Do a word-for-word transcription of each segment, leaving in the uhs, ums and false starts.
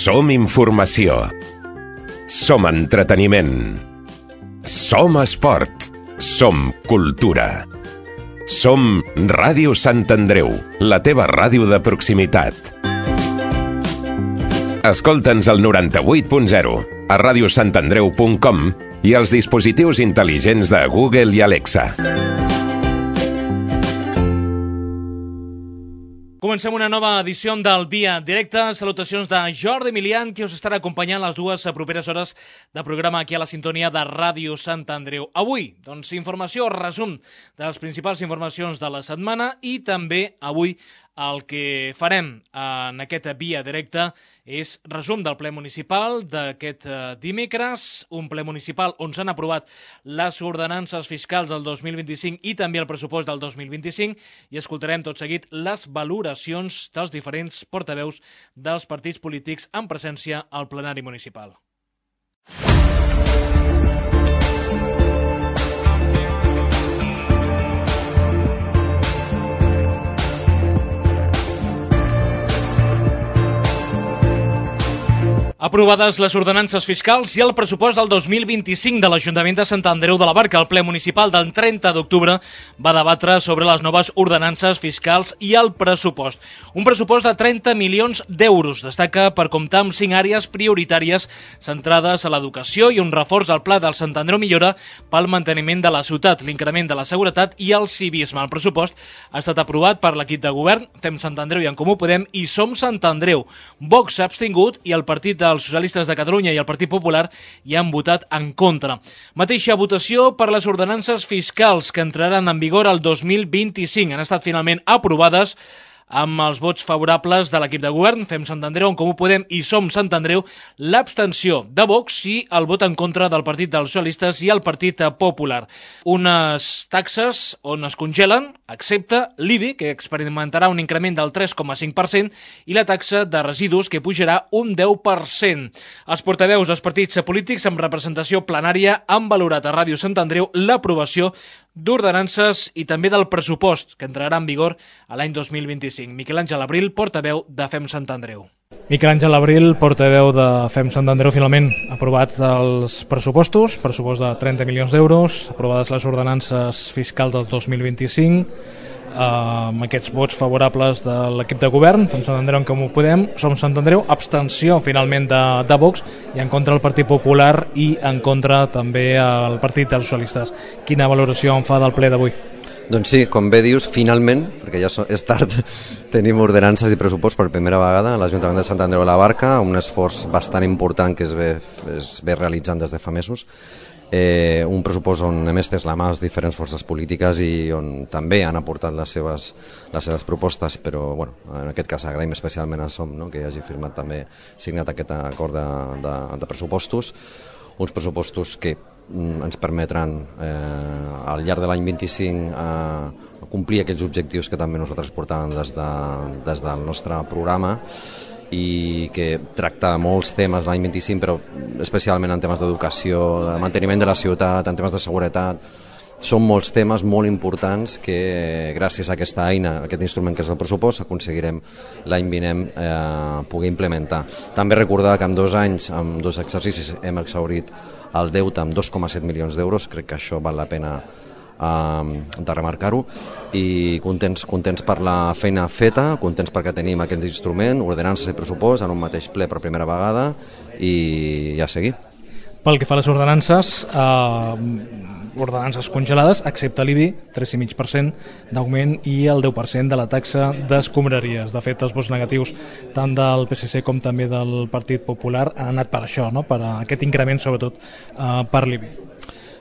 Som informació. Som entreteniment. Som esport. Som cultura. Som Ràdio Sant Andreu, la teva ràdio de proximitat. Escolta'ns al noranta-vuit punt zero, a ràdio sant andreu punt com i als dispositius intel·ligents de Google i Alexa. Comencem una nova edició del Via Directe. Salutacions de Jordi Milian, que us estarà acompanyant les dues properes hores de programa aquí a la sintonia de Ràdio Sant Andreu. Avui, doncs, informació, resum de les principals informacions de la setmana i també avui el que farem en aquest Via Directe és resum del ple municipal d'aquest dimecres, un ple municipal on s'han aprovat les ordenances fiscals del dos mil vint-i-cinc i també el pressupost del dos mil vint-i-cinc i escoltarem tot seguit les valoracions dels diferents portaveus dels partits polítics en presència al plenari municipal. Aprovades les ordenances fiscals i el pressupost del dos mil vint-i-cinc de l'Ajuntament de Sant Andreu de la Barca. El ple municipal del trenta d'octubre va debatre sobre les noves ordenances fiscals i el pressupost. Un pressupost de trenta milions d'euros. Destaca per comptar amb cinc àrees prioritàries centrades a l'educació i un reforç al pla del Sant Andreu Millora pel manteniment de la ciutat, l'increment de la seguretat i el civisme. El pressupost ha estat aprovat per l'equip de govern, Fem Sant Andreu i En Comú Podem i Som Sant Andreu. Vox s'ha abstingut i el partit de els socialistes de Catalunya i el Partit Popular hi han votat en contra. Mateixa votació per les ordenances fiscals que entraran en vigor el dos mil vint-i-cinc. Han estat finalment aprovades amb els vots favorables de l'equip de govern, Fem Sant Andreu, En Comú Podem i Som Sant Andreu, l'abstenció de Vox i el vot en contra del Partit dels Socialistes i el Partit Popular. Unes taxes on es congelen, excepte l'I B I, que experimentarà un increment del tres coma cinc per cent, i la taxa de residus, que pujarà un deu per cent. Els portaveus dels partits polítics amb representació plenària han valorat a Ràdio Sant Andreu l'aprovació d'ordenances i també del pressupost, que entrarà en vigor a l'any dos mil vint-i-cinc. Miquel Àngel Abril, portaveu de Fem Sant Andreu. Miquel Àngel Abril, portaveu de Fem Sant Andreu, finalment aprovat els pressupostos, pressupost de trenta milions d'euros, aprovades les ordenances fiscals del dos mil vint-i-cinc, amb aquests vots favorables de l'equip de govern, Fem Sant Andreu, En Comú Podem, Som Sant Andreu, abstenció finalment de, de Vox i en contra el Partit Popular i en contra també el Partit dels Socialistes. Quina valoració en fa del ple d'avui? Doncs sí, com bé dius, finalment, perquè ja és tard, tenim ordenances i pressupost per primera vegada a l'Ajuntament de Sant Andreu de la Barca, un esforç bastant important que es ve, es ve realitzant des de fa mesos. Eh, un pressupost on hem estès la mà a les diferents forces polítiques i on també han aportat les seves, les seves propostes, però bueno, en aquest cas agraïm especialment a Som, no?, que hagi firmat també, signat aquest acord de, de, de pressupostos, uns pressupostos que mm, ens permetran eh, al llarg de l'any vint-i-cinc eh, complir aquells objectius que també nosaltres portàvem des, de, des del nostre programa i que tracta molts temes l'any vint-i-cinc, però especialment en temes d'educació, de manteniment de la ciutat, en temes de seguretat. Són molts temes molt importants que gràcies a aquesta eina, a aquest instrument que és el pressupost, aconseguirem l'any vinent eh, poder implementar. També recordar que en dos anys, en dos exercicis, hem exhaurit el deute amb dos coma set milions d'euros, crec que això val la pena de remarcar-ho, i contents, contents per la feina feta, contents perquè tenim aquest instrument, ordenances i pressupost en un mateix ple per primera vegada i ja seguir. Pel que fa a les ordenances, eh, ordenances congelades, excepte l'I B I, tres coma cinc per cent d'augment i el deu per cent de la taxa d'escombraries. De fet, els vots negatius tant del P S C com també del Partit Popular han anat per això, no?, per aquest increment, sobretot eh, per l'I B I.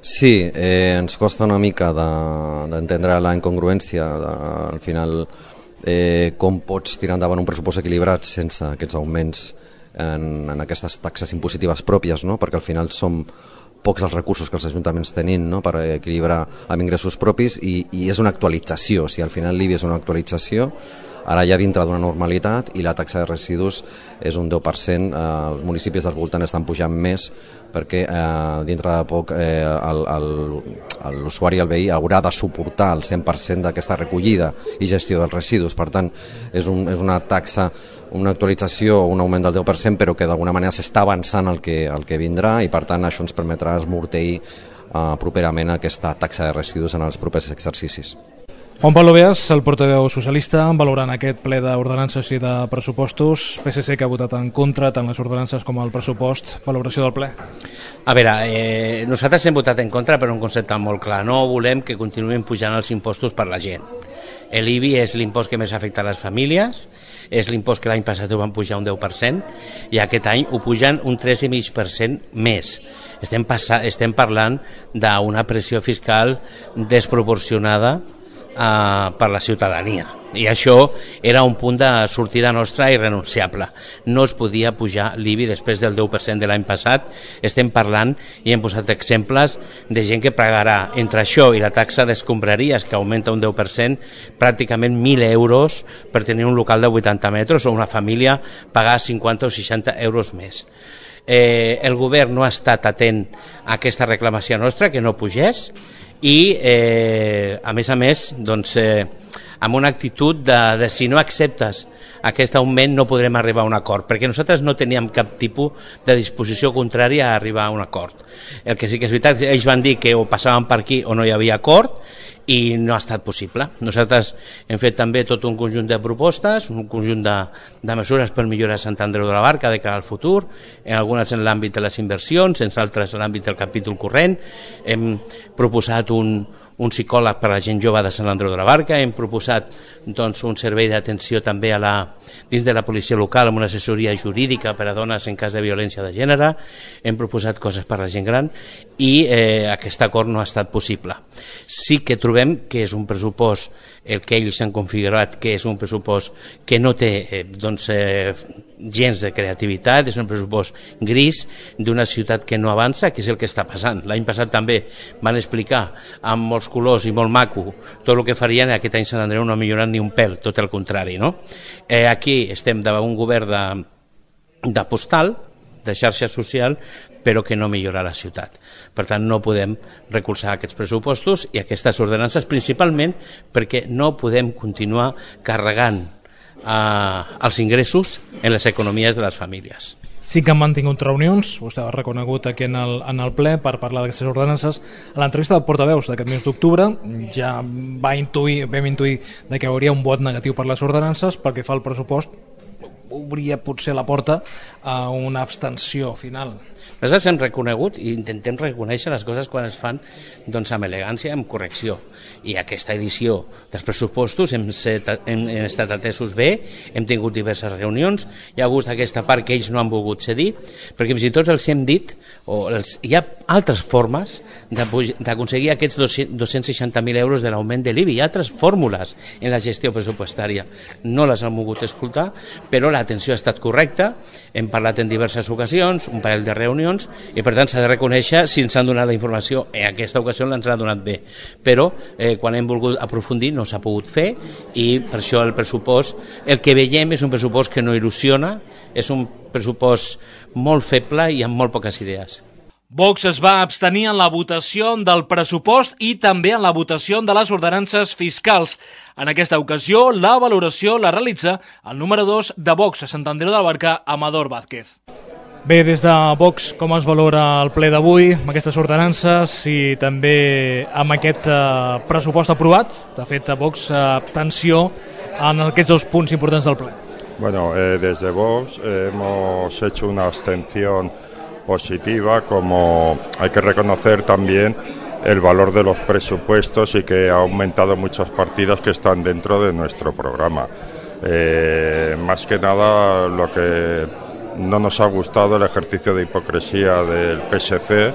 Sí, eh, ens costa una mica d'entendre de, la incongruència, de, al final eh, com pots tirar endavant un pressupost equilibrat sense aquests augments en, en aquestes taxes impositives pròpies, no?, perquè al final som pocs els recursos que els ajuntaments tenim, no?, per equilibrar amb ingressos propis i, i és una actualització, o sigui, al final l'I B I és una actualització ara ja dintre d'una normalitat, i la taxa de residus és un deu per cent. Eh, els municipis del voltant estan pujant més perquè eh, dintre de poc eh, l'usuari, el veí, haurà de suportar el cent per cent d'aquesta recollida i gestió dels residus. Per tant, és, un, és una taxa, una actualització, un augment del deu per cent, però que d'alguna manera s'està avançant el que, el que vindrà, i per tant això ens permetrà esmorteir eh, properament aquesta taxa de residus en els propers exercicis. Juan Pablo Beas, el portaveu socialista, valorant aquest ple d'ordenances i de pressupostos. P S C que ha votat en contra tant les ordenances com el pressupost. Valoració del ple? A veure, eh, nosaltres hem votat en contra per un concepte molt clar. No volem que continuïn pujant els impostos per la gent. L'I B I és l'impost que més afecta a les famílies, és l'impost que l'any passat ho van pujar un deu per cent i aquest any ho pugen un tres coma cinc per cent més. Estem, estem parlant d'una pressió fiscal desproporcionada Uh, per la ciutadania, i això era un punt de sortida nostra irrenunciable. No es podia pujar l'I B I després del deu per cent de l'any passat. Estem parlant i hem posat exemples de gent que pagarà entre això i la taxa d'escombraries, que augmenta un deu per cent, pràcticament mil euros per tenir un local de vuitanta metres, o una família pagar cinquanta o seixanta euros més. Eh, el govern no ha estat atent a aquesta reclamació nostra, que no pugés, i eh, a més a més doncs, eh, amb una actitud de, de si no acceptes aquest augment no podrem arribar a un acord, perquè nosaltres no teníem cap tipus de disposició contrària a arribar a un acord. El que sí que és veritat, ells van dir que o passaven per aquí o no hi havia acord, i no ha estat possible. Nosaltres hem fet també tot un conjunt de propostes, un conjunt de, de mesures per millorar Sant Andreu de la Barca de cara al futur, en algunes en l'àmbit de les inversions, en altres en l'àmbit del capítol corrent. Hem proposat un, un psicòleg per a la gent jove de Sant Andreu de la Barca, hem proposat doncs, un servei d'atenció també a la, dins de la policia local amb una assessoria jurídica per a dones en cas de violència de gènere, hem proposat coses per a la gent gran, i eh, aquest acord no ha estat possible. Sí que trobem que és un pressupost, el que ells han configurat, que és un pressupost que no té eh, doncs, eh, gens de creativitat, és un pressupost gris d'una ciutat que no avança, que és el que està passant. L'any passat també van explicar amb molts colors i molt maco tot el que farien, i aquest any Sant Andreu no ha millorat ni un pèl, tot el contrari, no? Eh, aquí estem davant un govern de, de postal, de xarxa social, però que no millora la ciutat. Per tant, no podem recolzar aquests pressupostos i aquestes ordenances, principalment perquè no podem continuar carregant eh, els ingressos en les economies de les famílies. Sí que han mantingut reunions, vostè ha reconegut aquí en el, en el ple per parlar d'aquestes ordenances. A l'entrevista de portaveus d'aquest mes d'octubre ja va intuir, vam intuir de que hi hauria un vot negatiu per les ordenances. Pel que fa al pressupost, obria potser la porta a una abstenció final. Nosaltres hem reconegut i intentem reconèixer les coses quan es fan doncs, amb elegància i amb correcció. I aquesta edició dels pressupostos hem, set, hem, hem estat atesos bé, hem tingut diverses reunions, hi ha hagut aquesta part que ells no han volgut cedir, perquè fins i tot els hem dit, o els, hi ha altres formes d'aconseguir aquests dos-cents seixanta mil euros de l'augment de l'I B I, hi ha altres fórmules en la gestió pressupostària. No les han volgut escoltar, però l'atenció ha estat correcta, hem parlat en diverses ocasions, un parell de reunions, i per tant s'ha de reconèixer si ens han donat la informació. En aquesta ocasió ens l'ha donat bé, però eh, quan hem volgut aprofundir no s'ha pogut fer, i per això el pressupost, el que veiem és un pressupost que no il·lusiona, és un pressupost molt feble i amb molt poques idees. Vox es va abstenir en la votació del pressupost i també en la votació de les ordenances fiscals. En aquesta ocasió, la valoració la realitza el número dos de Vox a Sant Andreu de la Barca, Amador Vázquez. Bé, des de Vox, com es valora el ple d'avui, amb aquestes ordenances i també amb aquest eh, pressupost aprovat? De fet, a Vox, eh, abstenció en aquests dos punts importants del ple. Bueno, eh, desde Vox eh, hemos hecho una abstención positiva, como hay que reconocer también el valor de los presupuestos y que ha aumentado muchas partidas que están dentro de nuestro programa. Eh, más que nada lo que no nos ha gustado el ejercicio de hipocresía del P S C,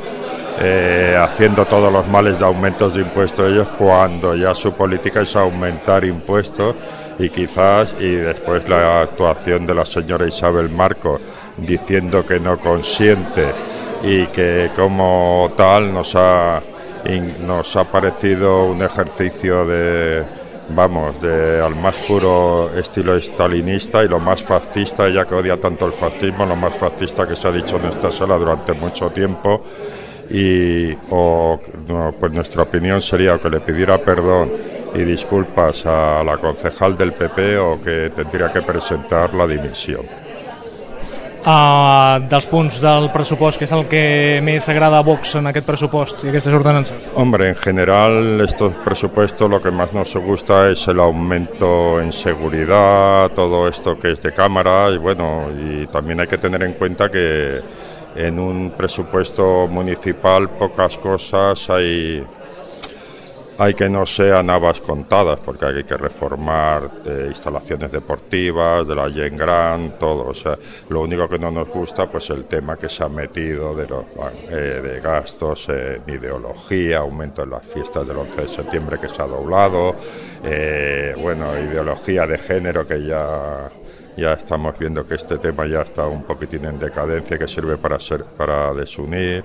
eh, haciendo todos los males de aumentos de impuestos ellos cuando ya su política es aumentar impuestos, y quizás, y después la actuación de la señora Isabel Marcos diciendo que no consiente y que como tal nos ha, nos ha parecido un ejercicio de, vamos, de, al más puro estilo stalinista y lo más fascista, ella que odia tanto el fascismo, lo más fascista que se ha dicho en esta sala durante mucho tiempo. Y o, no, pues nuestra opinión sería que le pidiera perdón y disculpas a la concejal del P P o que tendría que presentar la dimisión. Uh, dels punts del pressupost, que és el que més agrada a Vox en aquest pressupost i aquestes ordenances? Hombre, en general estos presupuestos lo que más nos gusta es el aumento en seguridad, todo esto que es de cámara y bueno, y también hay que tener en cuenta que en un presupuesto municipal pocas cosas hay hay que no sean habas contadas, porque hay que reformar eh, instalaciones deportivas, de la Gent Gran, todo. O sea, lo único que no nos gusta pues el tema que se ha metido de los eh, de gastos en ideología, aumento en las fiestas del once de septiembre que se ha doblado, eh, bueno, ideología de género que ya ya estamos viendo que este tema ya está un poquitín en decadencia, que sirve para ser para desunir.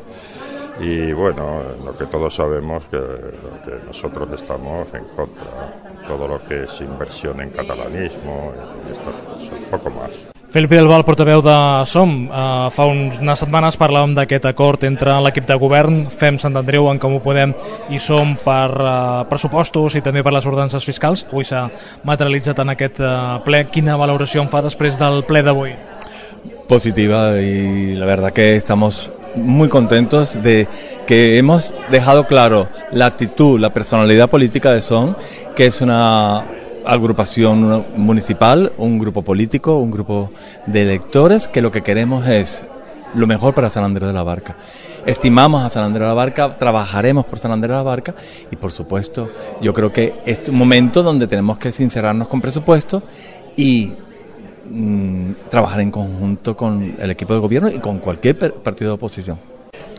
Y bueno, lo que todos sabemos que, lo que nosotros estamos en contra, todo lo que es inversión en catalanismo, y estas cosas, un poco más. Felipe Delval, portaveu de SOM, uh, fa unes setmanes parlàvem d'aquest acord entre l'equip de govern, Fem Sant Andreu, En Comú Podem i SOM per uh, pressupostos i també per les ordenances fiscals. Avui s'ha materialitzat en aquest uh, ple. Quina valoració en fa després del ple d'avui? Positiva, y la verdad que estamos muy contentos de que hemos dejado claro la actitud, la personalidad política de SOM, que es una agrupación municipal, un grupo político, un grupo de electores, que lo que queremos es lo mejor para San Andrés de la Barca. Estimamos a San Andrés de la Barca, trabajaremos por San Andrés de la Barca y por supuesto yo creo que este es un momento donde tenemos que sincerarnos con presupuesto y trabajar en conjunto con el equipo de gobierno i con cualquier partido d'oposició.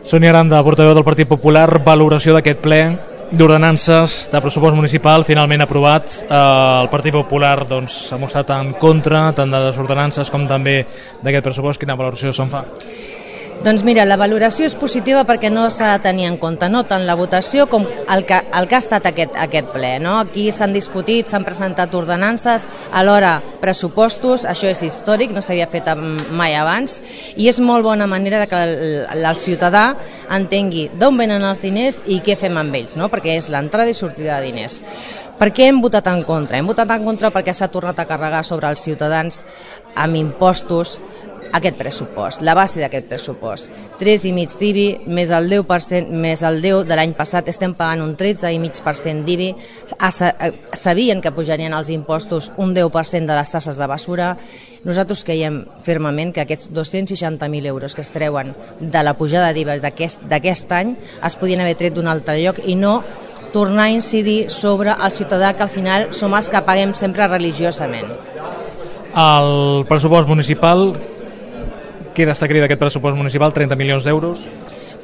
Sònia Aranda, portaveu del Partit Popular, valoració d'aquest ple d'ordenances de pressupost municipal finalment aprovat. Eh, el Partit Popular doncs, ha mostrat en contra tant de les ordenances com també d'aquest pressupost. Quina valoració se'n fa? Doncs mira, la valoració és positiva perquè no s'ha de tenir en compte no tant la votació com el que, el que ha estat aquest, aquest ple. No? Aquí s'han discutit, s'han presentat ordenances, alhora pressupostos, això és històric, no s'havia fet mai abans, i és molt bona manera de que el, el ciutadà entengui d'on venen els diners i què fem amb ells, no? Perquè és l'entrada i sortida de diners. Per què hem votat en contra? Hem votat en contra perquè s'ha tornat a carregar sobre els ciutadans amb impostos aquest pressupost, la base d'aquest pressupost. tres i mig d'I B I més el deu per cent, més el deu de l'any passat, estem pagant un tretze i mig per cent d'I B I, sabien que pujarien els impostos un deu per cent de les tasses de basura. Nosaltres creiem fermament que aquests dos-cents seixanta mil euros que es treuen de la pujada d'I V A d'aquest any es podien haver tret d'un altre lloc i no tornar a incidir sobre el ciutadà, que al final som els que paguem sempre religiosament. El pressupost municipal, què destacaria d'aquest pressupost municipal? trenta milions d'euros?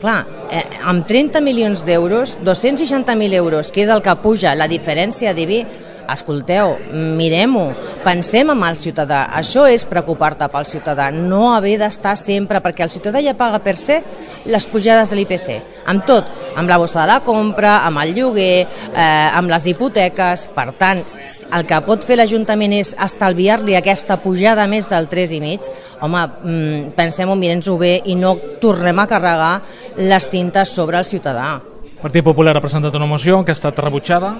Clar, eh, amb trenta milions d'euros, dos-cents seixanta mil euros, que és el que puja la diferència d'I B I, escolteu, mirem-ho, pensem en el ciutadà. Això és preocupar-te pel ciutadà, no haver d'estar sempre, perquè el ciutadà ja paga per ser les pujades de l'I P C, amb tot, amb la bossa de la compra, amb el lloguer, eh, amb les hipoteques. Per tant, el que pot fer l'Ajuntament és estalviar-li aquesta pujada més del tres i mig. Home, pensem-ho, mirem-ho bé i no tornem a carregar les tintes sobre el ciutadà. El Partit Popular ha presentat una moció que ha estat rebutjada.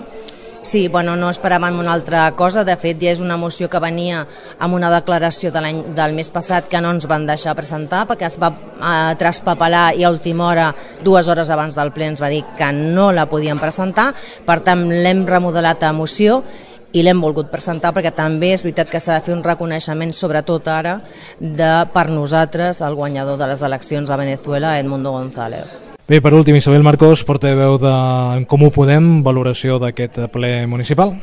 Sí, bueno, no esperàvem una altra cosa. De fet, ja és una moció que venia amb una declaració de l'any del mes passat que no ens van deixar presentar perquè es va eh, traspapelar i a última hora, dues hores abans del ple, ens va dir que no la podíem presentar. Per tant, l'hem remodelat a moció i l'hem volgut presentar perquè també és veritat que s'ha de fer un reconeixement, sobretot ara, de per nosaltres el guanyador de les eleccions a Venezuela, Edmundo González. Bé, per últim, Isabel Marcos, portaveu de En Comú Podem, valoració d'aquest ple municipal,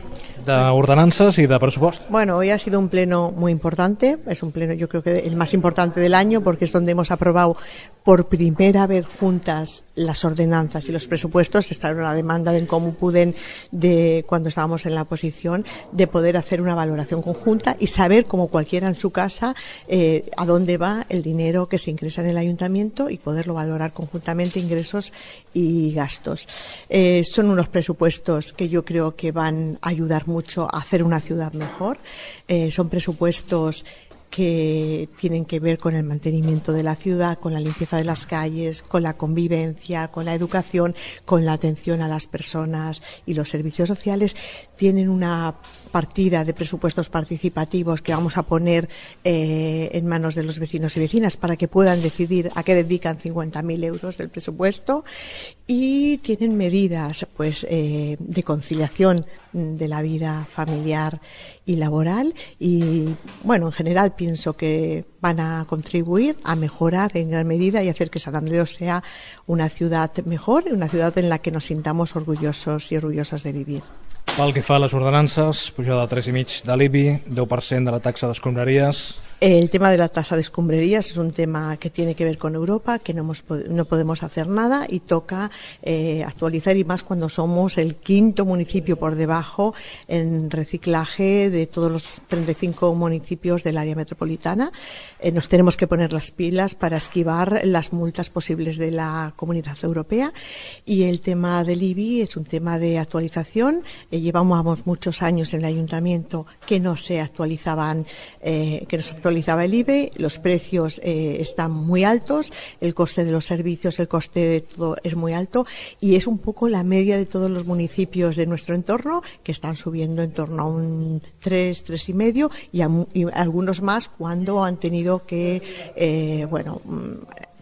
d'ordenanzas y de presupuesto. Bueno, hoy ha sido un pleno muy importante, es un pleno yo creo que el más importante del año porque es donde hemos aprobado por primera vez juntas las ordenanzas y los presupuestos. Esta era una demanda de En Comú Podem de cuando estábamos en la oposición, de poder hacer una valoración conjunta y saber, como cualquiera en su casa, eh, a dónde va el dinero que se ingresa en el ayuntamiento y poderlo valorar conjuntamente, ingresos y gastos. Eh, son unos presupuestos que yo creo que van a ayudar mucho a hacer una ciudad mejor. Eh, son presupuestos que tienen que ver con el mantenimiento de la ciudad, con la limpieza de las calles, con la convivencia, con la educación, con la atención a las personas y los servicios sociales. Tienen una partida de presupuestos participativos que vamos a poner eh, en manos de los vecinos y vecinas para que puedan decidir a qué dedican cincuenta mil euros del presupuesto, y tienen medidas pues eh, de conciliación de la vida familiar y laboral, y bueno, en general pienso que van a contribuir a mejorar en gran medida y hacer que Sant Andreu sea una ciudad mejor, una ciudad en la que nos sintamos orgullosos y orgullosas de vivir. Pel que fa a les ordenances, pujada de tres i mig de l'I B I, deu per cent de la taxa d'escombraries. El tema de la tasa de escombrerías es un tema que tiene que ver con Europa, que no, hemos, no podemos hacer nada y toca eh, actualizar, y más cuando somos el quinto municipio por debajo en reciclaje de todos los treinta y cinco municipios del área metropolitana. Eh, nos tenemos que poner las pilas para esquivar las multas posibles de la Comunidad Europea, y el tema del I B I es un tema de actualización. Eh, llevamos muchos años en el ayuntamiento que no se actualizaban, eh, que no se actualizaban actualizaba el I B I, los precios eh, están muy altos, el coste de los servicios, el coste de todo es muy alto, y es un poco la media de todos los municipios de nuestro entorno, que están subiendo en torno a un tres, tres y medio, y, a, y algunos más cuando han tenido que, eh, bueno,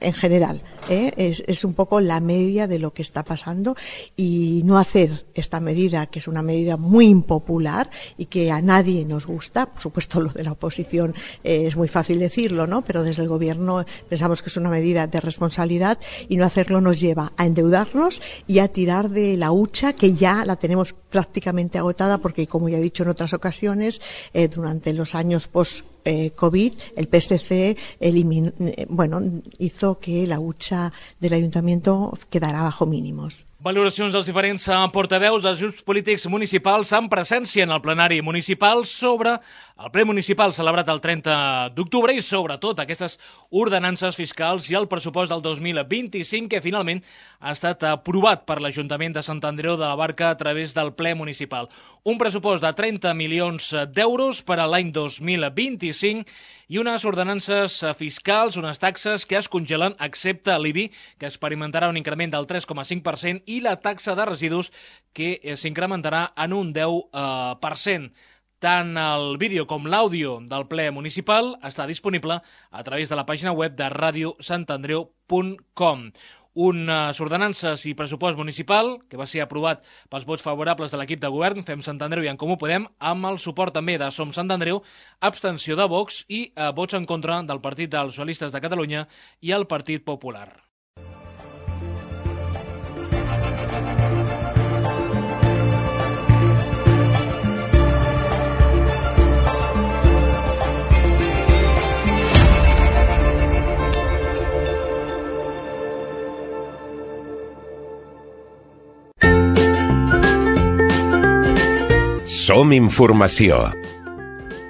en general, ¿eh? es, es un poco la media de lo que está pasando, y no hacer esta medida, que es una medida muy impopular y que a nadie nos gusta. Por supuesto, lo de la oposición eh, es muy fácil decirlo, ¿no? Pero desde el gobierno pensamos que es una medida de responsabilidad, y no hacerlo nos lleva a endeudarnos y a tirar de la hucha que ya la tenemos prácticamente agotada, porque, como ya he dicho en otras ocasiones, eh, durante los años post Eh, COVID, el P S C eliminó, eh, bueno, hizo que la hucha del ayuntamiento quedara bajo mínimos. Valoracions dels diferents portaveus dels grups polítics municipals en presència en el plenari municipal sobre el ple municipal celebrat el trenta d'octubre i sobretot aquestes ordenances fiscals i el pressupost del dos mil vint-i-cinc, que finalment ha estat aprovat per l'Ajuntament de Sant Andreu de la Barca a través del ple municipal. Un pressupost de trenta milions d'euros per a l'any dos mil vint-i-cinc i unes ordenances fiscals, unes taxes que es congelen, excepte l'I B I, que experimentarà un increment del tres coma cinc per cent, i la taxa de residus, que s'incrementarà en un deu per cent. Tant el vídeo com l'àudio del ple municipal està disponible a través de la pàgina web de radio sant andreu punt com. Unes ordenances i pressupost municipal que va ser aprovat pels vots favorables de l'equip de govern, Fem Sant Andreu i En Comú Podem, amb el suport també de Som Sant Andreu, abstenció de Vox i eh, vots en contra del Partit dels Socialistes de Catalunya i el Partit Popular. Som informació.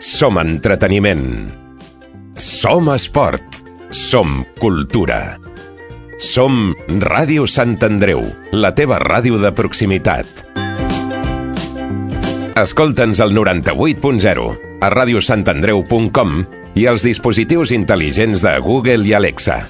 Som entreteniment. Som esport. Som cultura. Som Ràdio Sant Andreu, la teva ràdio de proximitat. Escolta'ns al noranta-vuit punt zero, a radio sant andreu punt com i als dispositius intel·ligents de Google i Alexa.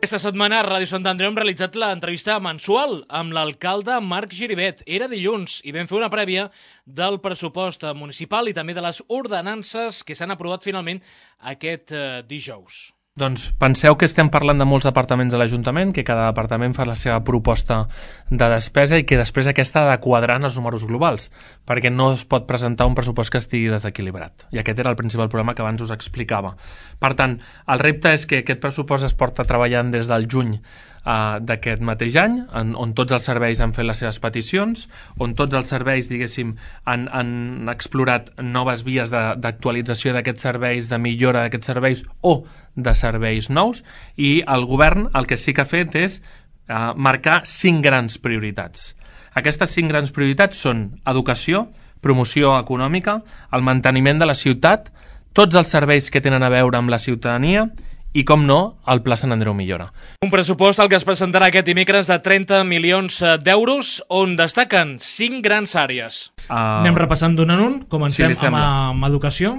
Aquesta setmana a Ràdio Sant Andreu hem realitzat l'entrevista mensual amb l'alcalde Marc Giribet. Era dilluns i vam fer una prèvia del pressupost municipal i també de les ordenances que s'han aprovat finalment aquest eh, dijous. Doncs penseu que estem parlant de molts departaments de l'Ajuntament, que cada departament fa la seva proposta de despesa i que després aquesta ha de quadrar en els números globals, perquè no es pot presentar un pressupost que estigui desequilibrat. I aquest era el principal problema que abans us explicava. Per tant, el repte és que aquest pressupost es porta treballant des del juny Uh, d'aquest mateix any, en, on tots els serveis han fet les seves peticions, on tots els serveis, diguéssim, han, han explorat noves vies d'actualització d'aquests serveis, de millora d'aquests serveis o de serveis nous, i el govern el que sí que ha fet és uh, marcar cinc grans prioritats. Aquestes cinc grans prioritats són educació, promoció econòmica, el manteniment de la ciutat, tots els serveis que tenen a veure amb la ciutadania i, com no, el Pla Sant Andreu Millora. Un pressupost al que es presentarà aquest dimecres de trenta milions d'euros, on destaquen cinc grans àrees. Uh, Anem repassant d'un en un. Comencem si amb, amb educació.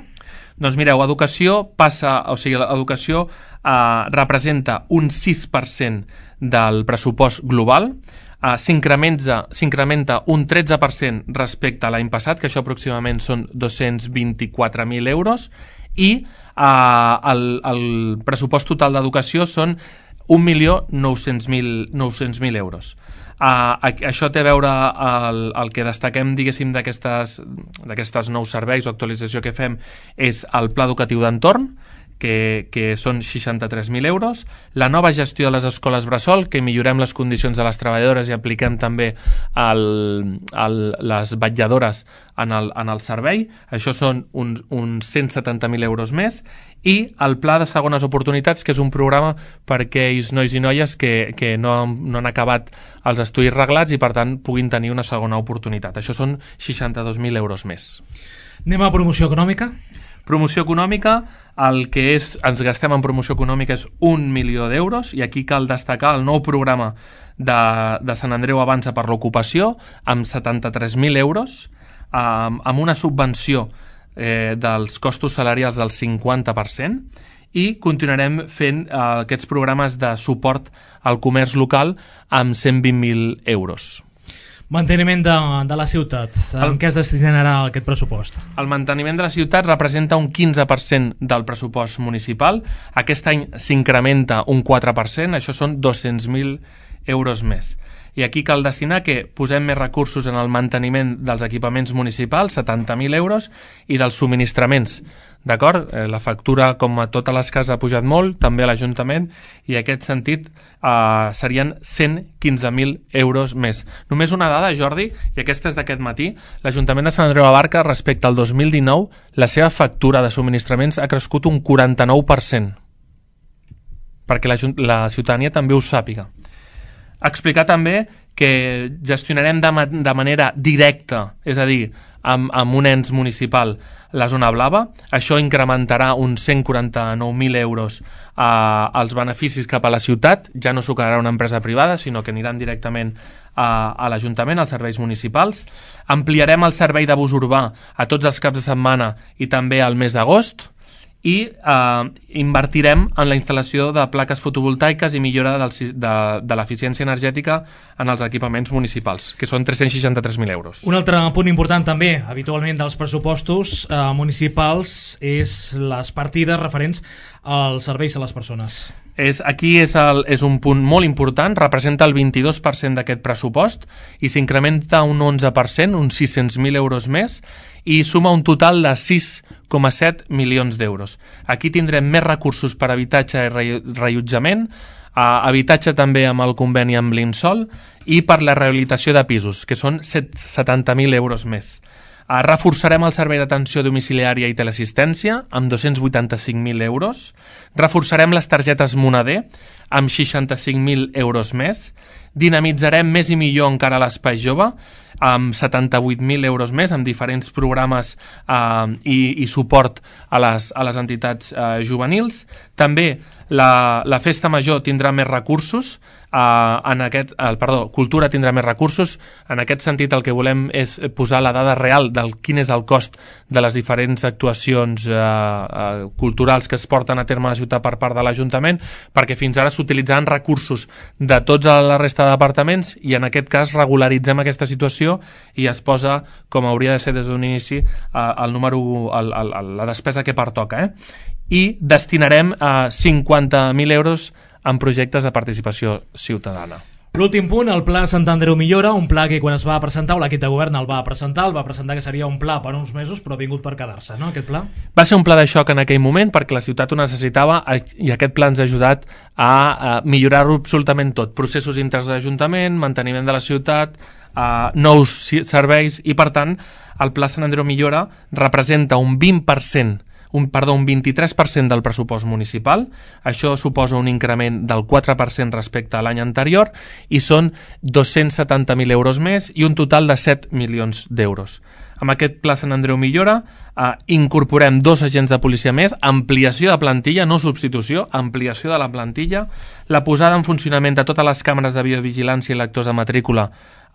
Doncs mireu, educació passa, o sigui, l'educació uh, representa un sis per cent del pressupost global, uh, s'incrementa, s'incrementa un tretze per cent respecte a l'any passat, que això aproximadament són dos-cents vint-i-quatre mil euros, i uh, el, el pressupost total d'educació són un milió nou-cents mil euros. Uh, això té a veure el, el que destaquem, diguéssim, d'aquestes d'aquestes nous serveis o actualització que fem és el pla educatiu d'entorn, que, que són seixanta-tres mil euros, la nova gestió de les escoles bressol, que millorem les condicions de les treballadores i apliquem també el, el, les vetlladores en el, en el servei, això són uns, uns cent setanta mil euros més, i el pla de segones oportunitats, que és un programa per a aquells nois i noies que, que no, no han acabat els estudis reglats i per tant puguin tenir una segona oportunitat. Això són seixanta-dos mil euros més. Anem a promoció econòmica. Promoció econòmica, el que és, ens gastem en promoció econòmica és un milió d'euros, i aquí cal destacar el nou programa de, de Sant Andreu Avança per l'ocupació amb setanta-tres mil euros, amb, amb una subvenció eh, dels costos salarials del cinquanta per cent, i continuarem fent eh, aquests programes de suport al comerç local amb cent vint mil euros. Manteniment de, de la ciutat. En què es destinarà aquest pressupost? El manteniment de la ciutat representa un quinze per cent del pressupost municipal. Aquest any s'incrementa un quatre per cent, això són dos-cents mil euros més. I aquí cal destinar que posem més recursos en el manteniment dels equipaments municipals, setanta mil euros, i dels subministraments. D'acord? Eh, la factura, com a totes les cases, ha pujat molt, també a l'Ajuntament, i en aquest sentit eh, serien cent quinze mil euros més. Només una dada, Jordi, i aquesta és d'aquest matí, l'Ajuntament de Sant Andreu de la Barca, respecte al dos mil dinou, la seva factura de subministraments ha crescut un quaranta-nou per cent, perquè la, la ciutadania també ho sàpiga. Explicar també que gestionarem de, ma de manera directa, és a dir, amb, amb un ens municipal, la zona blava. Això incrementarà uns cent quaranta-nou mil euros eh, als beneficis cap a la ciutat. Ja no s'ho quedarà una empresa privada, sinó que aniran directament a, a l'Ajuntament, als serveis municipals. Ampliarem el servei de bus urbà a tots els caps de setmana i també al mes d'agost. I eh, invertirem en la instal·lació de plaques fotovoltaiques i millora del, de, de l'eficiència energètica en els equipaments municipals, que són tres-cents seixanta-tres mil euros. Un altre punt important també, habitualment, dels pressupostos eh, municipals és les partides referents als serveis a les persones. És, aquí és, el, és un punt molt important, representa el vint-i-dos per cent d'aquest pressupost i s'incrementa un onze per cent, uns sis-cents mil euros més, i suma un total de sis coma set milions d'euros. Aquí tindrem més recursos per habitatge i reallotjament, habitatge també amb el conveni amb l'Insol, i per la rehabilitació de pisos, que són setanta mil euros més. Uh, reforçarem el servei d'atenció domiciliària i teleassistència amb dos-cents vuitanta-cinc mil euros. Reforçarem les targetes Moneder amb seixanta-cinc mil euros més. Dinamitzarem més i millor encara l'espai jove amb setanta-vuit mil euros més, amb diferents programes uh, i, i suport a les, a les entitats uh, juvenils. També la, la festa major tindrà més recursos, Uh, en aquest, uh, perdó, cultura tindrà més recursos. En aquest sentit el que volem és posar la dada real del quin és el cost de les diferents actuacions uh, uh, culturals que es porten a terme a la ciutat per part de l'Ajuntament, perquè fins ara s'utilitzaven recursos de tots a la resta de departaments i en aquest cas regularitzem aquesta situació i es posa, com hauria de ser des d'un inici, uh, el número, el, el, el, la despesa que pertoca, eh? I destinarem uh, cinquanta mil euros en projectes de participació ciutadana. L'últim punt, el Pla Sant Andreu Millora, un pla que quan es va presentar, o l'equip de govern el va presentar, el va presentar que seria un pla per uns mesos, però ha vingut per quedar-se, no, aquest pla? Va ser un pla de xoc en aquell moment perquè la ciutat ho necessitava i aquest pla ens ha ajudat a, a millorar-ho absolutament tot. Processos interns de l'Ajuntament, manteniment de la ciutat, a nous serveis i, per tant, el Pla Sant Andreu Millora representa un vint per cent un, perdó, un vint-i-tres per cent del pressupost municipal. Això suposa un increment del quatre per cent respecte a l'any anterior i són dos-cents setanta mil euros més i un total de set milions d'euros. Amb aquest Pla Sant Andreu Millora eh, incorporem dos agents de policia més, ampliació de plantilla, no substitució, ampliació de la plantilla, la posada en funcionament de totes les càmeres de videovigilància i lectors de matrícula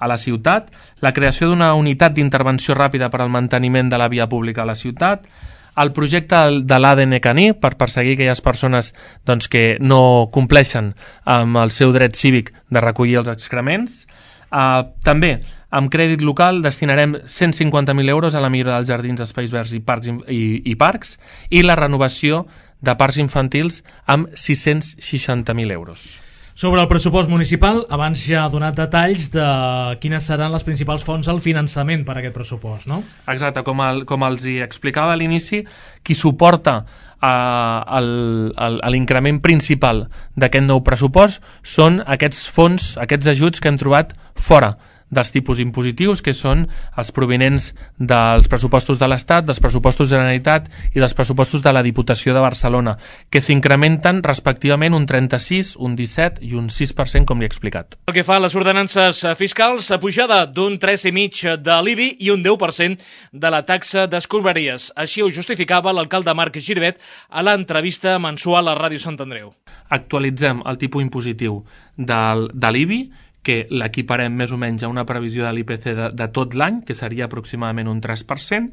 a la ciutat, la creació d'una unitat d'intervenció ràpida per al manteniment de la via pública a la ciutat, el projecte de l'A D N caní per perseguir aquelles persones doncs, que no compleixen amb el seu dret cívic de recollir els excrements. Uh, també, amb crèdit local destinarem cent cinquanta mil euros a la millora dels jardins, espais verds i parcs, i, i parcs i la renovació de parcs infantils amb sis-cents seixanta mil euros. Sobre el pressupost municipal, abans ja ha donat detalls de quines seran les principals fonts al finançament per a aquest pressupost, no? Exacte, com, el, com els hi explicava a l'inici, qui suporta uh, l'increment principal d'aquest nou pressupost són aquests fons, aquests ajuts que hem trobat fora dels tipus impositius, que són els provinents dels pressupostos de l'Estat, dels pressupostos de la Generalitat i dels pressupostos de la Diputació de Barcelona, que s'incrementen respectivament un trenta-sis, un disset i un sis per cent, com li he explicat. El que fa a les ordenances fiscals, pujada d'un tres coma cinc de l'I B I i un deu per cent de la taxa d'escombraries. Així ho justificava l'alcalde Marc Giribet a l'entrevista mensual a Ràdio Sant Andreu. Actualitzem el tipus impositiu del, de l'I B I, que l'equiparem més o menys a una previsió de l'I P C de, de tot l'any, que seria aproximadament un tres per cent,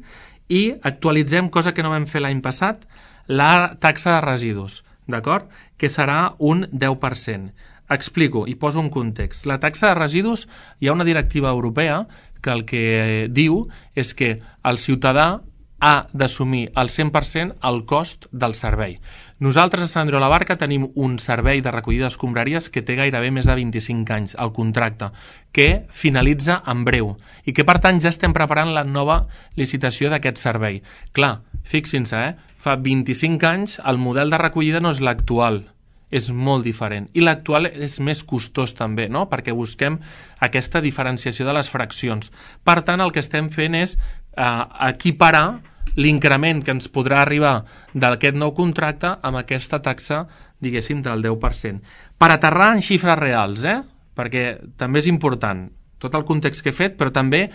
i actualitzem, cosa que no vam fer l'any passat, la taxa de residus, d'acord? Que serà un deu per cent. Explico i poso un context. La taxa de residus, hi ha una directiva europea que el que diu és que el ciutadà ha d'assumir al cent per cent el cost del servei. Nosaltres a Sant Andreu de la Barca tenim un servei de recollida d'escombraries que té gairebé més de vint-i-cinc anys, el contracte, que finalitza en breu i que per tant ja estem preparant la nova licitació d'aquest servei. Clar, fixin-se, eh? Fa vint-i-cinc anys el model de recollida no és l'actual, és molt diferent. I l'actual és més costós també, no? Perquè busquem aquesta diferenciació de les fraccions. Per tant, el que estem fent és eh, equiparar l'increment que ens podrà arribar d'aquest nou contracte amb aquesta taxa, diguéssim, del deu per cent. Per aterrar en xifres reals, eh? Perquè també és important tot el context que he fet, però també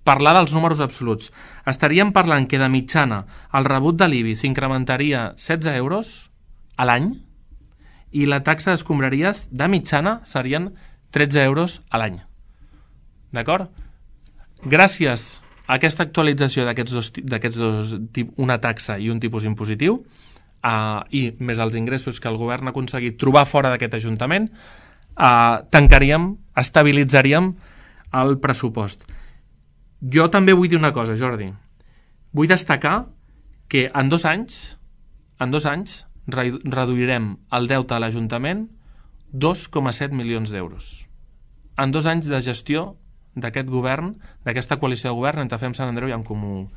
parlar dels números absoluts. Estaríem parlant que de mitjana el rebut de l'I B I s'incrementaria setze euros a l'any i la taxa d'escombraries de mitjana serien tretze euros a l'any. D'acord? Gràcies a aquesta actualització d'aquests dos, d'aquests dos, una taxa i un tipus impositiu, uh, i més els ingressos que el govern ha aconseguit trobar fora d'aquest Ajuntament, uh, tancaríem, estabilitzaríem el pressupost. Jo també vull dir una cosa, Jordi. Vull destacar que en dos anys, en dos anys reduirem el deute a l'Ajuntament dos coma set milions d'euros. En dos anys de gestió d'aquest govern, d'aquesta coalició de govern entre Fem Sant Andreu i en Comú,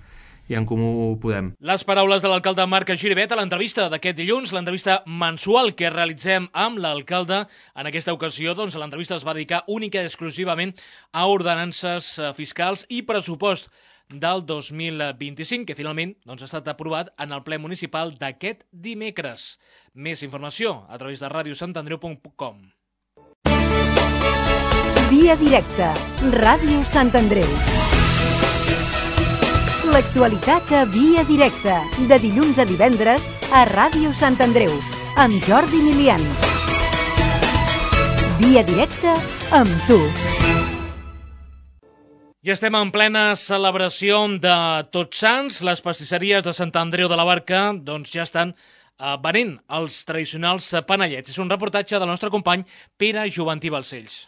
i en Comú Podem. Les paraules de l'alcalde Marc Giribet a l'entrevista d'aquest dilluns, l'entrevista mensual que realitzem amb l'alcalde. En aquesta ocasió, doncs, l'entrevista es va dedicar única i exclusivament a ordenances fiscals i pressupost del dos mil vint-i-cinc, que finalment doncs, ha estat aprovat en el ple municipal d'aquest dimecres. Més informació a través de ràdio sant andreu punt com. Via directa, Ràdio Sant Andreu. L'actualitat a Via directa, de dilluns a divendres a Ràdio Sant Andreu, amb Jordi Milian. Via directa amb tu. I estem en plena celebració de Tots Sants. Les pastisseries de Sant Andreu de la Barca doncs, ja estan eh, venent els tradicionals panellets. És un reportatge del nostre company Pere Joventí Balcells.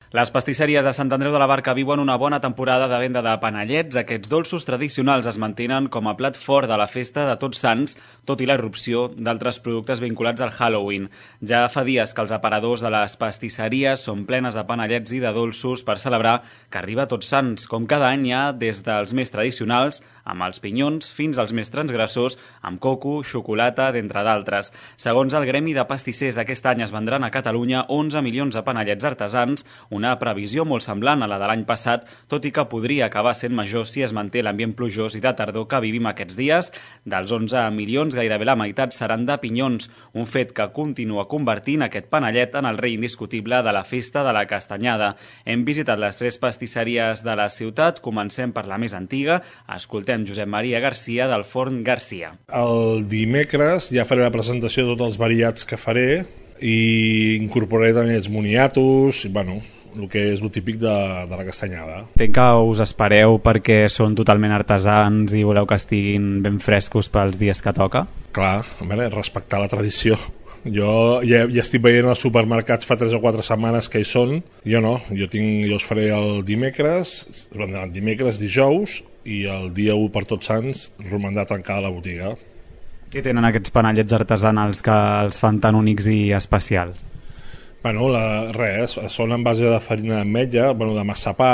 Les pastisseries de Sant Andreu de la Barca viuen una bona temporada de venda de panellets. Aquests dolços tradicionals es mantenen com a plat fort de la festa de Tots Sants, tot i la irrupció d'altres productes vinculats al Halloween. Ja fa dies que els aparadors de les pastisseries són plenes de panellets i de dolços per celebrar que arriba Tots Sants. Com cada any hi ha des dels més tradicionals, amb els pinyons, fins als més transgressors, amb coco, xocolata, d'entre d'altres. Segons el Gremi de Pastissers, aquest any es vendran a Catalunya onze milions de panellets artesans, una previsió molt semblant a la de l'any passat, tot i que podria acabar sent major si es manté l'ambient plujós i de tardor que vivim aquests dies. Dels onze milions, gairebé la meitat seran de pinyons, un fet que continua convertint aquest panellet en el rei indiscutible de la festa de la castanyada. Hem visitat les tres pastisseries de la ciutat, comencem per la més antiga, escoltem Josep Maria Garcia del Forn Garcia. El dimecres ja faré la presentació de tots els variats que faré i incorporaré també els moniatos, bueno, el que és el típic de, de la castanyada. Entenc que us espereu perquè són totalment artesans i voleu que estiguin ben frescos pels dies que toca? Clar, a veure, respectar la tradició. Jo ja, ja estic veient als supermercats fa tres o quatre setmanes que hi són. Jo no, jo, tinc, jo els faré el dimecres, es vendran dimecres, dijous, i el dia u per Tots Sants romandrà tancada la botiga. Què tenen aquests panellets artesanals que els fan tan únics i especials? Bueno, la, res, són en base de farina d'ametlla, bueno, de massapà,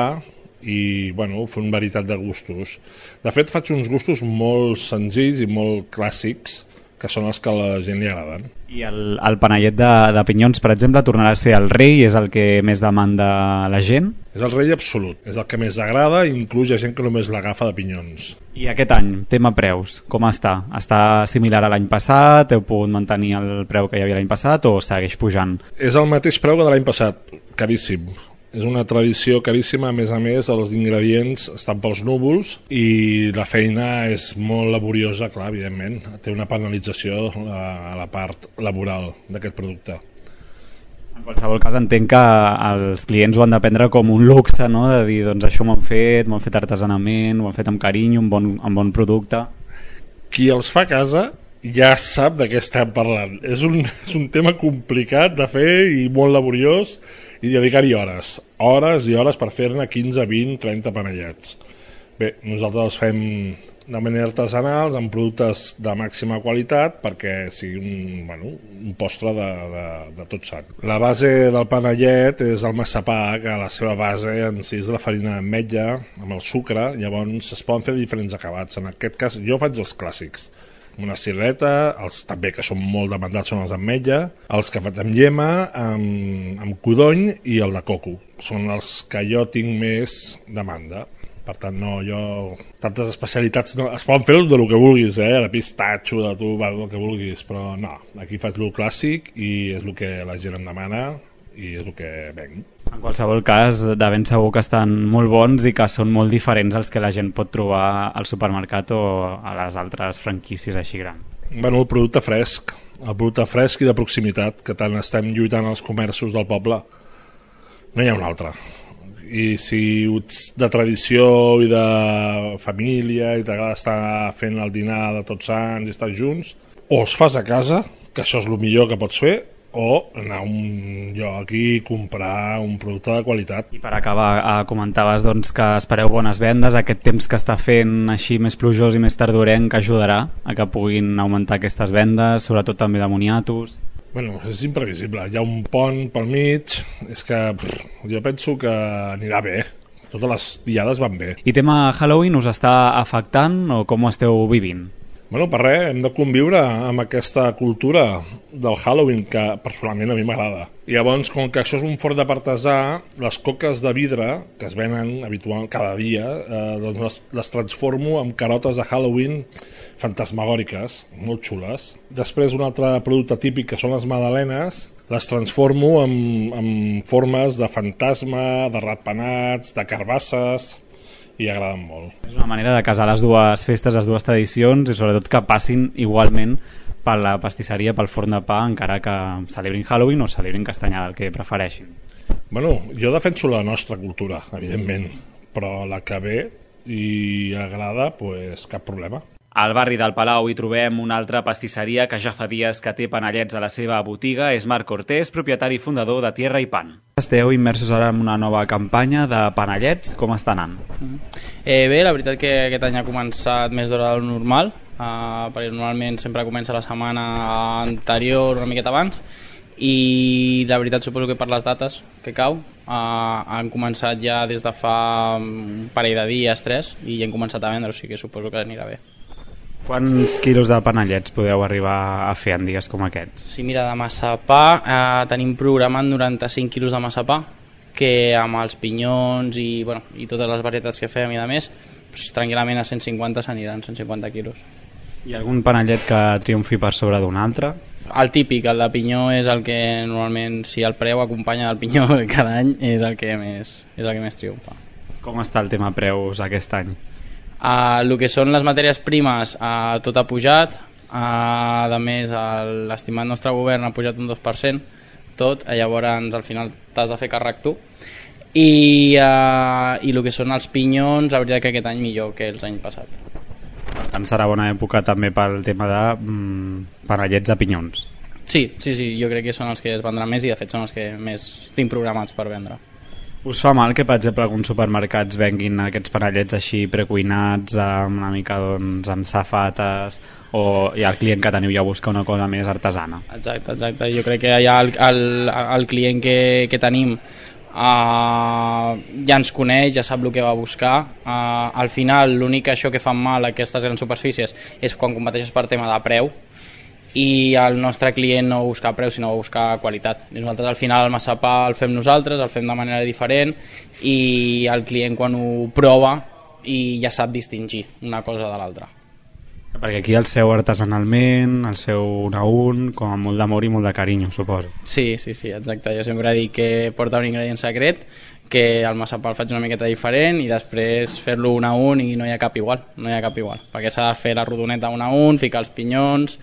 i bueno, fer una varietat de gustos. De fet, faig uns gustos molt senzills i molt clàssics, que són els que a la gent li agraden. I el, el panellet de, de pinyons, per exemple, tornarà a ser el rei? És el que més demanda la gent? És el rei absolut, és el que més agrada, i inclús hi ha gent que només l'agafa de pinyons. I aquest any, tema preus, com està? Està similar a l'any passat? Heu pogut mantenir el preu que hi havia l'any passat o segueix pujant? És el mateix preu que de l'any passat, caríssim. És una tradició caríssima, a més a més els ingredients estan pels núvols i la feina és molt laboriosa, clar, evidentment. Té una penalització a la part laboral d'aquest producte. En qualsevol cas entenc que els clients ho han de prendre com un luxe, no? De dir, doncs això m'ho han fet, m'ho han fet artesanament, ho han fet amb carinyo, amb bon, amb bon producte. Qui els fa a casa ja sap de què estem parlant. És un, és un tema complicat de fer i molt laboriós, i dedicar-hi hores, hores i hores per fer-ne quinze, vint, trenta panellets. Bé, nosaltres els fem de manera artesanal, amb productes de màxima qualitat, perquè sigui un, bueno, un postre de, de, de tot sant. La base del panellet és el massapà, que la seva base en si és de la farina d'ametlla, amb el sucre, llavors es poden fer diferents acabats. En aquest cas, jo faig els clàssics, una cirreta, els també que són molt demandats són els d'ametlla, els que faig amb llema, amb, amb codony i el de coco. Són els que jo tinc més demanda. Per tant, no, jo... Tantes especialitats no... Es poden fer de lo que vulguis, eh? De pistatxo, de tu, el que vulguis, però no. Aquí faig lo clàssic i és el que la gent em demana i és el que venc. En qualsevol cas, de ben segur que estan molt bons i que són molt diferents als que la gent pot trobar al supermercat o a les altres franquícies així grans. Bueno, el producte fresc, el producte fresc i de proximitat, que tant estem lluitant als comerços del poble. No hi ha un altre. I si ets de tradició i de família i t'agrada estar fent el dinar de Tots Sants i estar junts, o els fas a casa, que això és el millor que pots fer, o anar a un lloc i comprar un producte de qualitat. I per acabar, eh, comentaves doncs, que espereu bones vendes, aquest temps que està fent així més plujós i més tardorenc que ajudarà a que puguin augmentar aquestes vendes, sobretot també de moniatos. Bueno, és imprevisible, hi ha un pont pel mig, és que pff, jo penso que anirà bé, totes les diades van bé. I tema Halloween us està afectant o com ho esteu vivint? Bueno, per res, hem de conviure amb aquesta cultura del Halloween, que personalment a mi m'agrada. I llavors, com que això és un forn de artesà, les coques de vidre, que es venen habitualment cada dia, eh, doncs les, les transformo en carotes de Halloween fantasmagòriques, molt xules. Després, un altre producte típic, que són les magdalenes, les transformo en, en formes de fantasma, de ratpenats, de carbasses, i agraden molt. És una manera de casar les dues festes, les dues tradicions, i sobretot que passin igualment per la pastisseria, pel forn de pa, encara que celebrin Halloween o celebrin castanyada, el que prefereixin. Bueno, jo defenso la nostra cultura, evidentment, però la que ve i agrada, pues, cap problema. Al barri del Palau hi trobem una altra pastisseria que ja fa dies que té panellets a la seva botiga. És Marc Cortés, propietari i fundador de Tierra i Pan. Esteu immersos ara en una nova campanya de panellets. Com està anant? Eh, bé, la veritat que aquest any ha començat més d'hora del normal, eh, perquè normalment sempre comença la setmana anterior, una miqueta abans, i la veritat suposo que per les dates que cau eh, han començat ja des de fa un parell de dies, tres, i ja han començat a vendre, o sigui que suposo que anirà bé. Quants quilos de panellets podeu arribar a fer en dies com aquests? Sí, mira, de massapà eh, tenim programat noranta-cinc quilos de massapà que amb els pinyons i, bueno, i totes les varietats que fem i de més, pues, tranquil·lament a cent cinquanta s'aniran, cent cinquanta quilos. Hi ha algun panellet que triomfi per sobre d'un altre? El típic, el de pinyó, és el que normalment, si el preu acompanya del pinyó cada any, és el que més, és el que més triomfa. Com està el tema preus aquest any? Uh, el que són les matèries primes, uh, tot ha pujat, uh, a més l'estimat nostre govern ha pujat un dos per cent, tot, llavors al final t'has de fer càrrec tu, i, uh, i el que són els pinyons, la veritat que aquest any millor que els anys passats. Per tant, serà bona època també pel tema de mm, panellets de pinyons. Sí, sí, sí, jo crec que són els que es vendran més i de fet són els que més tinc programats per vendre. Us fa mal que, per exemple, alguns supermercats venguin aquests panellets així precuinats, amb una mica doncs, amb safates, o ja el client que teniu ja busca una cosa més artesana? Exacte, exacte. Jo crec que ja el, el, el client que, que tenim Uh, ja ens coneix, ja sap el que va a buscar. Uh, al final l'únic això que fan mal a aquestes grans superfícies és quan competeixes per tema de preu, i el nostre client no busca preu sinó busca qualitat. I nosaltres al final el massapà el fem nosaltres, el fem de manera diferent, i el client quan ho prova i ja sap distingir una cosa de l'altra. Perquè aquí el seu artesanalment, el seu un a un, com amb molt d'amor i molt de carinyo, suposo. Sí, sí, sí, exacte. Jo sempre dic que porta un ingredient secret, que el massapà el faig una miqueta diferent i després fer-lo un a un i no hi ha cap igual, no hi ha cap igual. Perquè s'ha de fer la rodoneta un a un, ficar els pinyons,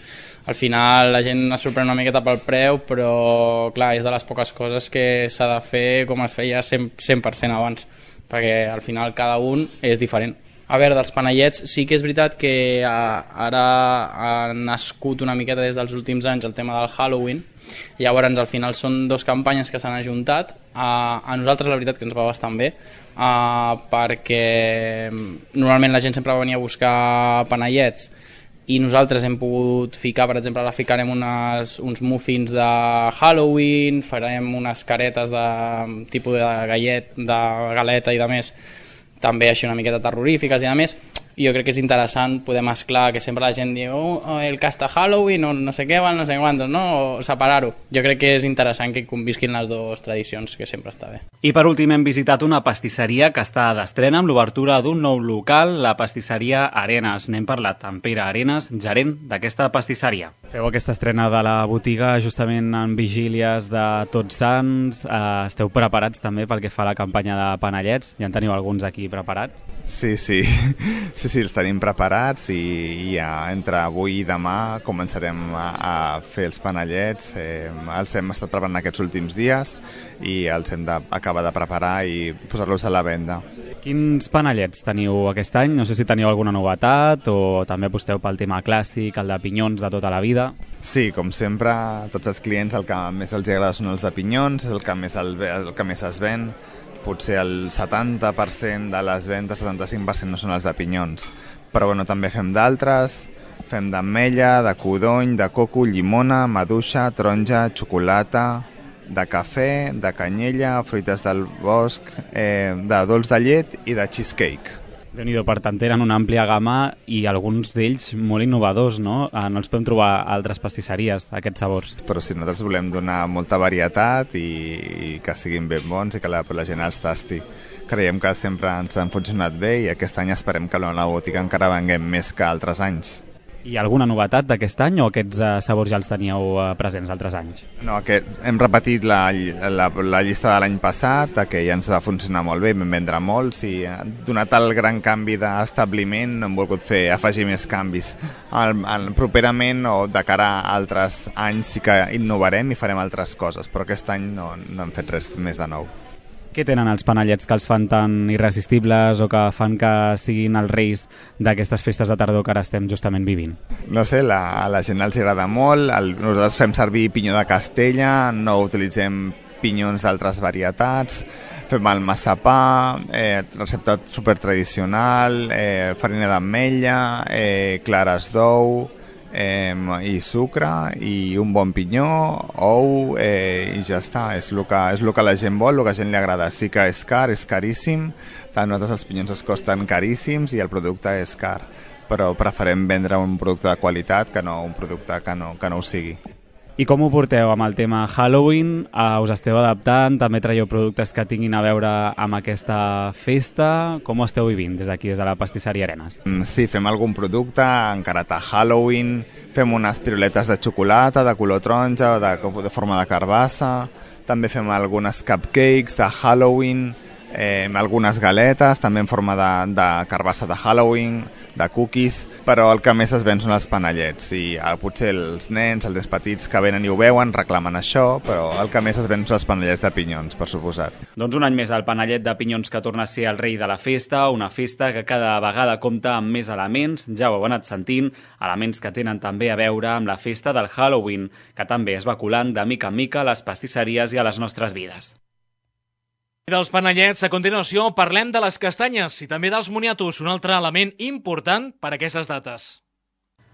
al final la gent es sorprèn una miqueta pel preu, però clar, és de les poques coses que s'ha de fer com es feia cent per cent abans, perquè al final cada un és diferent. A veure, dels panellets sí que és veritat que ara ha nascut una miqueta des dels últims anys el tema del Halloween, llavors al final són dues campanyes que s'han ajuntat. A nosaltres la veritat que ens va bastant bé, perquè normalment la gent sempre venia a buscar panellets i nosaltres hem pogut ficar, per exemple, ara ficarem unes, uns muffins de Halloween, farem unes caretes de tipus de gallet, de galeta i de més, també així una miqueta terrorífiques i a més, jo crec que és interessant poder mesclar, que sempre la gent diu oh, el casta Halloween o no sé què, no sé quantos, no? O separar-ho. Jo crec que és interessant que convisquin les dues tradicions, que sempre està bé. I per últim hem visitat una pastisseria que està d'estrena amb l'obertura d'un nou local, la pastisseria Arenas. N'hem parlat amb Pere Arenas, gerent d'aquesta pastisseria. Feu aquesta estrena de la botiga justament en vigílies de Tots Sants. Eh, esteu preparats també pel que fa a la campanya de panellets? Ja en teniu alguns aquí preparats? Sí, sí. Sí, sí, els tenim preparats i, i ja entre avui i demà començarem a, a fer els panellets. Eh, els hem estat preparant aquests últims dies i els hem d'acabar de preparar i posar-los a la venda. Quins panellets teniu aquest any? No sé si teniu alguna novetat o també aposteu pel tema clàssic, el de pinyons de tota la vida. Sí, com sempre, tots els clients el que més els agrada són els de pinyons, és el que més, el, el que més es ven. Potser el setanta per cent de les vendes, setanta-cinc per cent no són els de pinyons. Però bueno, també fem d'altres, fem d'ametlla, de codony, de coco, llimona, maduixa, taronja, xocolata, de cafè, de canyella, fruites del bosc, eh, de dolç de llet i de cheesecake. Déu-n'hi-do, per tant, tenen una àmplia gamma i alguns d'ells molt innovadors, no? No els podem trobar a altres pastisseries, aquests sabors. Però sí, nosaltres volem donar molta varietat i, i que siguin ben bons i que la, la gent els tasti. Creiem que sempre ens han funcionat bé i aquest any esperem que a la botiga encara venguem més que altres anys. Hi ha alguna novetat d'aquest any o aquests uh, sabors ja els teníeu uh, presents altres anys? No, aquest, hem repetit la, la, la llista de l'any passat, que ja ens va funcionar molt bé, vam vendre molts i donat el gran canvi d'establiment no hem volgut fer, afegir més canvis. El, el, properament o de cara a altres anys sí que innovarem i farem altres coses, però aquest any no, no hem fet res més de nou. Què tenen els panellets que els fan tan irresistibles o que fan que siguin els reis d'aquestes festes de tardor que ara estem justament vivint? No sé, la, a la gent els agrada molt. El, nosaltres fem servir pinyó de Castella, no utilitzem pinyons d'altres varietats, fem el massapà, eh, recepta supertradicional, eh, farina d'ametlla, eh, clares d'ou, Eh, i sucre i un bon pinyó, ou eh, i ja està, és el, que, és el que la gent vol, el que a la gent li agrada. Sí que és car, és caríssim, tant nosaltres els pinyons es costen caríssims i el producte és car, però preferem vendre un producte de qualitat que no un producte que no, que no ho sigui. I com ho porteu amb el tema Halloween? Uh, us esteu adaptant? També traieu productes que tinguin a veure amb aquesta festa? Com ho esteu vivint des d'aquí, des de la pastisseria Arenas? Sí, fem algun producte encarat a Halloween, fem unes piruletes de xocolata de color taronja, de, de forma de carbassa, també fem algunes cupcakes de Halloween, eh, algunes galetes, també en forma de, de carbassa de Halloween, de cookies, però el que més es ven són els panellets i eh, potser els nens, els més petits que venen i ho veuen, reclamen això, però el que més es ven són els panellets de pinyons, per suposat. Doncs un any més el panellet de pinyons que torna a ser el rei de la festa, una festa que cada vegada compta amb més elements, ja ho heu anat sentint, elements que tenen també a veure amb la festa del Halloween, que també es va colant de mica en mica a les pastisseries i a les nostres vides. I dels panellets, a continuació, parlem de les castanyes i també dels moniatos, un altre element important per a aquestes dates.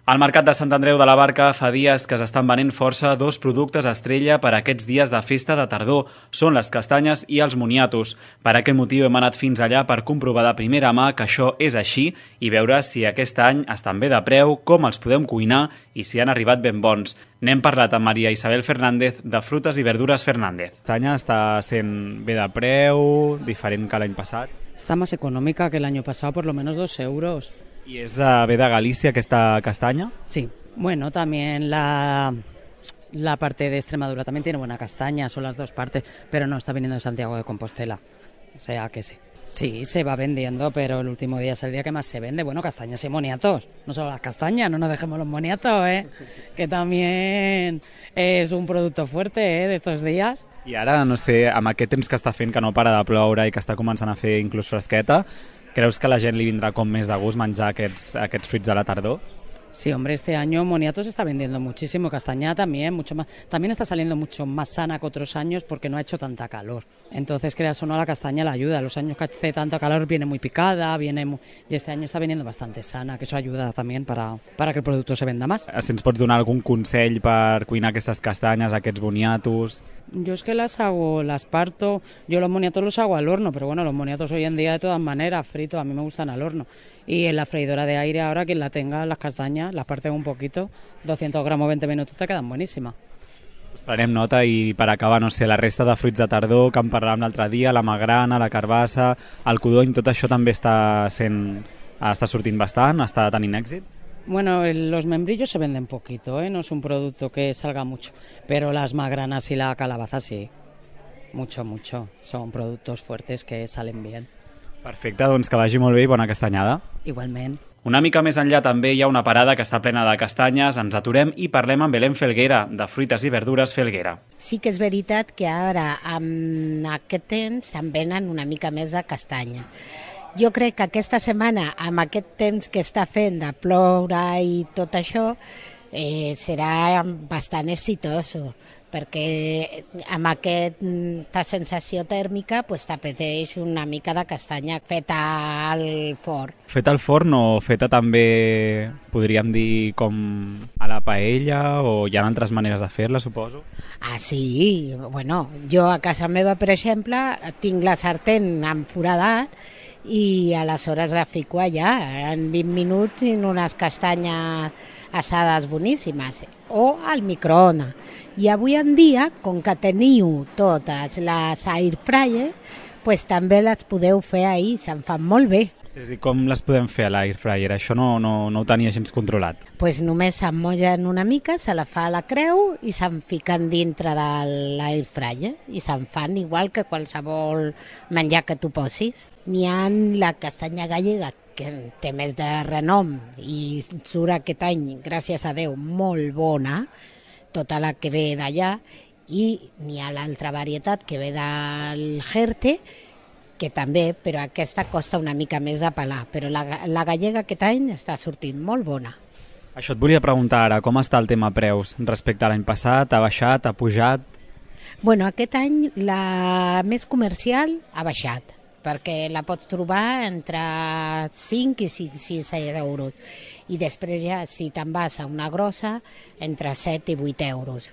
Al Mercat de Sant Andreu de la Barca fa dies que s'estan venent força dos productes estrella per a aquests dies de festa de tardor. Són les castanyes i els moniatos. Per aquest motiu hem anat fins allà per comprovar de primera mà que això és així i veure si aquest any estan bé de preu, com els podem cuinar i si han arribat ben bons. N'hem parlat amb Maria Isabel Fernández de Frutas i Verdures Fernández. La castanya està sent bé de preu, diferent que l'any passat? Está más económica que el año pasado, por lo menos dos euros. ¿Y es de, ve de Galicia que esta castaña? Sí. Bueno, también la, la parte de Extremadura también tiene buena castaña, son las dos partes, pero no está viniendo de Santiago de Compostela. O sea que sí. Sí, se va vendiendo, pero el último día es el día que más se vende. Bueno, castañas y moniatos. No solo las castañas, no nos dejemos los moniatos, ¿eh? Que también es un producto fuerte, ¿eh? De estos días. I ara, no sé, amb aquest temps que està fent, que no para de ploure i que està començant a fer inclús fresqueta, creus que a la gent li vindrà com més de gust menjar aquests, aquests fruits de la tardor? Sí, hombre, este año moniato se está vendiendo muchísimo, castaña también, mucho más. También está saliendo mucho más sana que otros años porque no ha hecho tanta calor. Entonces, creas o no, la castaña la ayuda. Los años que hace tanto calor viene muy picada, viene muy... y este año está viniendo bastante sana, que eso ayuda también para, para que el producto se venda más. Si ens pots donar algun consell per cuinar aquestes castanyes, aquests boniatos? Yo es que las hago, las parto, yo los moniatos los hago al horno, pero bueno, los moniatos hoy en día de todas maneras, fritos, a mí me gustan al horno. Y en la freidora de aire ahora, quien la tenga, las castañas, las parten un poquito, doscientos gramos, veinte minutos, te quedan buenísimas. Pues prenem nota i per acabar, no sé, la resta de fruits de tardor que en parlàvem l'altre dia, la magrana, la carbassa, el codony, tot això també està sent, està sortint bastant, està tenint èxit? Bueno, los membrillos se venden poquito, ¿eh? No es un producto que salga mucho, pero las magranas y la calabaza sí, mucho, mucho. Son productos fuertes que salen bien. Perfecte, doncs que vagi molt bé i bona castanyada. Igualment. Una mica més enllà també hi ha una parada que està plena de castanyes, ens aturem i parlem amb Belén Felguera, de Fruites i Verdures Felguera. Sí que és veritat que ara, amb aquest temps, se'n venen una mica més de castanya. Jo crec que aquesta setmana, amb aquest temps que està fent de ploure i tot això, eh, serà bastant exitoso, perquè amb aquesta sensació tèrmica pues, t'apeteix una mica de castanya feta al forn. Feta al forn o feta també, podríem dir, com a la paella, o hi ha altres maneres de fer-la, suposo? Ah, sí, bueno, jo a casa meva, per exemple, tinc la sartén enforadat i aleshores la fico allà, en vint minuts i unes castanyes assades boníssimes, o al microones. I avui en dia, com que teniu totes les air fryer, pues també les podeu fer ahir, se'n fan molt bé. És a dir, com les podem fer a l'air fryer? Això no, no, no ho tenia gens controlat. Pues només s'emmollen una mica, se la fa a la creu i se'n fiquen dintre de l'air fryer i se'n fan igual que qualsevol menjar que tu posis. N'hi ha la castanya gallega, que té més de renom i surt aquest any, gràcies a Déu, molt bona, tota la que ve d'allà, i n'hi ha l'altra varietat que ve del Jerte, que també, però aquesta costa una mica més de pelar, però la, la gallega aquest any està sortint molt bona. Això et volia preguntar ara, com està el tema preus respecte a l'any passat? Ha baixat, ha pujat? Bueno, aquest any la més comercial ha baixat, perquè la pots trobar entre cinc i sis euros. I després ja, si te'n vas a una grossa, entre set i vuit euros.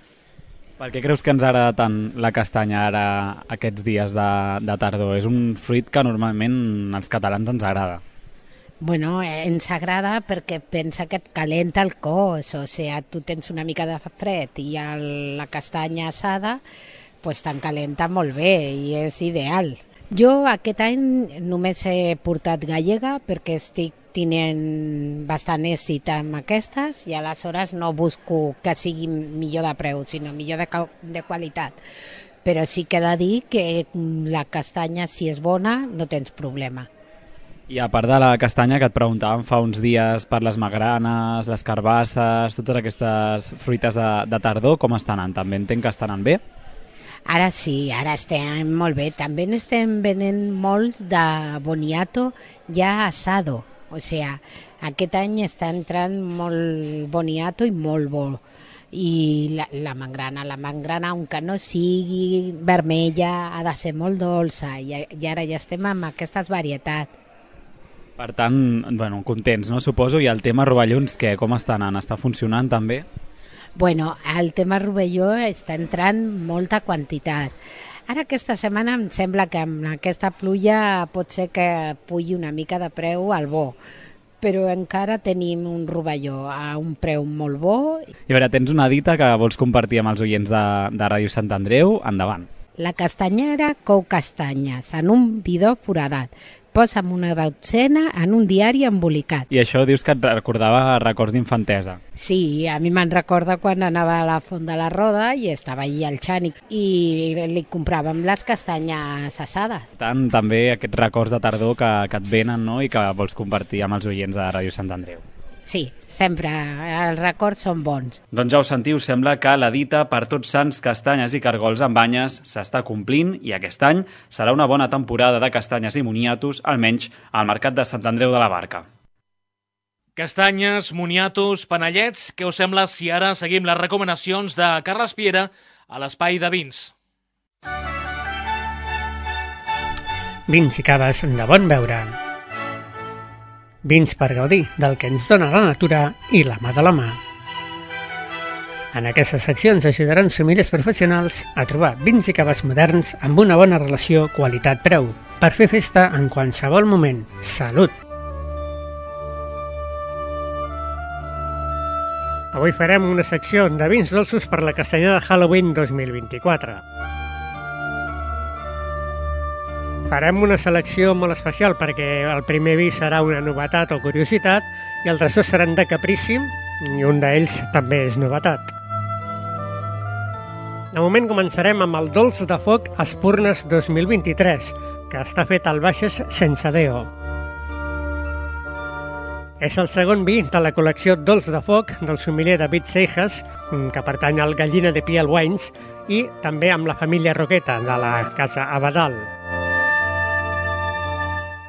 Per què creus que ens agrada tant la castanya ara aquests dies de, de tardor? És un fruit que normalment als catalans ens agrada. Bueno, ens agrada perquè pensa que et calenta el cos, o sigui, tu tens una mica de fred i el, la castanya assada pues te'n calenta molt bé i és ideal. Jo aquest any només he portat gallega perquè estic tenint bastant èxit amb aquestes i aleshores no busco que sigui millor de preu, sinó millor de, de qualitat. Però sí que he de dir que la castanya, si és bona, no tens problema. I a part de la castanya que et preguntàvem fa uns dies per les magranes, les carbasses, totes aquestes fruites de, de tardor, com estan anant? També entenc que estan anant bé? Ara sí, ara estem molt bé. També estem venent molts de boniato ja asado. O sigui, aquest any està entrant molt boniato i molt bo. I la, la mangrana, la mangrana, aunque no sigui vermella, ha de ser molt dolça. I, i ara ja estem amb aquestes varietats. Per tant, bueno, contents, no? Suposo. I el tema rovellons, què? Com està anant? Està funcionant també? Bueno, el tema rovelló està entrant molta quantitat. Ara aquesta setmana em sembla que amb aquesta pluja pot ser que pugi una mica de preu al bo, però encara tenim un rovelló a un preu molt bo. I a veure, tens una dita que vols compartir amb els oients de, de Ràdio Sant Andreu? Endavant. La castanyera cou castanyes en un bidó foradat. Posa'm una dotzena en un diari embolicat. I això dius que et recordava records d'infantesa. Sí, a mi me'n recorda quan anava a la Font de la Roda i estava allí al Xànic i li compràvem les castanyes assades. Tant, també aquests records de tardor que, que et venen, no?, i que vols compartir amb els oients de Ràdio Sant Andreu. Sí, sempre. Els records són bons. Doncs ja ho sentiu, sembla que la dita per tots sants, castanyes i cargols amb banyes s'està complint i aquest any serà una bona temporada de castanyes i moniatos, almenys al Mercat de Sant Andreu de la Barca. Castanyes, moniatos, panellets, què us sembla si ara seguim les recomanacions de Carles Piera a l'Espai de Vins? Vins i caves de bon veure. Vins per gaudir del que ens dona la natura i la mà de la mà. En aquestes seccions ajudaran sommeliers professionals a trobar vins i caves moderns amb una bona relació qualitat-preu per fer festa en qualsevol moment. Salut! Avui farem una secció de vins dolços per la castanyada Halloween dos mil vint-i-quatre. Farem una selecció molt especial perquè el primer vi serà una novetat o curiositat i els altres dos seran de caprici i un d'ells també és novetat. De moment començarem amb el dolç de foc Espurnes dos mil vint-i-tres, que està fet al Baixes sense deo. És el segon vi de la col·lecció Dolç de foc del sommelier David Seijas, que pertany al Gallina de Piel Wines, i també amb la família Roqueta de la Casa Abadal.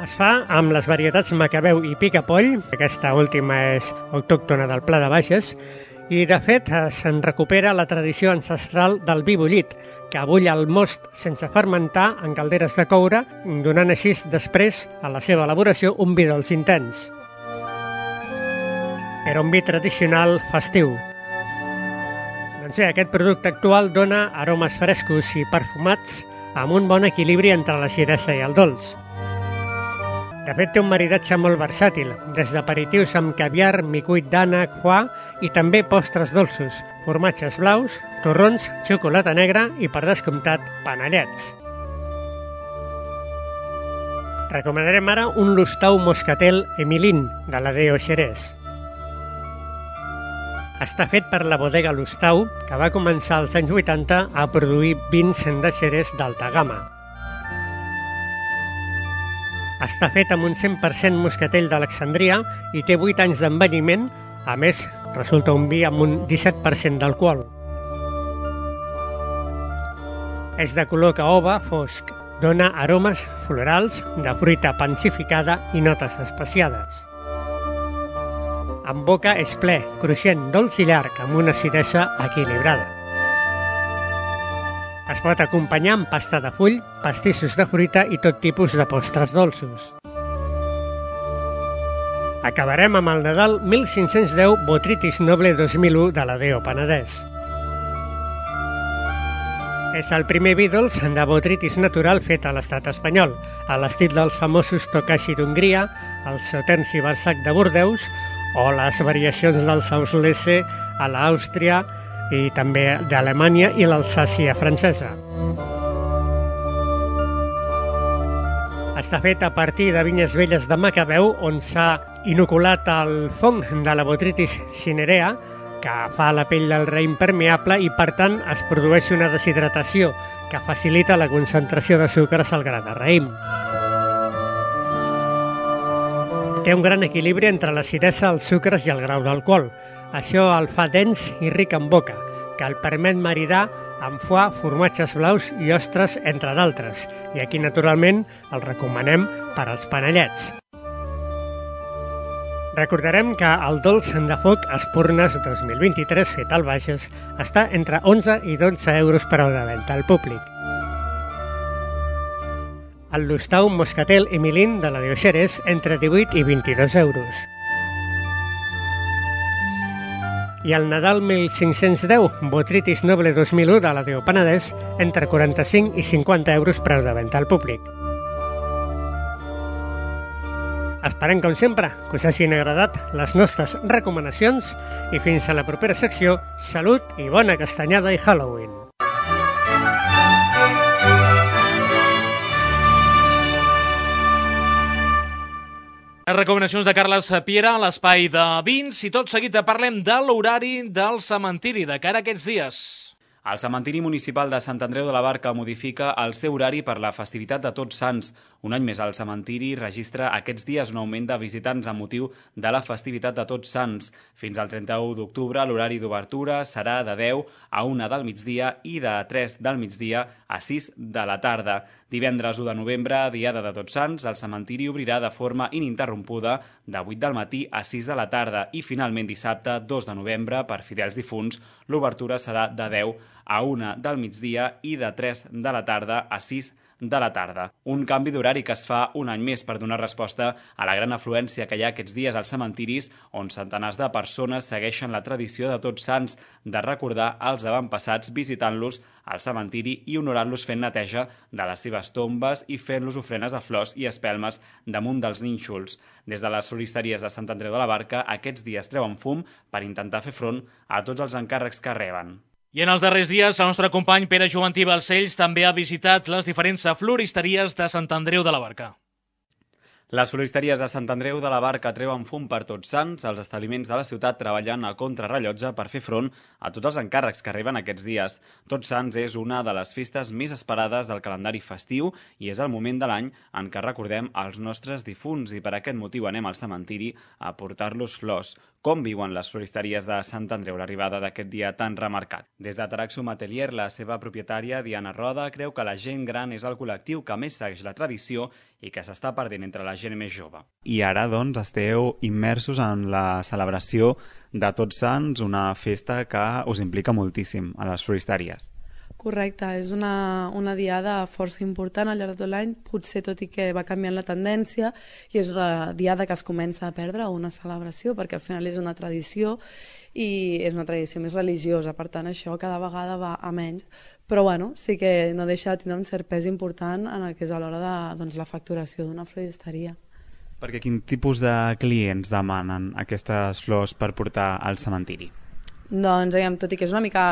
Es fa amb les varietats Macabeu i Picapoll, aquesta última és autòctona del Pla de Baixes, i de fet se'n recupera la tradició ancestral del vi bullit, que abulla el most sense fermentar en calderes de coure, donant així després a la seva elaboració un vi dolç intens. Era un vi tradicional festiu. Doncs bé, aquest producte actual dona aromes frescos i perfumats amb un bon equilibri entre l'acidesa i el dolç. De fet, té un maridatge molt versàtil, des d'aperitius amb caviar, micuit d'ànec, foie i també postres dolços, formatges blaus, torrons, xocolata negra i, per descomptat, panellets. Recomanarem ara un Lustau Moscatel Emilín, de la Deo Xerès. Està fet per la bodega Lustau, que va començar als anys vuitanta a produir vins de Xerès d'alta gamma. Està fet amb un cent per cent moscatell d'Alexandria i té vuit anys d'envelliment, a més, resulta un vi amb un disset per cent d'alcohol. És de color caoba fosc, dona aromes florals, de fruita pansificada i notes especiades. En boca és ple, cruixent, dolç i llarg, amb una acidesa equilibrada. Es pot acompanyar amb pasta de full, pastissos de fruita i tot tipus de postres dolços. Acabarem amb el Nadal mil cinc-cents deu Botrytis Noble dos mil u de la Deo Penedès. És el primer Beatles de botrytis natural fet a l'estat espanyol, a l'estil dels famosos Tokashi d'Hongria, el Sauternes i Barsac de Bordeus o les variacions del Sauslese a l'Àustria i també d'Alemanya i l'Alsàcia francesa. Està fet a partir de vinyes velles de Macabeu, on s'ha inoculat el fong de la botrytis cinerea, que fa la pell del raïm permeable i, per tant, es produeix una deshidratació que facilita la concentració de sucres al gra de raïm. Té un gran equilibri entre l'acidesa, els sucres i el grau d'alcohol. Això el fa dens i ric en boca, que el permet maridar amb foie, formatges blaus i ostres, entre d'altres. I aquí, naturalment, el recomanem per als panellets. Recordarem que el dolç de foc Espurnes dos mil vint-i-tres fet al Bages està entre onze i dotze euros per hora de venda al públic. El Lustau Moscatel Emilín de la Dioxeres entre divuit i vint-i-dos euros. I el Nadal mil cinc-cents deu, Botrytis Noble dos mil u de la Déu Penedès, entre quaranta-cinc i cinquanta euros preu de venda al públic. Esperem, com sempre, que us hagin agradat les nostres recomanacions i fins a la propera secció, salut i bona castanyada i Halloween! Les recomanacions de Carles Piera a l'espai de vins i tot seguit parlem de l'horari del cementiri de cara a aquests dies. El cementiri municipal de Sant Andreu de la Barca modifica el seu horari per la festivitat de Tots Sants. Un any més el cementiri registra aquests dies un augment de visitants amb motiu de la festivitat de Tots Sants. Fins al trenta-u d'octubre l'horari d'obertura serà de deu a una del migdia i de tres del migdia a sis de la tarda. Divendres u de novembre, diada de Tots Sants, el cementiri obrirà de forma ininterrompuda de vuit del matí a sis de la tarda i finalment dissabte, dos de novembre, per fidels difunts, l'obertura serà de deu a una del migdia i de tres de la tarda a sis de la tarda. Un canvi d'horari que es fa un any més per donar resposta a la gran afluència que hi ha aquests dies als cementiris, on centenars de persones segueixen la tradició de Tots Sants de recordar els avantpassats visitant-los al cementiri i honorant-los fent neteja de les seves tombes i fent-los ofrenes de flors i espelmes damunt dels nínxols. Des de les floristeries de Sant Andreu de la Barca, aquests dies treuen fum per intentar fer front a tots els encàrrecs que reben. I en els darrers dies, el nostre company Pere Joventí Balcells també ha visitat les diferents floristeries de Sant Andreu de la Barca. Les floristeries de Sant Andreu de la Barca treuen fum per Tots Sants, els establiments de la ciutat treballant a contrarrellotge per fer front a tots els encàrrecs que arriben aquests dies. Tots Sants és una de les festes més esperades del calendari festiu i és el moment de l'any en què recordem els nostres difunts i per aquest motiu anem al cementiri a portar-los flors. Com viuen les floristeries de Sant Andreu l'arribada d'aquest dia tan remarcat? Des de Taraxum Atelier, la seva propietària, Diana Roda, creu que la gent gran és el col·lectiu que més segueix la tradició i que s'està perdent entre la gent més jove. I ara, doncs, esteu immersos en la celebració de Tots Sants, una festa que us implica moltíssim a les floristeries. Correcte, és una, una diada força important al llarg de tot l'any, potser tot i que va canviant la tendència, i és la diada que es comença a perdre una celebració, perquè al final és una tradició i és una tradició més religiosa, per tant això cada vegada va a menys, però bueno, sí que no deixa de tindre un cert pes important en el que és a l'hora de doncs, la facturació d'una floristeria. Perquè quin tipus de clients demanen aquestes flors per portar al cementiri? Doncs, diguem, tot i que és una mica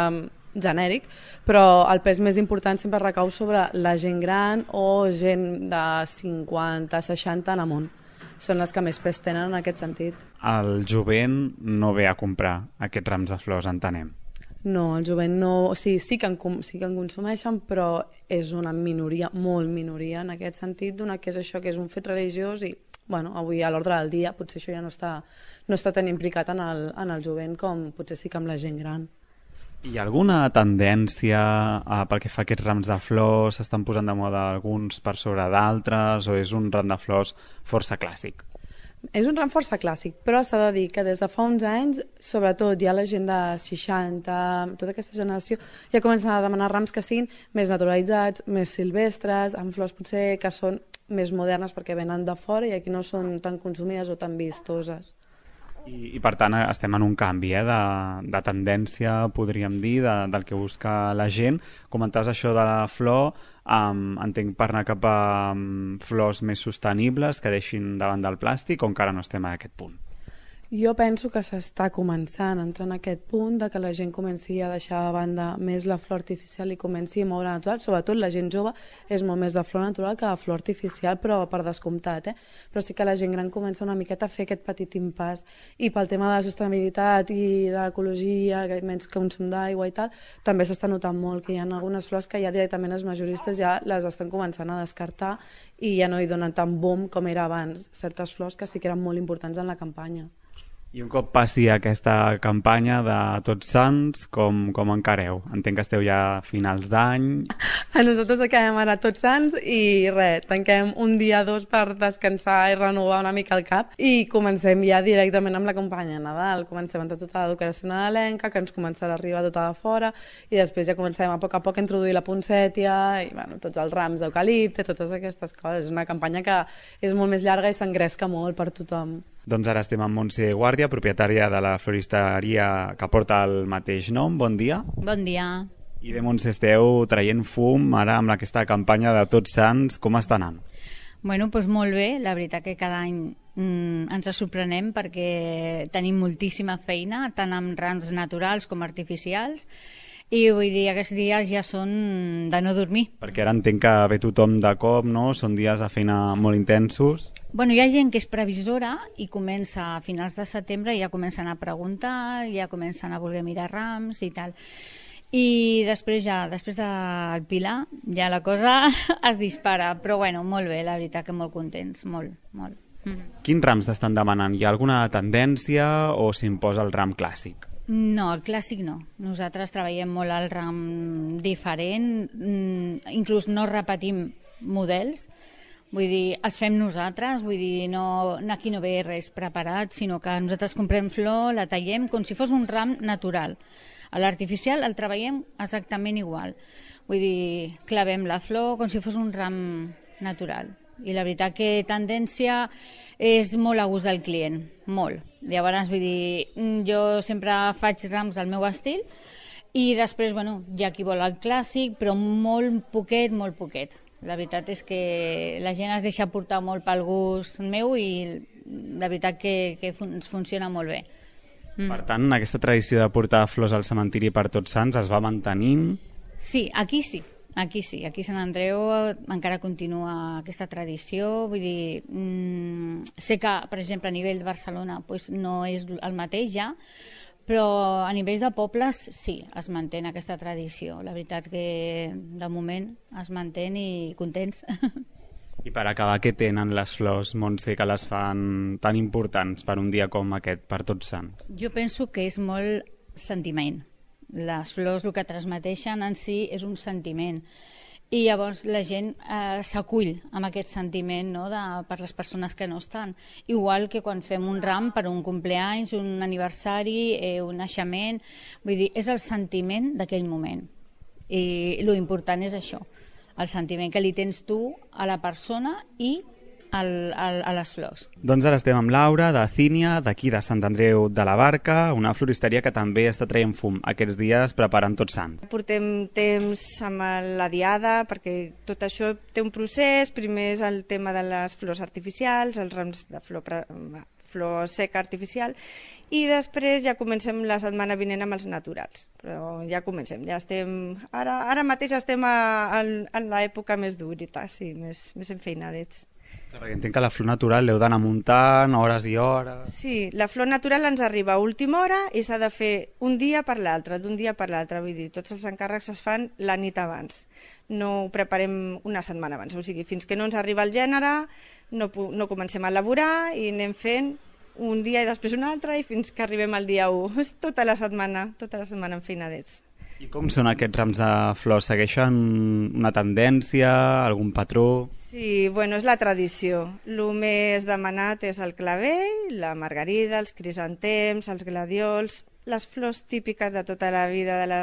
genèric, però el pes més important sempre recau sobre la gent gran o gent de cinquanta, seixanta en amunt. Són les que més pes tenen en aquest sentit. El jovent no ve a comprar aquests rams de flors, entenem. No, el jovent no... O sigui, sí que en, sí que en consumeixen, però és una minoria, molt minoria, en aquest sentit, donat que és això, que és un fet religiós i, bueno, avui a l'ordre del dia potser això ja no està, no està tan implicat en el, en el jovent com potser sí que amb la gent gran. Hi ha alguna tendència eh, pel que fa a aquests rams de flors? S'estan posant de moda alguns per sobre d'altres o és un ram de flors força clàssic? És un ram força clàssic, però s'ha de dir que des de fa uns anys, sobretot ja la gent de seixanta, tota aquesta generació, ja comencen a demanar rams que siguin més naturalitzats, més silvestres, amb flors potser que són més modernes perquè venen de fora i aquí no són tan consumides o tan vistoses. I, i per tant estem en un canvi eh, de, de tendència, podríem dir, de, del que busca la gent. Comentaves això de la flor, um, entenc per anar cap a um, flors més sostenibles que deixin davant del plàstic, o encara no estem en aquest punt? Jo penso que s'està començant a entrar en aquest punt de que la gent comenci a deixar de banda més la flor artificial i comenci a moure natural. Sobretot la gent jove és molt més de flor natural que de flor artificial, però per descomptat. Eh? Però sí que la gent gran comença una miqueta a fer aquest petit impàs. I pel tema de la sostenibilitat i de l'ecologia, menys consum d'aigua i tal, també s'està notant molt que hi ha algunes flors que ja directament els majoristes ja les estan començant a descartar i ja no hi donen tant boom com era abans. Certes flors que sí que eren molt importants en la campanya. I un cop passi aquesta campanya de Tots Sants, com, com encareu? Entenc que esteu ja a finals d'any. A nosaltres acabem ara Tots Sants i res, tanquem un dia o dos per descansar i renovar una mica el cap i comencem ja directament amb la campanya de Nadal. Comencem amb tota la decoració nadalenca, que ens començarà a arribar tota de fora, i després ja comencem a poc a poc a introduir la poncètia i bueno, tots els rams d'eucalipte, totes aquestes coses. És una campanya que és molt més llarga i s'engresca molt per tothom. Doncs ara estem amb Montse Guàrdia, propietària de la floristeria que porta el mateix nom. Bon dia. Bon dia. I bé, Montse, esteu traient fum ara amb aquesta campanya de Tots Sants. Com està anant? Bueno, doncs molt bé. La veritat que cada any mm, ens sorprenem perquè tenim moltíssima feina, tant amb rams naturals com artificials, i vull dir, aquests dies ja són de no dormir. Perquè ara entenc que ve tothom de cop, no? Són dies de feina molt intensos. Bueno, hi ha gent que és previsora i comença a finals de setembre i ja comencen a preguntar, ja comencen a voler mirar rams i tal. I després ja, després del Pilar, ja la cosa es dispara. Però bueno, molt bé, la veritat que molt contents, molt, molt. Mm. Quins rams t'estan demanant? Hi ha alguna tendència o s'imposa el ram clàssic? No, el clàssic no. Nosaltres treballem molt al ram diferent, inclús no repetim models, vull dir, els fem nosaltres, vull dir, no, aquí no ve res preparat, sinó que nosaltres comprem flor, la tallem com si fos un ram natural. A l'artificial el treballem exactament igual, vull dir, clavem la flor com si fos un ram natural. I la veritat que tendència és molt a gust del client, molt. Llavors, vull dir, jo sempre faig rams al meu estil i després, bueno, hi ha qui vol el clàssic, però molt poquet, molt poquet. La veritat és que la gent es deixa portar molt pel gust meu i la veritat que, que fun funciona molt bé. Mm. Per tant, aquesta tradició de portar flors al cementiri per Tots Sants es va mantenint? Sí, aquí sí. Aquí sí, aquí a Sant Andreu encara continua aquesta tradició, vull dir, mmm, sé que, per exemple, a nivell de Barcelona pues, no és el mateix ja, però a nivell de pobles sí, es manté aquesta tradició. La veritat que de moment es manté i contents. I per acabar, què tenen les flors, Montse, que les fan tan importants per un dia com aquest, per Tots Sants? Jo penso que és molt sentiment. Les flors el que transmeteixen en si és un sentiment i llavors la gent eh, s'acull amb aquest sentiment, no, de, per les persones que no estan, igual que quan fem un ram per un compleanys, un aniversari, eh, un naixement, vull dir, és el sentiment d'aquell moment i lo important és això, el sentiment que li tens tu a la persona i Al, al, a les flors. Doncs ara estem amb Laura, de Cínia, d'aquí de Sant Andreu de la Barca, una floristeria que també està traient fum aquests dies preparant Tots Sants. Portem temps amb la diada perquè tot això té un procés. Primer és el tema de les flors artificials, els rams de flor, flor seca artificial, i després ja comencem la setmana vinent amb els naturals. Però ja comencem, ja estem... Ara, ara mateix estem a, a, en l'època més durita, sí, més, més enfeinadets. Perquè entenc que la flor natural l'heu d'anar muntant hores i hores. Sí, la flor natural ens arriba a última hora i s'ha de fer un dia per l'altre, d'un dia per l'altre. Vull dir, tots els encàrrecs es fan la nit abans. No ho preparem una setmana abans. O sigui, fins que no ens arriba el gènere, no, no comencem a elaborar i anem fent un dia i després un altre i fins que arribem al dia u. És tota la setmana, tota la setmana enfeinadets. I com són aquests rams de flors? Segueixen una tendència, algun patró? Sí, bueno, és la tradició. El més demanat és el clavell, la margarida, els crisantems, els gladiols, les flors típiques de tota la vida de la,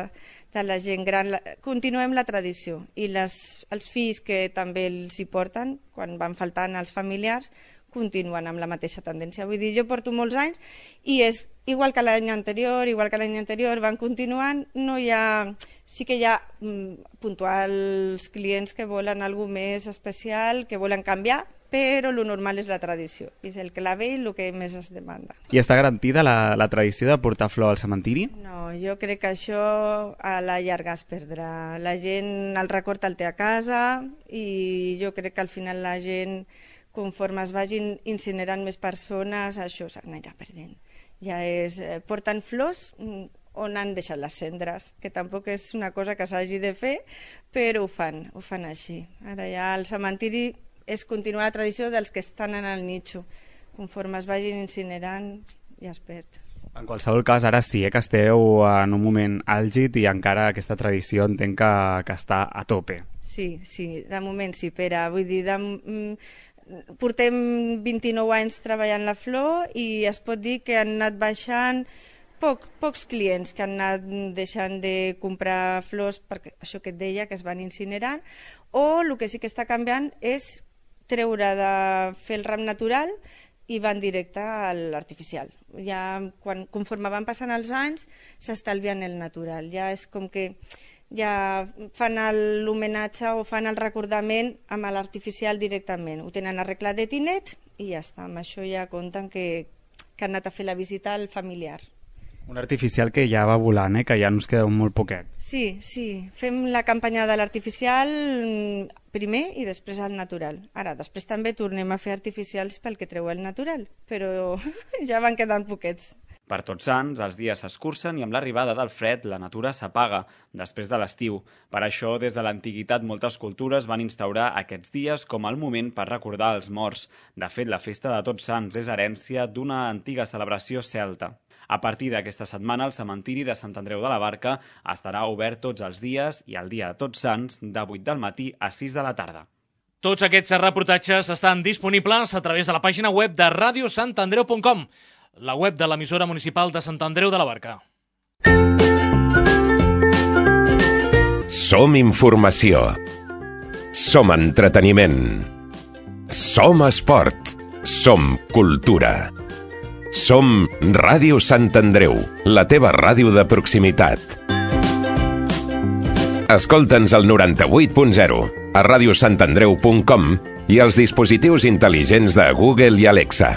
de la gent gran. La, continuem la tradició i les, els fills que també els hi porten, quan van faltant els familiars, continuen amb la mateixa tendència. Vull dir, jo porto molts anys i és igual que l'any anterior, igual que l'any anterior, van continuant, no hi ha... Sí que hi ha mm, puntuals clients que volen alguna més especial, que volen canviar, però lo normal és la tradició, és el clave i el que més es demanda. I està garantida la, la tradició de portar flor al cementiri? No, jo crec que això a la llarga es perdrà. La gent el record el té a casa i jo crec que al final la gent, conforme es vagin incinerant més persones, això s'anirà perdent. Ja és, porten flors on han deixat les cendres, que tampoc és una cosa que s'hagi de fer, però ho fan, ho fan així. Ara ja el cementiri és continuar la tradició dels que estan en el nicho. Conforme es vagin incinerant, ja es perd. En qualsevol cas, ara sí, eh, que esteu en un moment àlgid i encara aquesta tradició entenc que, que està a tope. Sí, sí, de moment sí, Pere. Vull dir, de, mm, portem vint-i-nou anys treballant la flor i es pot dir que han anat baixant poc, pocs clients que han anat deixant de comprar flors, perquè això que et deia, que es van incinerant, o el que sí que està canviant és treure de fer el ram natural i van directe a l'artificial. Ja quan, conforme van passant els anys s'estalvien el natural, ja és com que ja fan l'homenatge o fan el recordament amb l'artificial directament, ho tenen arreglat de tinet i ja està, amb això ja compten que, que han anat a fer la visita al familiar. Un artificial que ja va volant, eh? Que ja ens queda molt poquet. Sí, sí. Fem la campanya de l'artificial primer i després el natural. Ara, després també tornem a fer artificials pel que treu el natural, però ja van quedant poquets. Per Tots Sants, els dies s'escurcen i amb l'arribada del fred la natura s'apaga després de l'estiu. Per això, des de l'antiguitat, moltes cultures van instaurar aquests dies com el moment per recordar els morts. De fet, la festa de Tots Sants és herència d'una antiga celebració celta. A partir d'aquesta setmana, el cementiri de Sant Andreu de la Barca estarà obert tots els dies i el dia de Tots Sants de vuit del matí a sis de la tarda. Tots aquests reportatges estan disponibles a través de la pàgina web de radio sant andreu punt com, la web de l'emissora municipal de Sant Andreu de la Barca. Som informació. Som entreteniment. Som esport. Som cultura. Som Ràdio Sant Andreu, la teva ràdio de proximitat. Escolta'ns al noranta-vuit punt zero, a radio sant andreu punt com i als dispositius intel·ligents de Google i Alexa.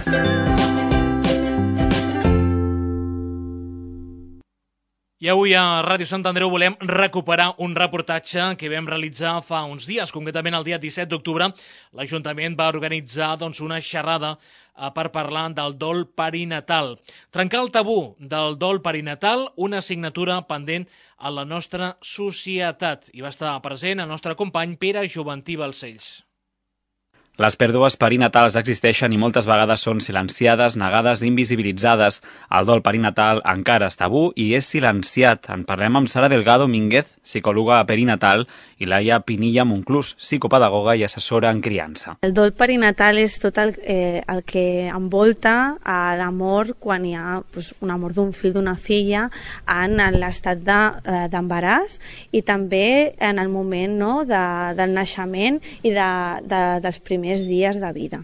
I avui a Ràdio Sant Andreu volem recuperar un reportatge que vam realitzar fa uns dies, concretament el dia disset d'octubre. L'Ajuntament va organitzar doncs, una xerrada eh, per parlar del dol perinatal. Trencar el tabú del dol perinatal, una assignatura pendent a la nostra societat. I va estar present el nostre company Pere Joventí Balcells. Les pèrdues perinatals existeixen i moltes vegades són silenciades, negades, invisibilitzades. El dol perinatal encara és tabú i és silenciat. En parlem amb Sara Delgado Mínguez, psicòloga perinatal, i Laia Pinilla Monclús, psicopedagoga i assessora en criança. El dol perinatal és tot el, eh, el que envolta a l'amor quan hi ha pues, un amor d'un fill, d'una filla, en l'estat d'embaràs de, eh, i també en el moment no, de, del naixement i de, de, dels primers més dies de vida.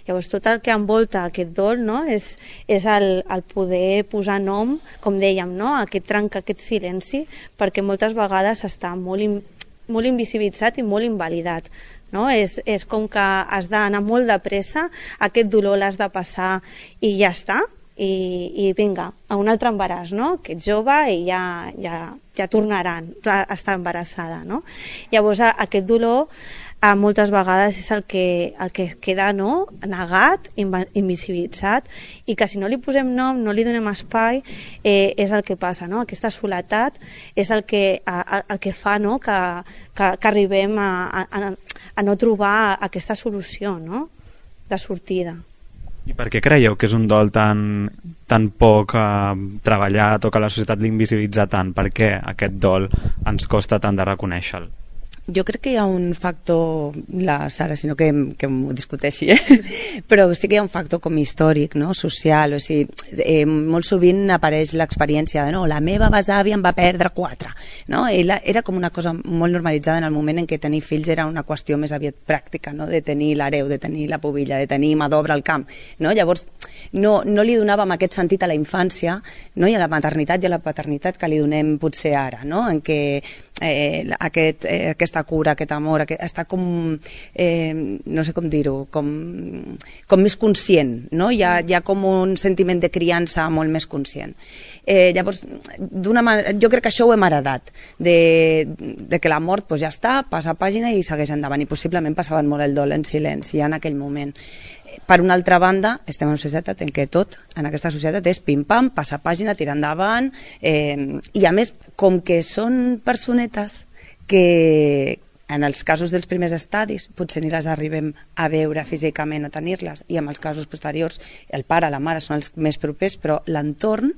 Llavors, tot el que envolta aquest dol no, és, és el, el poder posar nom, com dèiem, no, aquest trencar aquest silenci, perquè moltes vegades està molt, in, molt invisibilitzat i molt invalidat. No? És, és com que has d'anar molt de pressa, aquest dolor l'has de passar i ja està, i, i vinga, a un altre embaràs, no? Que ets jove i ja, ja, ja tornaran a estar embarassada. No? Llavors, aquest dolor a moltes vegades és el que, el que queda no? negat, invisibilitzat, i que si no li posem nom, no li donem espai, eh, és el que passa. No? Aquesta soledat és el que, a, el que fa no? que, que, que arribem a, a, a no trobar aquesta solució no? de sortida. I per què creieu que és un dol tan, tan poc eh, treballat o que la societat l'invisibilitza tant? Per què aquest dol ens costa tant de reconèixer-lo? Jo crec que hi ha un factor, la Sara, sinó que, que m'ho discuteixi, eh? Però sí que hi ha un factor com històric, no? Social, o sigui, eh, molt sovint apareix l'experiència de no, la meva besàvia em va perdre quatre, no? Era, era com una cosa molt normalitzada en el moment en què tenir fills era una qüestió més aviat pràctica, no? De tenir l'hereu, de tenir la pubilla, de tenir mà d'obra al camp, no? Llavors, no, no li donàvem aquest sentit a la infància, no? I a la maternitat i a la paternitat que li donem potser ara, no? En què eh, aquest, eh, aquesta cura, aquest amor, aquest, està com, eh, no sé com dir-ho, com, com més conscient, no? Hi ha, hi ha com un sentiment de criança molt més conscient. Eh, llavors, d'una manera, jo crec que això ho hem heredat, de, de que la mort pues, ja està, passa pàgina i segueix endavant, i possiblement passaven molt el dol en silenci en aquell moment. Per una altra banda, estem en una societat en què tot, en aquesta societat, és pim-pam, passar pàgina, tirar endavant, eh, i a més, com que són personetes que en els casos dels primers estadis potser ni les arribem a veure físicament o tenir-les, i en els casos posteriors el pare, la mare són els més propers, però l'entorn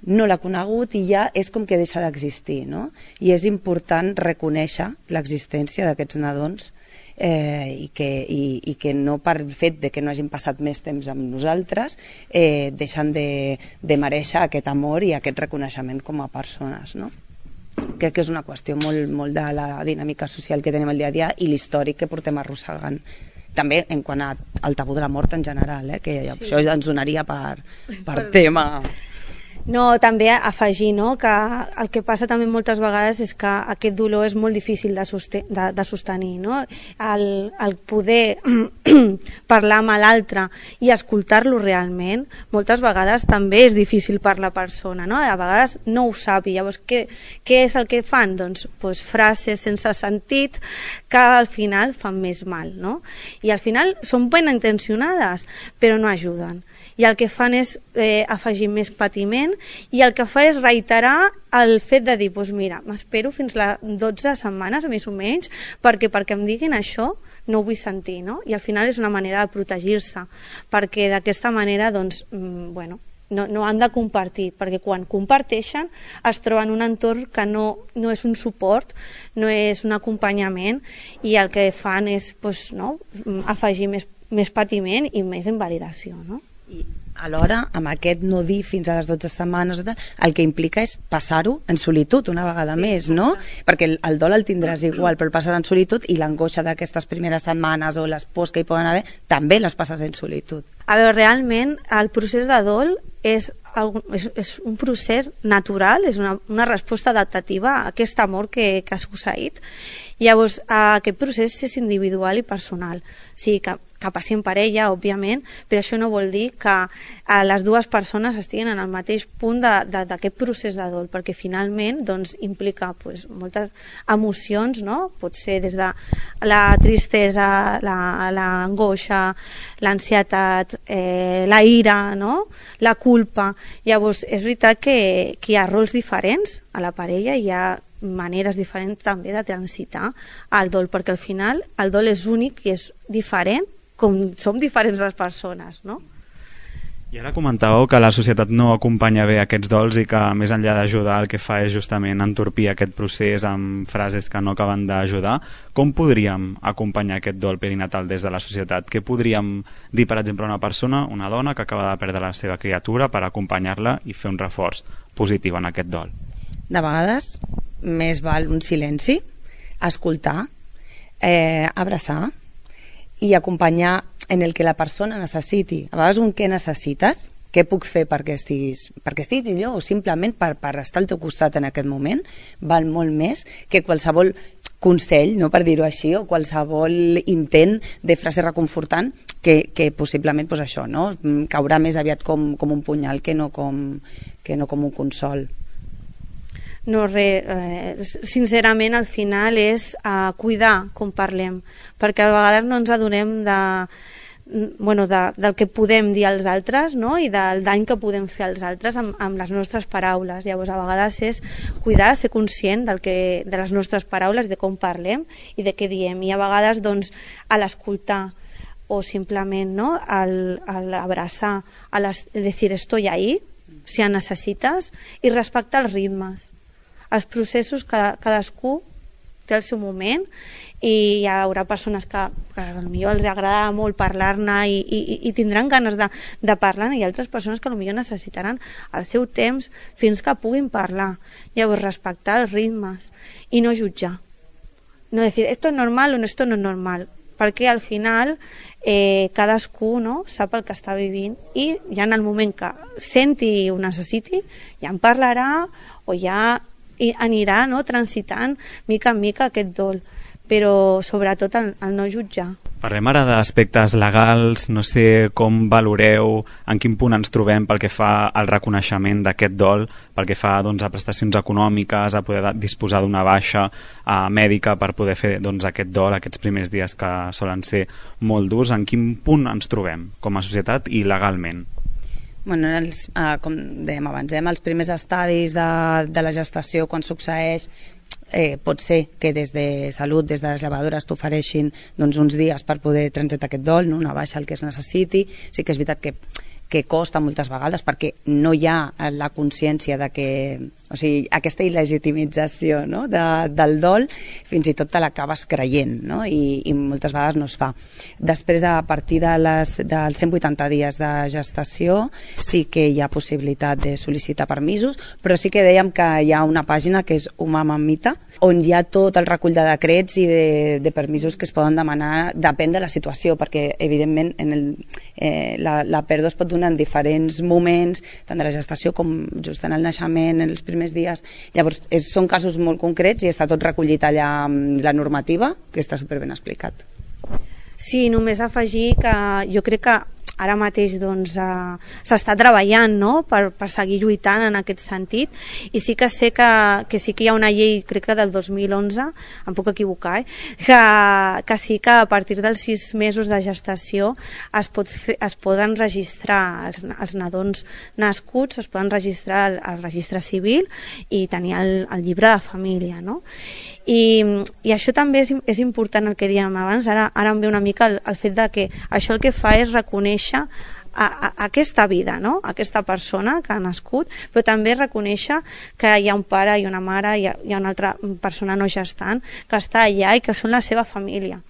no l'ha conegut i ja és com que deixa d'existir, no? I és important reconèixer l'existència d'aquests nadons eh, i, que, i, i que no per fet de que no hagin passat més temps amb nosaltres eh, deixen de, de mereixer aquest amor i aquest reconeixement com a persones, no? Crec que és una qüestió molt, molt de la dinàmica social que tenim el dia a dia i l'històric que portem arrossegant. També en quant a, al tabú de la mort en general, eh, que sí. Això ens donaria per, per tema. No, també afegir, no, que el que passa també moltes vegades és que aquest dolor és molt difícil de, soste de, de sostenir, no? El, el poder parlar amb l'altre i escoltar-lo realment, moltes vegades també és difícil per la persona, no? A vegades no ho sap i llavors què, què és el que fan? Doncs, doncs frases sense sentit que al final fan més mal, no? I al final són ben intencionades però no ajuden. I el que fan és eh, afegir més patiment i el que fa és reiterar el fet de dir, doncs mira, m'espero fins a dotze setmanes, més o menys, perquè perquè em diguin això no ho vull sentir, no? I al final és una manera de protegir-se, perquè d'aquesta manera, doncs, mm, bueno, no, no han de compartir, perquè quan comparteixen es troben un entorn que no, no és un suport, no és un acompanyament, i el que fan és doncs, no, afegir més, més patiment i més invalidació, no? I alhora, amb aquest no dir fins a les dotze setmanes, el que implica és passar-ho en solitud una vegada sí, més, no? Perquè el, el dol el tindràs igual, però el passar en solitud i l'angoixa d'aquestes primeres setmanes o les pors que hi poden haver, també les passes en solitud. A veure, realment, el procés de dol és, és, és un procés natural, és una, una resposta adaptativa a aquest amor que, que ha succeït. Llavors, aquest procés és individual i personal. O sigui que que passi en parella, òbviament, però això no vol dir que eh, les dues persones estiguin en el mateix punt d'aquest procés de dol, perquè finalment doncs, implica pues, moltes emocions, no? Pot ser des de la tristesa, l'angoixa, la, l'ansietat, eh, la ira, no? La culpa. Llavors, és veritat que, que hi ha rols diferents a la parella, hi ha maneres diferents també de transitar el dol, perquè al final el dol és únic i és diferent com som diferents les persones, no? I ara comentàveu que la societat no acompanya bé aquests dols i que més enllà d'ajudar el que fa és justament entorpir aquest procés amb frases que no acaben d'ajudar. Com podríem acompanyar aquest dol perinatal des de la societat? Què podríem dir, per exemple, a una persona, una dona que acaba de perdre la seva criatura per acompanyar-la i fer un reforç positiu en aquest dol? De vegades més val un silenci, escoltar, eh, abraçar i acompanyar en el que la persona necessiti. A vegades un què necessites, què puc fer perquè estiguis, perquè estiguis millor o simplement per, per estar al teu costat en aquest moment, val molt més que qualsevol consell, no per dir-ho així, o qualsevol intent de frase reconfortant que, que possiblement pues això, no? Caurà més aviat com, com un punyal que no com, que no com un consol. No, res, eh, sincerament al final és eh, cuidar com parlem, perquè a vegades no ens adonem de, bueno, de, del que podem dir als altres, no? I del dany que podem fer als altres amb, amb les nostres paraules. Llavors a vegades és cuidar, ser conscient del que, de les nostres paraules, de com parlem i de què diem, i a vegades doncs, a l'escoltar o simplement no? al, al abraçar, a les, decir estoy ahí si necessites, i respectar els ritmes. Els processos, cada, cadascú té el seu moment, i hi haurà persones que, que potser els agrada molt parlar-ne i, i, i tindran ganes de, de parlar-ne, i altres persones que potser necessitaran el seu temps fins que puguin parlar. Llavors, respectar els ritmes i no jutjar. No dir, esto es normal o no, esto no es normal, perquè al final eh, cadascú, no, sap el que està vivint, i ja en el moment que senti i ho necessiti, ja en parlarà o ja anirà, no, transitant mica en mica aquest dol, però sobretot el, el no jutjar. Parlem ara d'aspectes legals, no sé com valoreu, en quin punt ens trobem pel que fa al reconeixement d'aquest dol, pel que fa doncs, a prestacions econòmiques, a poder disposar d'una baixa a mèdica per poder fer doncs, aquest dol, aquests primers dies que solen ser molt durs. En quin punt ens trobem com a societat i legalment? Bueno, en els, eh, com dèiem abans, eh, els primers estadis de, de la gestació, quan succeeix, eh, pot ser que des de Salut, des de les llevadores, t'ofereixin doncs, uns dies per poder transitar aquest dol, no? Una baixa el que es necessiti. Sí que és veritat que que costa moltes vegades perquè no hi ha la consciència de que, o sigui, aquesta il·legitimització, no? de, del dol, fins i tot te l'acabes creient, no? I, i moltes vegades no es fa. Després, a partir de les, dels cent vuitanta dies de gestació, sí que hi ha possibilitat de sol·licitar permisos, però sí que dèiem que hi ha una pàgina que és Humà Mamita, on hi ha tot el recull de decrets i de, de permisos que es poden demanar, depèn de la situació, perquè evidentment en el, eh, la, la pèrdua es pot donar en diferents moments, tant de la gestació com just en el naixement, en els primers dies. Llavors, és, són casos molt concrets i està tot recollit allà amb la normativa, que està superben explicat. Sí, només afegir que jo crec que ara mateix doncs, eh, s'està treballant, no? per, per seguir lluitant en aquest sentit, i sí que sé que, que sí que hi ha una llei, crec que del dos mil onze, em puc equivocar, eh? que, que sí que a partir dels sis mesos de gestació es, pot fer, es poden registrar els, els nadons nascuts, es poden registrar al, al registre civil i tenir el, el llibre de família, no? I, i això també és, és important el que dèiem abans. Ara, ara em ve una mica el, el fet de que això el que fa és reconèixer a, a, a aquesta vida, no? Aquesta persona que ha nascut, però també reconèixer que hi ha un pare i una mare, hi ha, hi ha una altra persona no gestant que està allà i que són la seva família,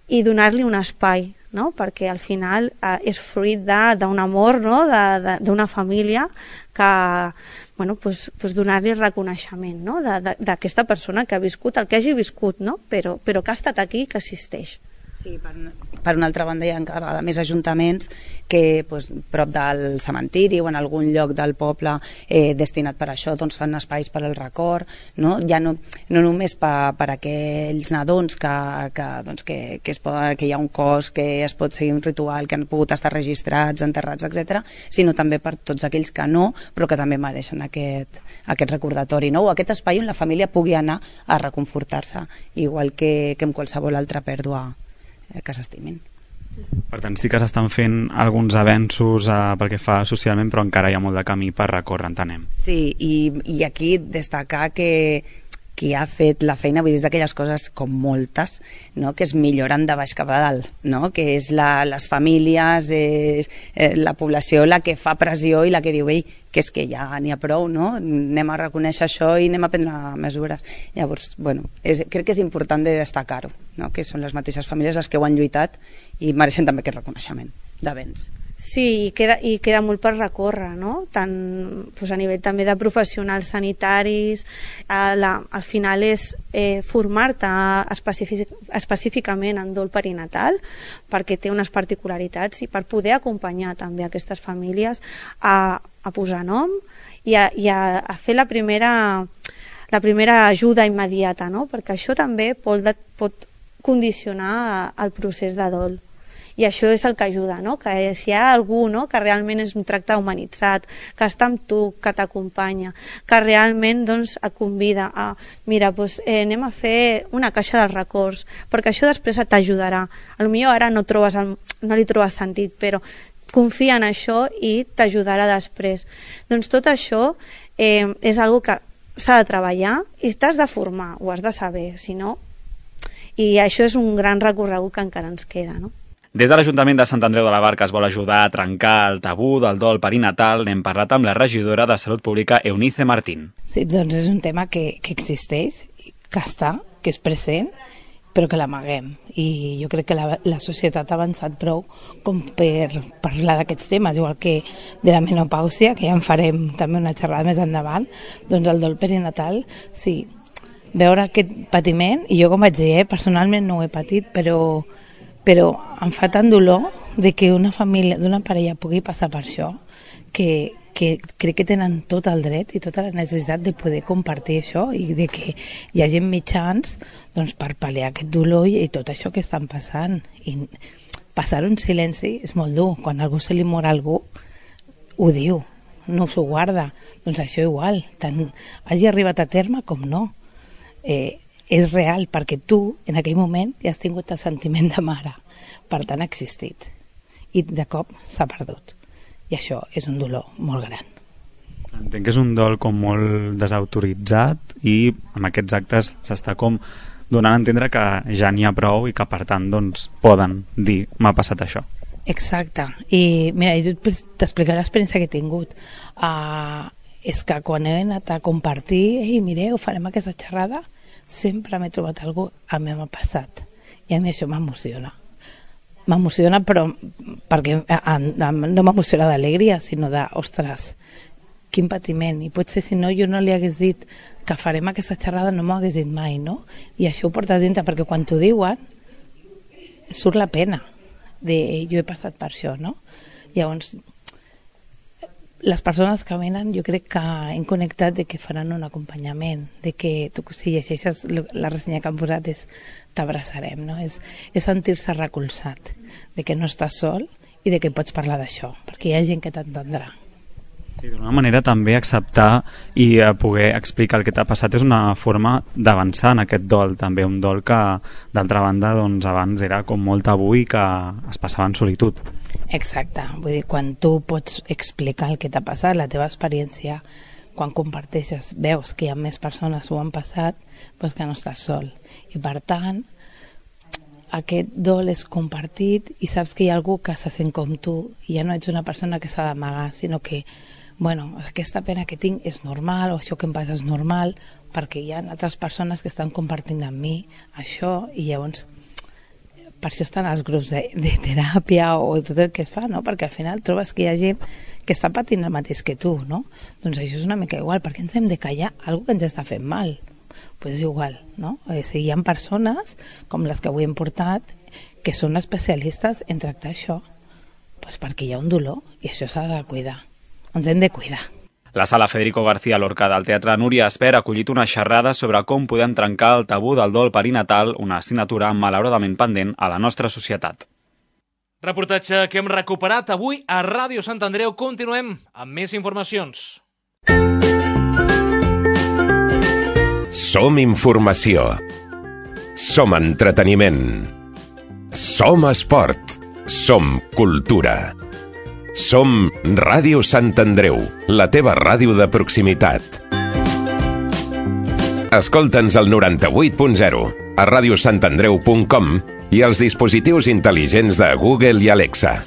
i donar-li un espai, no? Perquè al final eh, és fruit d'un amor, no? D'una família que, bueno, pues, pues donar-li reconeixement, no? D'aquesta persona que ha viscut el que hagi viscut, no? però, però que ha estat aquí i que assisteix. Sí, per, per una altra banda hi ha cada vegada més ajuntaments que pues, prop del cementiri o en algun lloc del poble eh, destinat per això, doncs fan espais per al record, no? Ja no, no només per, per aquells nadons que, que, doncs, que, que, es poden, que hi ha un cos, que es pot seguir un ritual, que han pogut estar registrats, enterrats, etcètera, sinó també per tots aquells que no, però que també mereixen aquest, aquest recordatori, no? O aquest espai on la família pugui anar a reconfortar-se, igual que, que amb qualsevol altra pèrdua que s'estimin. Per tant, sí que s'estan fent alguns avenços eh, pel que fa socialment, però encara hi ha molt de camí per recórrer, entenem. Sí, i, i aquí destacar que qui ha fet la feina, vull dir, és d'aquelles coses com moltes, no? Que es milloren de baix cap a dalt, no? Que és la, les famílies, és eh, la població la que fa pressió i la que diu, ei, que és que ja n'hi ha prou, no? Anem a reconèixer això i anem a prendre mesures. Llavors, bueno, és, crec que és important de destacar-ho, no? Que són les mateixes famílies les que ho han lluitat i mereixen també aquest reconeixement d'avenç. Sí, i queda, i queda molt per recórrer, no? Tant doncs, a nivell també de professionals sanitaris, eh, la, al final és eh, formar-te específic, específicament en dol perinatal, perquè té unes particularitats, i per poder acompanyar també aquestes famílies a, a posar nom i a, i a, a fer la primera, la primera ajuda immediata, no? Perquè això també pot, pot condicionar el procés de dol. I això és el que ajuda, no? Que si hi ha algú, no? Que realment és un tracte humanitzat, que està amb tu, que t'acompanya, que realment doncs, et convida a, mira, doncs, eh, anem a fer una caixa dels records, perquè això després t'ajudarà. Potser ara no, trobes el, no li trobes sentit, però confia en això i t'ajudarà després. Doncs tot això eh, és una cosa que s'ha de treballar i t'has de formar, ho has de saber, si no... I això és un gran recorregut que encara ens queda, no? Des de l'Ajuntament de Sant Andreu de la Barca es vol ajudar a trencar el tabú del dol perinatal. N'hem parlat amb la regidora de Salut Pública, Eunice Martín. Sí, doncs és un tema que, que existeix, que està, que és present, però que l'amaguem. I jo crec que la, la societat ha avançat prou com per parlar d'aquests temes, igual que de la menopàusia, que ja en farem també una xerrada més endavant, doncs el dol perinatal, sí, veure aquest patiment, i jo com vaig dir, eh, personalment no ho he patit, però, però em fa tant dolor de que una família, d'una parella pugui passar per això, que, que crec que tenen tot el dret i tota la necessitat de poder compartir això i de que hi hagi mitjans doncs, per pal·liar aquest dolor i tot això que estan passant. I passar-ho en silenci és molt dur. Quan a algú se li mor a algú, ho diu, no s'ho guarda. Doncs això igual, tant hagi arribat a terme com no. Eh, és real, perquè tu, en aquell moment, ja has tingut el sentiment de mare. Per tant, ha existit. I de cop s'ha perdut. I això és un dolor molt gran. Entenc que és un dol com molt desautoritzat i amb aquests actes s'està com donant a entendre que ja n'hi ha prou i que per tant doncs, poden dir m'ha passat això. Exacte. I mira, jo t'explicaré l'experiència que he tingut. Uh, és que quan he anat a compartir, ei, mireu, farem aquesta xerrada, sempre m'he trobat algú, a mi m'ha passat. I a mi això m'emociona. M'emociona, però perquè no m'emociona d'alegria, sinó de, ostres, quin patiment. I potser si no, jo no li hagués dit que farem aquesta xerrada, no m'ho hagués dit mai, no? I això ho portes dintre, perquè quan t'ho diuen, surt la pena de jo he passat per això, no? Llavors, les persones que venen, jo crec que hem connectat de que faran un acompanyament, de que tu, si llegeixes la ressenya que han posat, és t'abraçarem, no? És, és sentir-se recolzat, de que no estàs sol i de que pots parlar d'això, perquè hi ha gent que t'entendrà. I d'una manera també acceptar i poder explicar el que t'ha passat és una forma d'avançar en aquest dol, també un dol que d'altra banda doncs, abans era com molt tabú i que es passava en solitud. Exacte, vull dir, quan tu pots explicar el que t'ha passat, la teva experiència, quan comparteixes, veus que hi ha més persones ho han passat, doncs que no estàs sol. I per tant, aquest dol és compartit i saps que hi ha algú que se sent com tu i ja no ets una persona que s'ha d'amagar, sinó que bueno, aquesta pena que tinc és normal o això que em passa és normal perquè hi ha altres persones que estan compartint amb mi això i llavors per això estan els grups de, de teràpia o tot el que es fa, no? Perquè al final trobes que hi ha gent que està patint el mateix que tu, no? Doncs això és una mica igual, perquè ens hem de callar algo que ens està fent mal. Doncs pues és igual, no? O sigui, hi ha persones, com les que avui hem portat, que són especialistes en tractar això, pues perquè hi ha un dolor i això s'ha de cuidar. Ens hem de cuidar. La sala Federico García Lorca del Teatre Núria Esper ha acollit una xerrada sobre com podem trencar el tabú del dol perinatal, una assignatura malauradament pendent a la nostra societat. Reportatge que hem recuperat avui a Ràdio Sant Andreu. Continuem amb més informacions. Som informació. Som entreteniment. Som esport. Som cultura. Som Ràdio Sant Andreu, la teva ràdio de proximitat. Escolta'ns al noranta-vuit punt zero, a ràdio sant andreu punt com i als dispositius intel·ligents de Google i Alexa.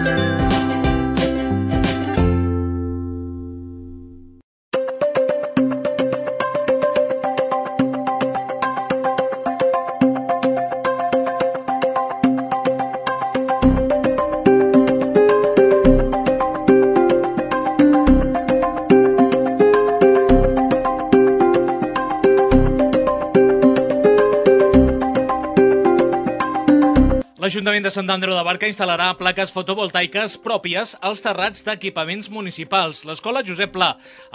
L'Ajuntament de Sant Andreu de Barca instal·larà plaques fotovoltaiques pròpies als terrats d'equipaments municipals. L'Escola Josep Pla,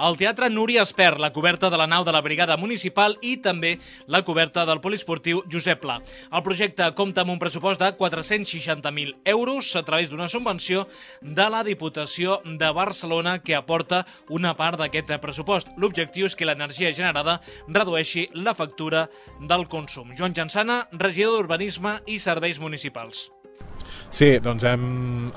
el Teatre Núria Esper, la coberta de la nau de la Brigada Municipal i també la coberta del Poliesportiu Josep Pla. El projecte compta amb un pressupost de quatre-cents seixanta mil euros a través d'una subvenció de la Diputació de Barcelona que aporta una part d'aquest pressupost. L'objectiu és que l'energia generada redueixi la factura del consum. Joan Jansana, regidor d'Urbanisme i Serveis Municipals. Sí, doncs hem,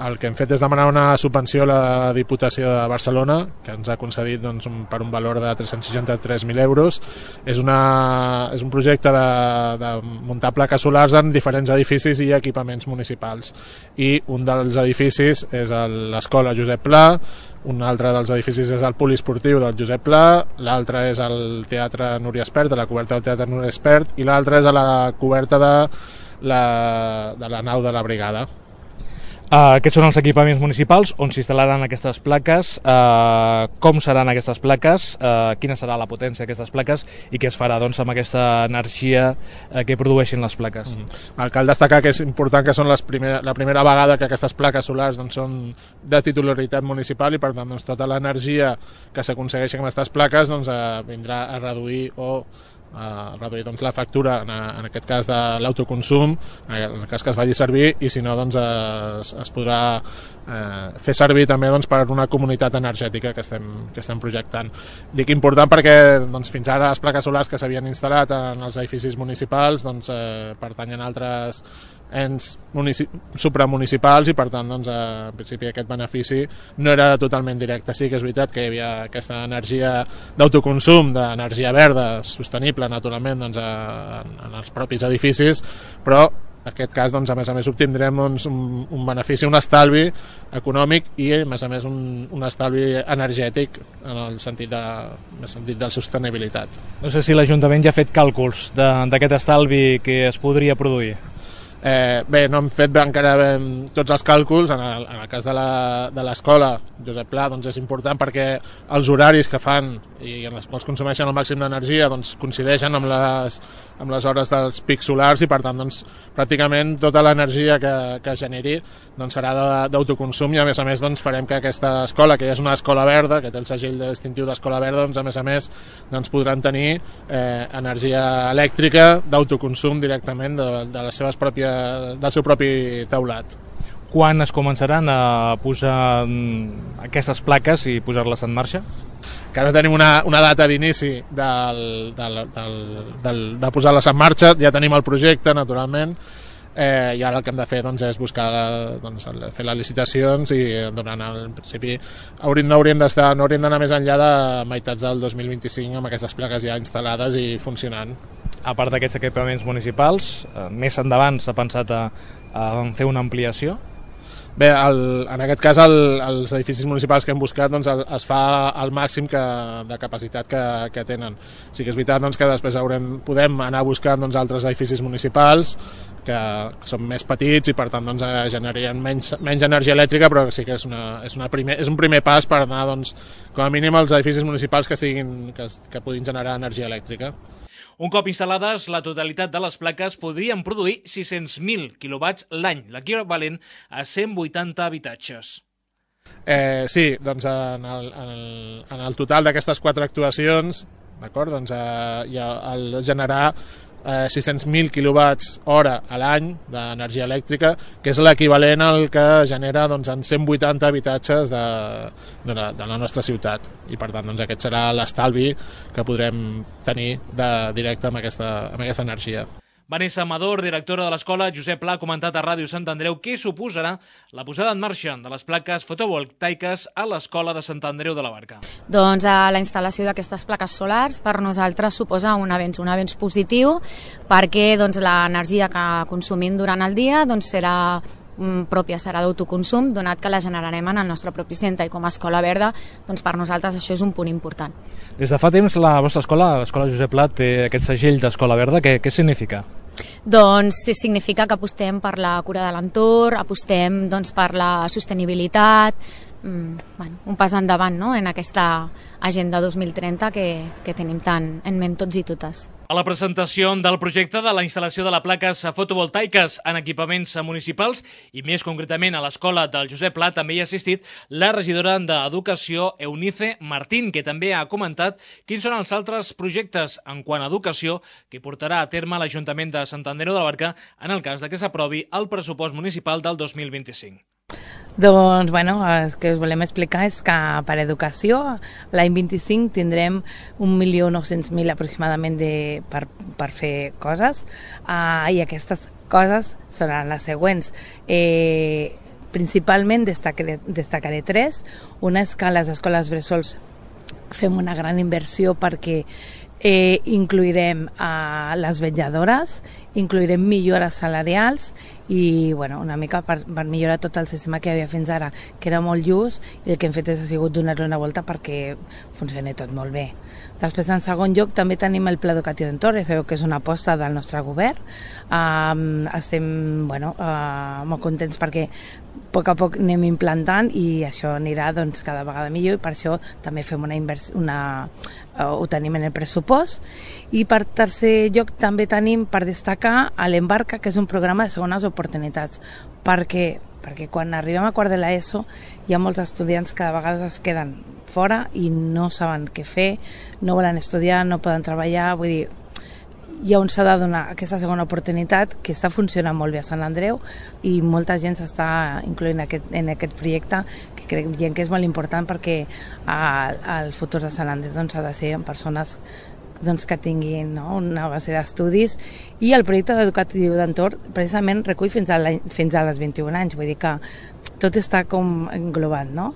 el que hem fet és demanar una subvenció a la Diputació de Barcelona, que ens ha concedit doncs, un, per un valor de tres-cents seixanta-tres mil euros. És, una, és un projecte de, de muntar plaques solars en diferents edificis i equipaments municipals. I un dels edificis és l'Escola Josep Pla, un altre dels edificis és el poliesportiu del Josep Pla, l'altre és el Teatre Núria Espert, de la coberta del Teatre Núria Espert, i l'altre és a la coberta de la, de la nau de la brigada. Uh, aquests són els equipaments municipals on s'instal·laran aquestes plaques, uh, com seran aquestes plaques, uh, quina serà la potència d'aquestes plaques i què es farà doncs, amb aquesta energia uh, que produeixin les plaques. Mm-hmm. Cal destacar que és important que són les primer, la primera vegada que aquestes plaques solars doncs, són de titularitat municipal i per tant doncs, tota l'energia que s'aconsegueixi amb aquestes plaques doncs, uh, vindrà a reduir o a reduir doncs, la factura en, en aquest cas de l'autoconsum en el cas que es faci servir i si no doncs, es, es podrà eh, fer servir també doncs, per una comunitat energètica que estem, que estem projectant. Dic important perquè doncs, fins ara les plaques solars que s'havien instal·lat en els edificis municipals doncs, eh, pertanyen a altres ens supramunicipals i per tant doncs, en principi aquest benefici no era totalment directe. Sí que és veritat que hi havia aquesta energia d'autoconsum, d'energia verda sostenible naturalment doncs, en, en els propis edificis, però en aquest cas doncs, a més a més obtindrem doncs, un, un benefici, un estalvi econòmic i a més a més un, un estalvi energètic en el sentit de, en el sentit de sostenibilitat. No sé si l'Ajuntament ja ha fet càlculs d'aquest estalvi que es podria produir. Eh, bé, no hem fet encara ben tots els càlculs. En el, en el cas de l'escola Josep Pla doncs és important perquè els horaris que fan i en els quals consumeixen el màxim d'energia doncs, coincideixen amb les, amb les hores dels pics solars i per tant doncs, pràcticament tota l'energia que, que generi doncs, serà d'autoconsum i a més a més doncs, farem que aquesta escola, que ja és una escola verda, que té el segell distintiu d'escola verda, doncs, a més a més doncs, podran tenir eh, energia elèctrica d'autoconsum directament de, de les seves pròpies, del seu propi teulat. Quan es començaran a posar aquestes plaques i posar-les en marxa? Que no tenim una, una data d'inici del, del, del, del, de posar-les en marxa, ja tenim el projecte naturalment, eh, i ara el que hem de fer doncs, és buscar doncs, fer les licitacions i durant el principi hauríem, no hauríem d'estar, no hauríem d'anar més enllà de meitats del dos mil vint-i-cinc amb aquestes plaques ja instal·lades i funcionant. A part d'aquests equipaments municipals, eh, més endavant s'ha pensat a, a fer una ampliació? Bé, el, en aquest cas el, els edificis municipals que hem buscat doncs, el, es fa al màxim que, de capacitat que, que tenen. Sí que és veritat doncs, que després haurem, podem anar buscant doncs, altres edificis municipals que, que són més petits i per tant doncs, generarien menys, menys energia elèctrica, però sí que és, una, és, una primer, és un primer pas per anar doncs, com a mínim als edificis municipals que, siguin, que, que puguin generar energia elèctrica. Un cop instal·lades, la totalitat de les plaques podrien produir sis-cents mil quilowatts l'any, l'equivalent a cent vuitanta habitatges. Eh, sí, doncs en el, en el, en el total d'aquestes quatre actuacions, d'acord, doncs eh, ja el generar eh, sis-cents mil quilowatts hora a l'any d'energia elèctrica, que és l'equivalent al que genera doncs, en cent vuitanta habitatges de, de, la, de la nostra ciutat. I per tant doncs, aquest serà l'estalvi que podrem tenir de directe amb aquesta, amb aquesta energia. Vanessa Amador, directora de l'escola Josep Pla, ha comentat a Ràdio Sant Andreu què suposarà la posada en marxa de les plaques fotovoltaiques a l'escola de Sant Andreu de la Barca. Doncs la instal·lació d'aquestes plaques solars per nosaltres suposa un avenç, un avenç positiu perquè doncs, l'energia que consumim durant el dia doncs, serà pròpia, serà d'autoconsum, donat que la generarem en el nostre propi centre i com a escola verda, doncs per nosaltres això és un punt important. Des de fa temps la vostra escola, l'escola Josep Pla, té aquest segell d'escola verda. Què, què significa? Doncs significa que apostem per la cura de l'entorn, apostem doncs, per la sostenibilitat, mm, bueno, un pas endavant no? en aquesta agenda dos mil trenta que, que tenim tant en ment tots i totes. A la presentació del projecte de la instal·lació de les plaques fotovoltaiques en equipaments municipals i més concretament a l'escola del Josep Pla també hi ha assistit la regidora d'Educació Eunice Martín, que també ha comentat quins són els altres projectes en quant a educació que portarà a terme l'Ajuntament de Sant Andreu de la Barca en el cas de que s'aprovi el pressupost municipal del dos mil vint-i-cinc. Doncs, bueno, el que us volem explicar és que per educació l'any vint-i-cinc tindrem un milió nou-cents mil aproximadament de, per, per fer coses uh, i aquestes coses seran les següents. Eh, principalment destacaré, destacaré tres. Una és que a les escoles bressols fem una gran inversió perquè eh, incluirem a les vetlladores, incluirem millores salarials i bueno, una mica per, per millorar tot el sistema que hi havia fins ara, que era molt just, i el que hem fet és, ha sigut donar-li una volta perquè funcioni tot molt bé. Després, en segon lloc, també tenim el Pla Educatiu d'Entorn, sabeu que és una aposta del nostre govern. Um, estem bueno, uh, molt contents perquè a poc a poc anem implantant i això anirà doncs, cada vegada millor, i per això també fem una inversió, una, uh, ho tenim en el pressupost. I per tercer lloc també tenim per destacar a l'Embarca, que és un programa de segones oportunitats, perquè, perquè quan arribem a quart de l'ESO hi ha molts estudiants que a vegades es queden fora i no saben què fer, no volen estudiar, no poden treballar, vull dir, hi ha on s'ha de donar aquesta segona oportunitat, que està funcionant molt bé a Sant Andreu i molta gent s'està incloent aquest, en aquest projecte, que creiem que és molt important perquè el, el futur de Sant Andreu doncs, ha de ser amb persones doncs, que tinguin no, una base d'estudis, i el projecte educatiu d'entorn precisament recull fins a, la, fins a les vint-i-un anys, vull dir que tot està com englobat, no?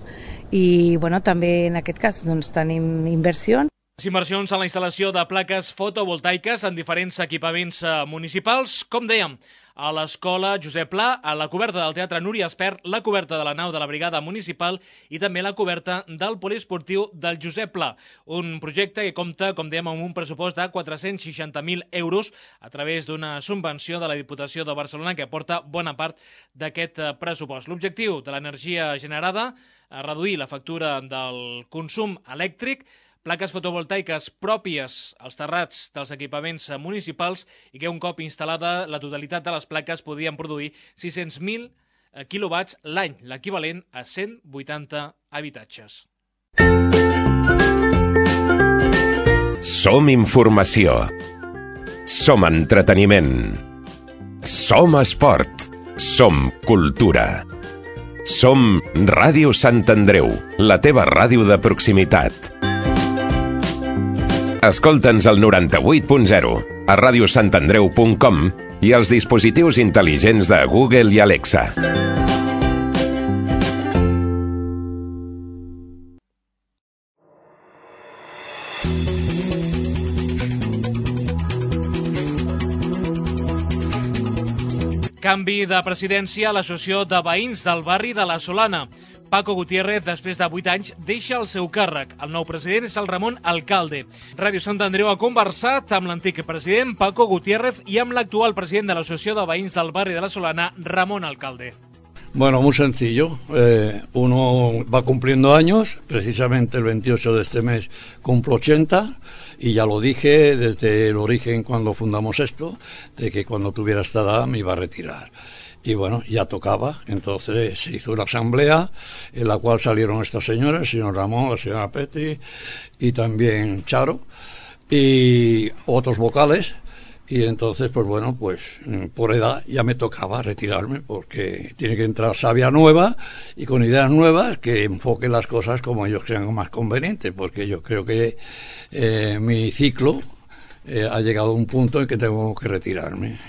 I bueno, també en aquest cas doncs, tenim inversions. Inversions en la instal·lació de plaques fotovoltaiques en diferents equipaments municipals, com dèiem, a l'escola Josep Pla, a la coberta del Teatre Núria Espert, la coberta de la nau de la Brigada Municipal i també la coberta del poliesportiu del Josep Pla. Un projecte que compta, com dèiem, amb un pressupost de quatre-cents seixanta mil euros a través d'una subvenció de la Diputació de Barcelona que aporta bona part d'aquest pressupost. L'objectiu de l'energia generada, reduir la factura del consum elèctric, plaques fotovoltaiques pròpies als terrats dels equipaments municipals i que un cop instal·lada la totalitat de les plaques podien produir sis-cents mil quilowatts l'any, l'equivalent a cent vuitanta habitatges. Som informació. Som entreteniment. Som esport. Som cultura. Som Ràdio Sant Andreu, la teva ràdio de proximitat. Escolta'ns al noranta-vuit punt zero, a ràdio sant andreu punt com i als dispositius intel·ligents de Google i Alexa. Canvi de presidència a l'Associació de Veïns del barri de la Solana. Paco Gutiérrez, després de vuit anys, deixa el seu càrrec. El nou president és el Ramon Alcalde. Ràdio Sant Andreu ha conversat amb l'antic president Paco Gutiérrez i amb l'actual president de l'Associació de Veïns del barri de la Solana, Ramon Alcalde. Bueno, muy sencillo. Eh, uno va cumpliendo años, precisamente el veintiocho de este mes cumplo ochenta, y ya lo dije desde el origen cuando fundamos esto, de que cuando tuviera esta edad me iba a retirar. Y bueno, ya tocaba, entonces se hizo una asamblea en la cual salieron estos señores, el señor Ramón, la señora Petri y también Charo y otros vocales, y entonces pues bueno, pues por edad ya me tocaba retirarme porque tiene que entrar savia nueva y con ideas nuevas que enfoquen las cosas como ellos crean más conveniente, porque yo creo que eh, mi ciclo eh, ha llegado a un punto en que tengo que retirarme.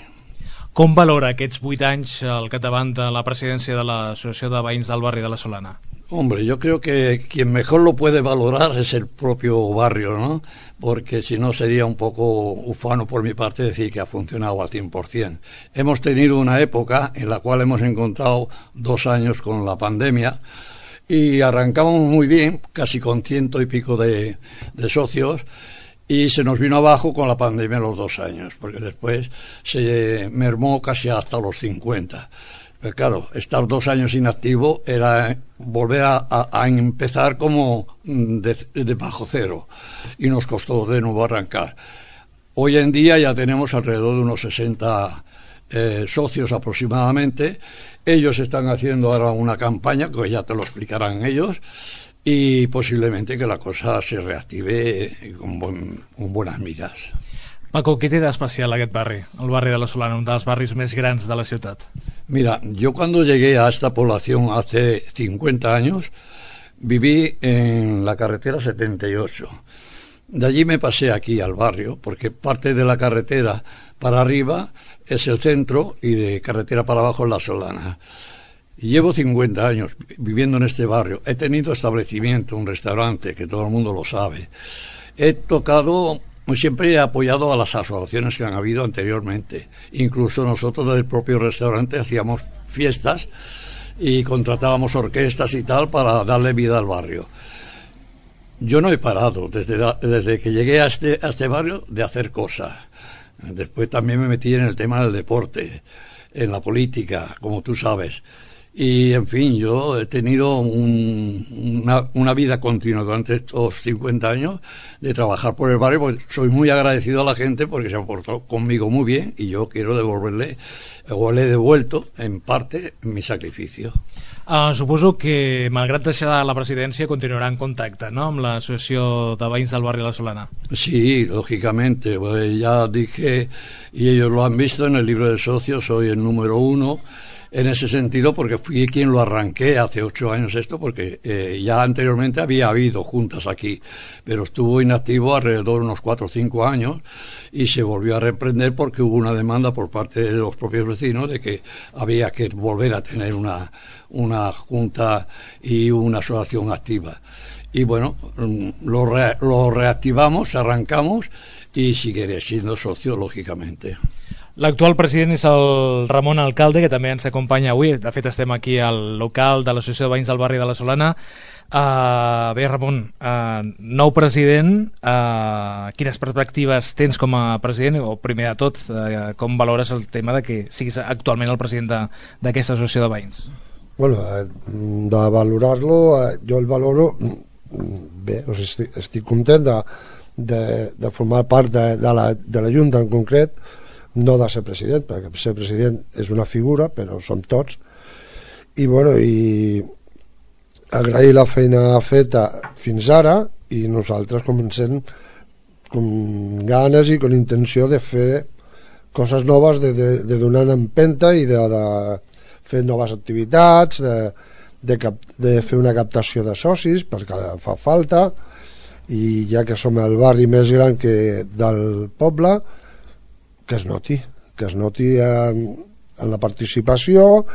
Com valora aquests vuit anys al capdavant de la presidència de l'Associació de Veïns del barri de la Solana? Hombre, yo creo que quien mejor lo puede valorar es el propio barrio, ¿no? Porque si no sería un poco ufano por mi parte decir que ha funcionado al cien por ciento. Hemos tenido una época en la cual hemos encontrado dos años con la pandemia y arrancamos muy bien, casi con ciento y pico de, de socios, y se nos vino abajo con la pandemia los dos años, porque después se mermó casi hasta los cincuenta. Pero claro, estar dos años inactivo era volver a, a, a empezar como de, de bajo cero, y nos costó de nuevo arrancar. Hoy en día ya tenemos alrededor de unos sesenta eh, socios aproximadamente. Ellos están haciendo ahora una campaña, que ya te lo explicarán ellos, y posiblemente que la cosa se reactive con, buen, con buenas miras. Paco, què té d'especial aquest barri, el barri de la Solana, un dels barris més grans de la ciutat? Mira, yo cuando llegué a esta población hace cincuenta años, viví en la carretera setenta y ocho. De allí me pasé aquí al barrio, porque parte de la carretera para arriba es el centro y de carretera para abajo es la Solana. Llevo cincuenta años viviendo en este barrio. He tenido establecimiento, un restaurante, que todo el mundo lo sabe. He tocado, siempre he apoyado a las asociaciones que han habido anteriormente. Incluso nosotros del propio restaurante hacíamos fiestas y contratábamos orquestas y tal para darle vida al barrio. Yo no he parado desde, desde que llegué a este, a este barrio de hacer cosas. Después también me metí en el tema del deporte, en la política, como tú sabes. Y, en fin, yo he tenido un, una, una vida continua durante estos cincuenta años de trabajar por el barrio, porque soy muy agradecido a la gente porque se ha portado conmigo muy bien y yo quiero devolverle, o le he devuelto, en parte, mi sacrificio. Uh, suposo que, malgrat deixar la presidència, continuarà en contacte, ¿no?, amb l'Associació de Veïns del Barri de la Solana. Sí, lógicamente. Pues ya dije, y ellos lo han visto en el libro de socios, soy el número uno en ese sentido, porque fui quien lo arranqué hace ocho años esto, porque eh, ya anteriormente había habido juntas aquí, pero estuvo inactivo alrededor de unos cuatro o cinco años y se volvió a reprender porque hubo una demanda por parte de los propios vecinos de que había que volver a tener una, una junta y una asociación activa. Y bueno, lo, re, lo reactivamos, arrancamos y seguiré siendo socio, lógicamente. L'actual president és el Ramon Alcalde, que també ens acompanya avui. De fet, estem aquí al local de l'Associació de Veïns del Barri de la Solana. Uh, bé, Ramon, uh, nou president, uh, quines perspectives tens com a president? O primer de tot, uh, com valores el tema de que siguis actualment el president d'aquesta associació de veïns? Bueno, de valorar-lo, jo el valoro bé, o sigui, estic, estic content de, de, de formar part de, de, la, de la Junta en concret, no de ser president, perquè ser president és una figura, però som tots, i bueno, i agrair la feina feta fins ara, i nosaltres comencem amb ganes i amb intenció de fer coses noves, de, de, de donar empenta i de, de fer noves activitats, de, de, cap, de fer una captació de socis, perquè fa falta, i ja que som el barri més gran que del poble, que es noti, que es noti en, en la participació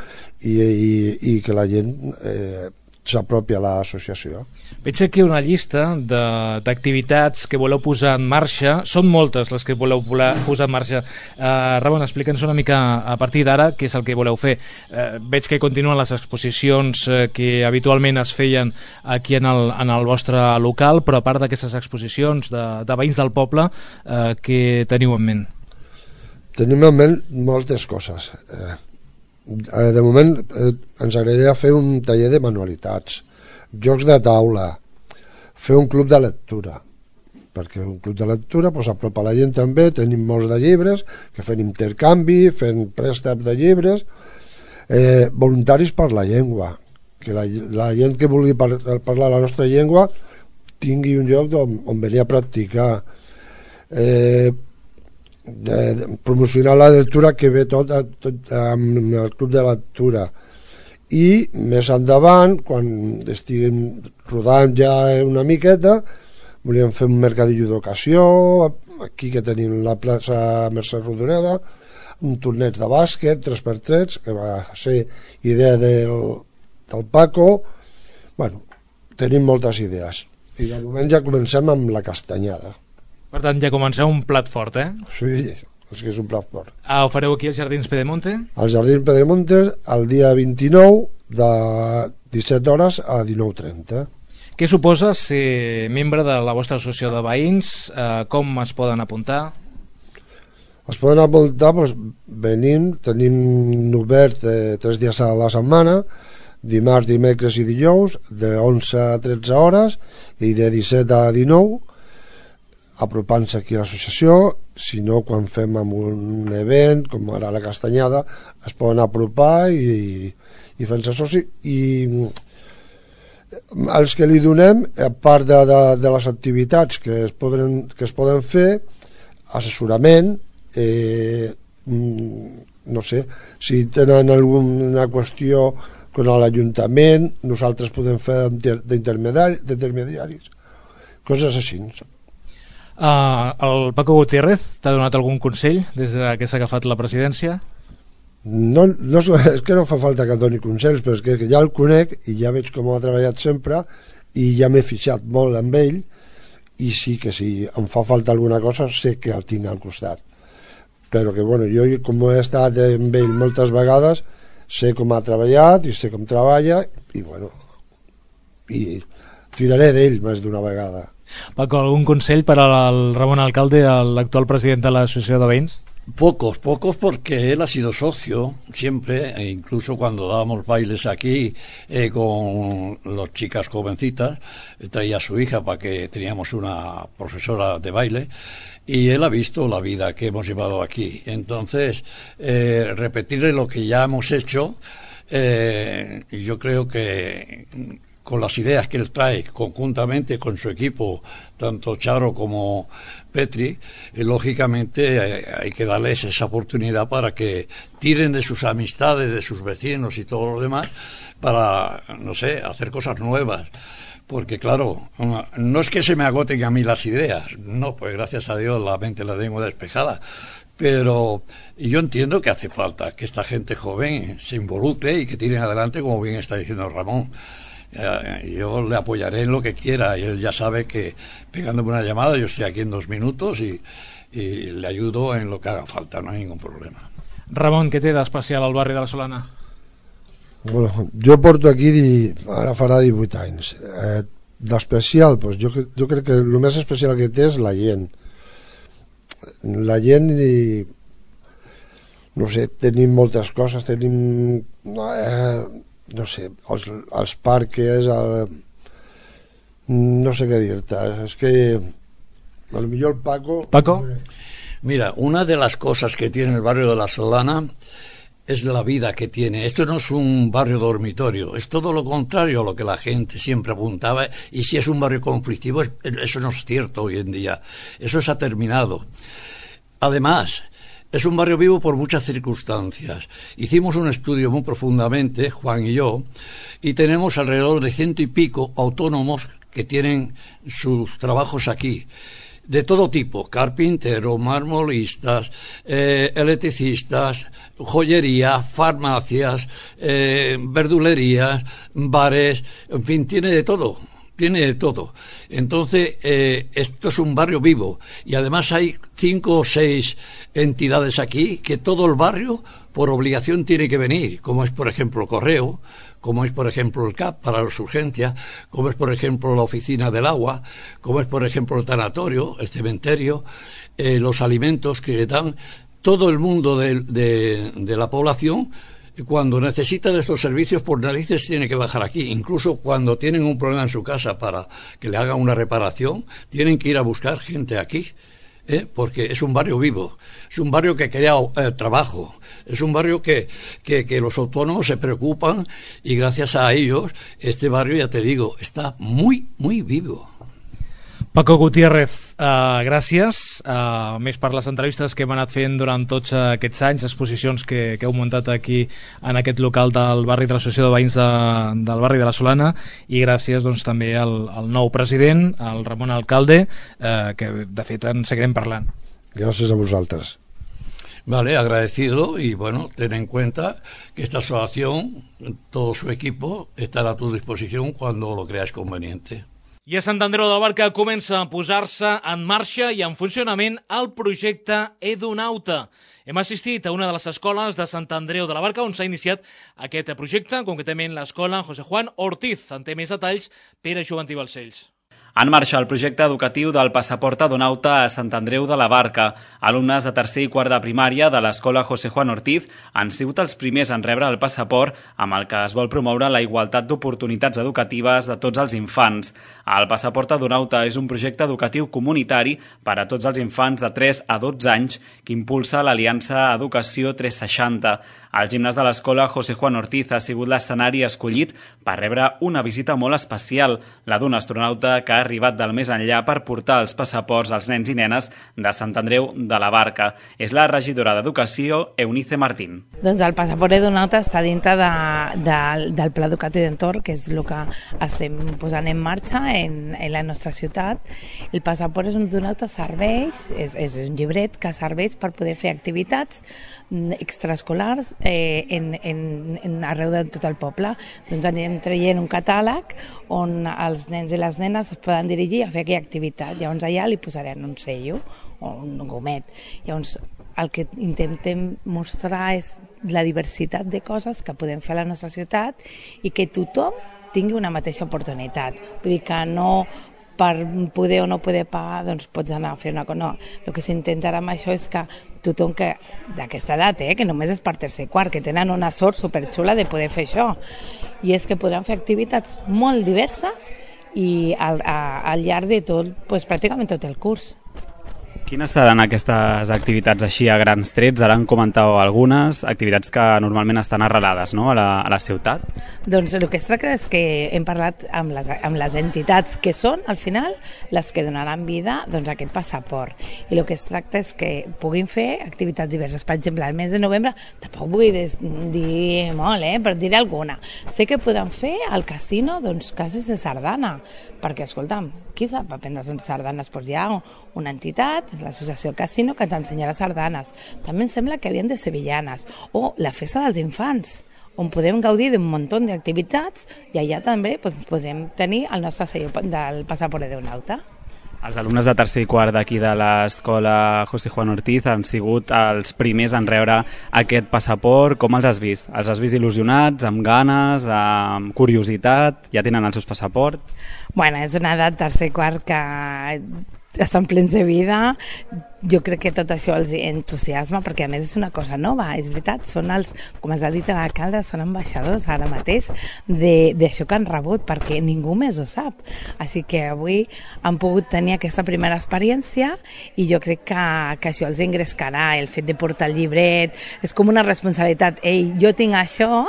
i, i, i que la gent eh, s'apropi a l'associació. Veig aquí una llista d'activitats que voleu posar en marxa. Són moltes les que voleu posar en marxa. Uh, Ramon, explica'ns una mica a partir d'ara què és el que voleu fer. Uh, veig que continuen les exposicions uh, que habitualment es feien aquí en el, en el vostre local, però a part d'aquestes exposicions de, de veïns del poble, uh, què teniu en ment? Tenim en ment moltes coses. Eh, de moment eh, ens agradaria fer un taller de manualitats, jocs de taula, fer un club de lectura, perquè un club de lectura pues, apropa la gent també, tenim molts de llibres, que fem intercanvi, fem préstec de llibres, eh, voluntaris per la llengua, que la, la gent que vulgui par parlar la nostra llengua tingui un lloc on, on venir a practicar. Eh, De, de promocionar la lectura, que ve tot, tot amb el club de lectura, i més endavant, quan estiguem rodant ja una miqueta, volíem fer un mercadillo d'ocasió aquí que tenim la plaça Mercè Rodoreda, un torneig de bàsquet tres per tres, que va ser idea del, del Paco. Bueno, tenim moltes idees i de moment ja comencem amb la castanyada. Per tant, ja comenceu un plat fort, eh? Sí, és que és un plat fort. Ah, ho fareu aquí als Jardins Pedemonte? Als Jardins Pedemonte el dia vint-i-nou de disset hores a dinou trenta. Què suposa ser membre de la vostra associació de veïns? Eh, com es poden apuntar? Es poden apuntar doncs, venint, tenim obert eh, tres dies a la setmana, dimarts, dimecres i dijous, de onze a tretze hores i de disset a dinou, apropant-se aquí a l'associació. Si no, quan fem amb un event com ara la castanyada, es poden apropar i, i fent-se soci. I els que li donem, a part de, de, de les activitats que es poden, que es poden fer, assessorament, eh, no sé, si tenen alguna qüestió con l'Ajuntament, nosaltres podem fer d'intermediaris, coses així. Uh, el Paco Gutiérrez t'ha donat algun consell des que s'ha agafat la presidència? No, no, és que no fa falta que et doni consells, però és que ja el conec i ja veig com ha treballat sempre i ja m'he fixat molt amb ell, i sí que si em fa falta alguna cosa sé que el tinc al costat, però que bueno, jo com he estat amb ell moltes vegades sé com ha treballat i sé com treballa i bueno, i tiraré d'ell més d'una vegada. Paco, algun consell per al Ramon Alcalde, l'actual president de l'Associació de Veïns? Pocos, pocos porque él ha sido socio siempre, e incluso cuando dábamos bailes aquí eh, con las chicas jovencitas, eh, traía a su hija para que teníamos una profesora de baile, y él ha visto la vida que hemos llevado aquí. Entonces, eh, repetirle lo que ya hemos hecho, eh, yo creo que con las ideas que él trae conjuntamente con su equipo, tanto Charo como Petri, eh, lógicamente eh, hay que darles esa oportunidad para que tiren de sus amistades, de sus vecinos y todo lo demás, para, no sé, hacer cosas nuevas. Porque claro, no es que se me agoten a mí las ideas, no, pues gracias a Dios la mente la tengo despejada, pero yo entiendo que hace falta que esta gente joven se involucre y que tiren adelante, como bien está diciendo Ramón. Yo le apoyaré en lo que quiera y él ya sabe que pegándome una llamada yo estoy aquí en dos minutos y, y le ayudo en lo que haga falta, no hay ningún problema. Ramon, què té d'especial al barri de la Solana? Bueno, jo porto aquí ara farà divuit anys. Eh, d'especial, doncs jo, jo crec que el més especial que té és la gent. La gent i no sé, tenim moltes coses, tenim eh, no sé, els, els parques, el, no sé què dir-te, és que a lo millor el Paco... Paco? Mira, una de las cosas que tiene el barrio de la Solana es la vida que tiene. Esto no es un barrio dormitorio, es todo lo contrario a lo que la gente siempre apuntaba, y si es un barrio conflictivo, eso no es cierto hoy en día, eso se ha terminado. Además, es un barrio vivo por muchas circunstancias. Hicimos un estudio muy profundamente, Juan y yo, y tenemos alrededor de ciento y pico autónomos que tienen sus trabajos aquí, de todo tipo: carpinteros, marmolistas, eh, electricistas, joyería, farmacias, eh, verdulerías, bares, en fin, tiene de todo. Tiene de todo. Entonces, eh, esto es un barrio vivo. Y además hay cinco o seis entidades aquí que todo el barrio, por obligación, tiene que venir. Como es, por ejemplo, el Correo, como es, por ejemplo, el C A P para las urgencias, como es, por ejemplo, la Oficina del Agua, como es, por ejemplo, el tanatorio, el cementerio, eh, los alimentos que dan. Todo el mundo de, de, de la población, cuando necesitan estos servicios, por narices tiene que bajar aquí. Incluso cuando tienen un problema en su casa para que le hagan una reparación, tienen que ir a buscar gente aquí, ¿eh? Porque es un barrio vivo, es un barrio que crea eh, trabajo, es un barrio que, que, que los autónomos se preocupan, y gracias a ellos este barrio, ya te digo, está muy, muy vivo. Paco Gutiérrez, uh, gràcies, uh, més per les entrevistes que hem anat fent durant tots aquests anys, exposicions que, que heu muntat aquí en aquest local del barri de l'Associació de Veïns de, del barri de la Solana, i gràcies doncs, també al, al nou president, al Ramon Alcalde, uh, que de fet en seguirem parlant. Gràcies a vosaltres. Vale, agradecido, y bueno, ten en cuenta que esta asociación, todo su equipo, estará a tu disposición cuando lo creas conveniente. I a Sant Andreu de la Barca comença a posar-se en marxa i en funcionament el projecte Edunauta. Hem assistit a una de les escoles de Sant Andreu de la Barca on s'ha iniciat aquest projecte, concretament l'escola José Juan Ortiz. En té més detalls Pere Joventí Balcells. En marxa el projecte educatiu del passaport Edunauta a Sant Andreu de la Barca. Alumnes de tercer i quart de primària de l'escola José Juan Ortiz han sigut els primers en rebre el passaport, amb el que es vol promoure la igualtat d'oportunitats educatives de tots els infants. El passaport Edunauta és un projecte educatiu comunitari per a tots els infants de tres a dotze anys que impulsa l'Aliança Educació tres seixanta. El gimnàs de l'escola José Juan Ortiz ha sigut l'escenari escollit per rebre una visita molt especial, la d'un astronauta que ha arribat del més enllà per portar els passaports als nens i nenes de Sant Andreu de la Barca. És la regidora d'Educació, Eunice Martín. Doncs el passaport edunauta està dintre de, de, del Pla Educatiu d'Entorn, que és el que estem posant en marxa en, en la nostra ciutat. El passaport edunauta serveix, és, és un llibret que serveix per poder fer activitats extraescolars eh, en, en, en arreu de tot el poble. Doncs anirem traient un catàleg on els nens i les nenes es poden dirigir a fer aquella activitat. Llavors allà li posarem un sello o un gomet. Llavors el que intentem mostrar és la diversitat de coses que podem fer a la nostra ciutat i que tothom tingui una mateixa oportunitat. Vull dir que no per poder o no poder pagar, doncs pots anar a fer una cosa. No, el que s'intentarà amb això és que tothom que d'aquesta edat, eh, que només és per tercer i quart, que tenen una sort superxula de poder fer això, i és que podran fer activitats molt diverses i al, a, al llarg de tot, doncs, pràcticament tot el curs. Quines seran aquestes activitats així a grans trets? Ara en comentau algunes, activitats que normalment estan arrelades, no?, a la, a la ciutat. Doncs el que es tracta és que hem parlat amb les, amb les entitats que són, al final, les que donaran vida doncs, a aquest passaport. I el que es tracta és que puguin fer activitats diverses. Per exemple, al mes de novembre, tampoc vull dir molt, eh, per dir alguna. Sé que podran fer al casino doncs, classes de sardana, perquè, escolta'm, qui sap aprendre sardanes? Doncs hi ha una entitat, l'associació Casino, que ens ensenyarà sardanes. També em sembla que havien de sevillanes. O la festa dels infants, on podem gaudir d'un munt d'activitats i allà també doncs, podrem tenir el nostre sello del passaport edunauta. Els alumnes de tercer i quart d'aquí de l'escola José Juan Ortiz han sigut els primers en rebre aquest passaport. Com els has vist? Els has vist il·lusionats, amb ganes, amb curiositat? Ja tenen els seus passaports? Bueno, és una edat tercer i quart que estan plens de vida. Jo crec que tot això els entusiasma, perquè a més és una cosa nova, és veritat, són els, com ens ha dit l'alcalde, són ambaixadors ara mateix d'això que han rebut, perquè ningú més ho sap. Així que avui han pogut tenir aquesta primera experiència i jo crec que, que això els engrescarà, el fet de portar el llibret, és com una responsabilitat. Ei, jo tinc això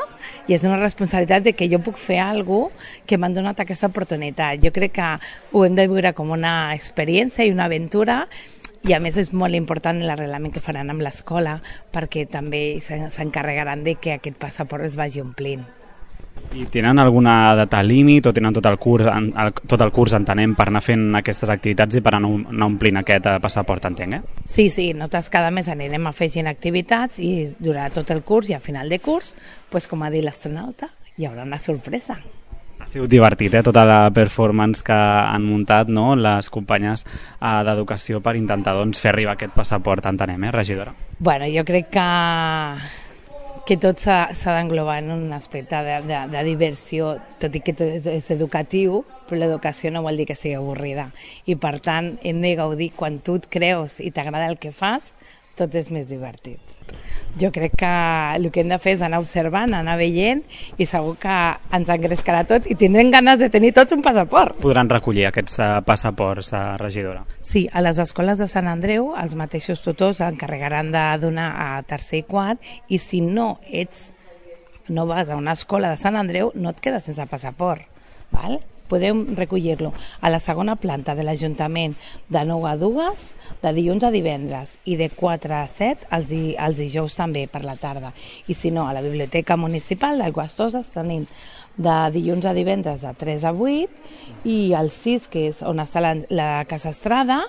i és una responsabilitat de que jo puc fer alguna cosa que m'han donat aquesta oportunitat. Jo crec que ho hem de viure com una experiència i una aventura. I a més és molt important l'arreglament que faran amb l'escola, perquè també s'encarregaran de que aquest passaport es vagi omplint. I tenen alguna data límit o tenen tot el curs, tot el curs entenem, per anar fent aquestes activitats i per anar omplint aquest passaport, entenc, eh? Sí, sí, nosaltres cada mes anirem afegint activitats i durarà tot el curs i a final de curs, doncs, com ha dit l'astronauta, hi haurà una sorpresa. Ha sigut divertit, eh, tota la performance que han muntat, no?, les companyes eh, d'educació per intentar doncs, fer arribar aquest passaport, entenem, eh, regidora? Bueno, jo crec que, que tot s'ha d'englobar en un aspecte de, de, de diversió, tot i que tot és, és educatiu, però l'educació no vol dir que sigui avorrida. I per tant, hem de gaudir quan tu et creus i t'agrada el que fas, tot és més divertit. Jo crec que el que hem de fer és anar observant, anar veient i segur que ens engrescarà tot i tindrem ganes de tenir tots un passaport. Podran recollir aquests uh, passaports, uh, regidora? Sí, a les escoles de Sant Andreu els mateixos tutors encarregaran de donar a tercer i quart i si no ets, no vas a una escola de Sant Andreu no et quedes sense passaport, val? Podem recollir-lo a la segona planta de l'Ajuntament de nou a dues, de dilluns a divendres i de quatre a set els, els dijous també per la tarda. I si no, a la Biblioteca Municipal d'Aigües Toses tenim de dilluns a divendres de tres a vuit i el sis, que és on està la, la Casa Estrada,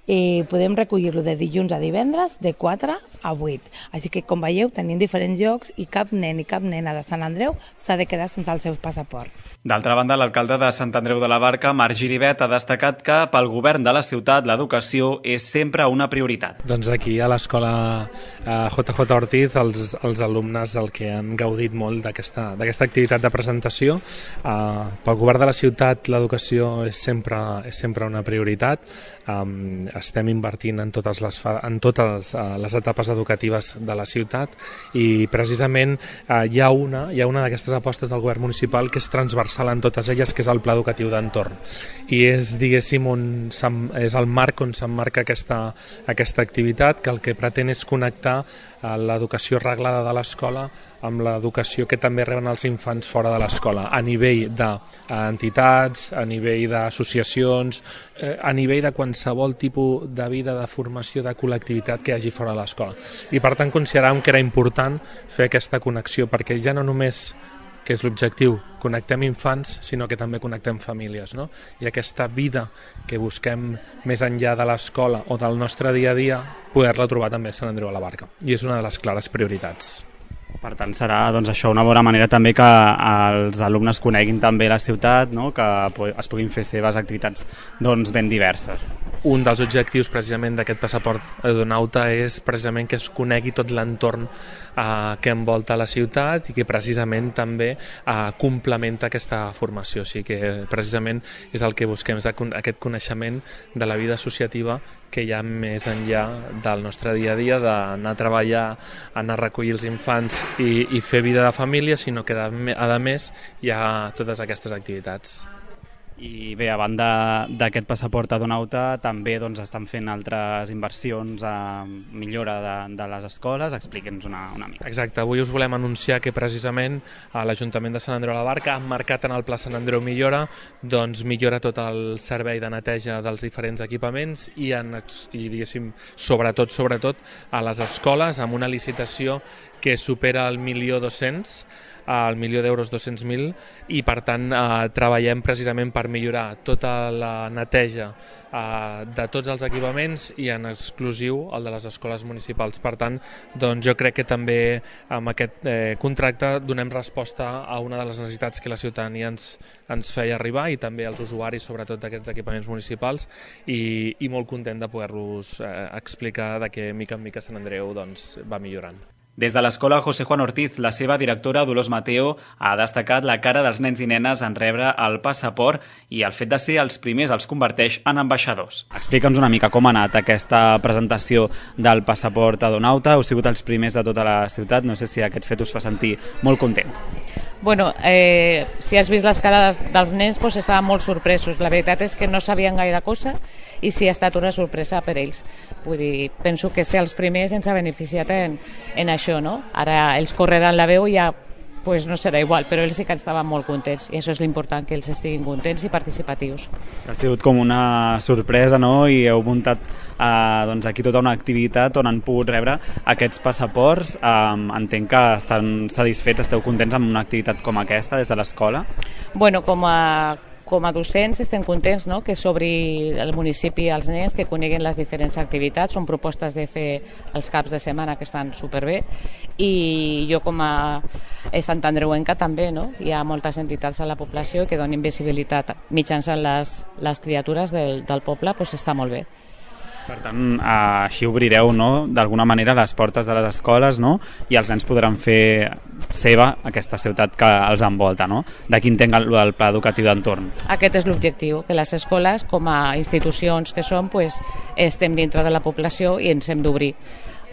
eh, podem recollir-lo de dilluns a divendres de quatre a vuit. Així que, com veieu, tenim diferents llocs i cap nen i cap nena de Sant Andreu s'ha de quedar sense el seu passaport. D'altra banda, l'alcalde de Sant Andreu de la Barca, Marc Giribet, ha destacat que pel govern de la ciutat l'educació és sempre una prioritat. Doncs aquí a l'escola eh, J J Ortiz els, els alumnes el que han gaudit molt d'aquesta activitat de presentació. Eh, pel govern de la ciutat l'educació és sempre, és sempre una prioritat. Eh, estem invertint en totes les, fa, en totes les etapes educatives de la ciutat i precisament eh, hi ha una, hi ha una d'aquestes apostes del govern municipal que és transversal en totes elles, que és el Pla Educatiu d'Entorn. I és, diguéssim, on és el marc on s'emmarca aquesta, aquesta activitat, que el que pretén és connectar eh, l'educació reglada de l'escola amb l'educació que també reben els infants fora de l'escola, a nivell d'entitats, a nivell d'associacions, eh, a nivell de qualsevol tipus de vida, de formació, de col·lectivitat que hi hagi fora de l'escola. I per tant consideràvem que era important fer aquesta connexió, perquè ja no només, que és l'objectiu, connectem infants, sinó que també connectem famílies, no? I aquesta vida que busquem més enllà de l'escola o del nostre dia a dia, poder-la trobar també a Sant Andreu de la Barca. I és una de les clares prioritats. Per tant, serà doncs, això una bona manera també que els alumnes coneguin també la ciutat, no? Que es puguin fer seves activitats doncs, ben diverses. Un dels objectius precisament d'aquest passaport Edonauta és precisament que es conegui tot l'entorn eh, que envolta la ciutat i que precisament també eh, complementa aquesta formació. O sigui que precisament és el que busquem, és aquest coneixement de la vida associativa que hi ha més enllà del nostre dia a dia, d'anar a treballar, anar a recollir els infants i, i fer vida de família, sinó que a més hi ha totes aquestes activitats. I bé, a banda d'aquest passaport Edonauta, també doncs, estan fent altres inversions a millora de, de les escoles. Expliqui'ns una, una mica. Exacte, avui us volem anunciar que precisament a l'Ajuntament de Sant Andreu de la Barca han marcat en el Pla Sant Andreu Millora, doncs millora tot el servei de neteja dels diferents equipaments i, en, i diguéssim, sobretot, sobretot a les escoles, amb una licitació que supera el milió dos-cents, el milió d'euros dos-cents mil, i per tant eh, treballem precisament per millorar tota la neteja eh, de tots els equipaments i en exclusiu el de les escoles municipals. Per tant, doncs jo crec que també amb aquest eh, contracte donem resposta a una de les necessitats que la ciutadania ens, ens feia arribar i també als usuaris, sobretot d'aquests equipaments municipals, i, i molt content de poder-los eh, explicar de que mica en mica Sant Andreu doncs, va millorant. Des de l'escola José Juan Ortiz, la seva directora Dolors Mateo ha destacat la cara dels nens i nenes en rebre el passaport i el fet de ser els primers els converteix en ambaixadors. Explica'ns una mica com ha anat aquesta presentació del passaport Edonauta. Heu sigut els primers de tota la ciutat, no sé si aquest fet us fa sentir molt contents. Bueno, eh, si has vist les cares dels nens, doncs estaven molt sorpresos. La veritat és que no sabien gaire cosa i sí ha estat una sorpresa per ells. Vull dir, penso que ser els primers ens ha beneficiat en, en això, no? Ara ells correran la veu i ja pues no serà igual, però ells sí que estaven molt contents i això és l'important, que ells estiguin contents i participatius. Ha sigut com una sorpresa, no? I heu muntat eh, doncs aquí tota una activitat on han pogut rebre aquests passaports. Eh, entenc que estan satisfets, esteu contents amb una activitat com aquesta des de l'escola? Bueno, com a Com a docents estem contents, no? Que s'obri el municipi als nens, que coneguin les diferents activitats. Són propostes de fer els caps de setmana que estan superbé i jo com a santandreuenca també, no? Hi ha moltes entitats a la població que donin visibilitat mitjançant les, les criatures del, del poble, doncs està molt bé. Per tant, així obrireu, no, d'alguna manera les portes de les escoles, no? I els nens podran fer seva aquesta ciutat que els envolta, no? D'aquí entenc el, el pla educatiu d'entorn. Aquest és l'objectiu, que les escoles, com a institucions que som, pues, estem dintre de la població i ens hem d'obrir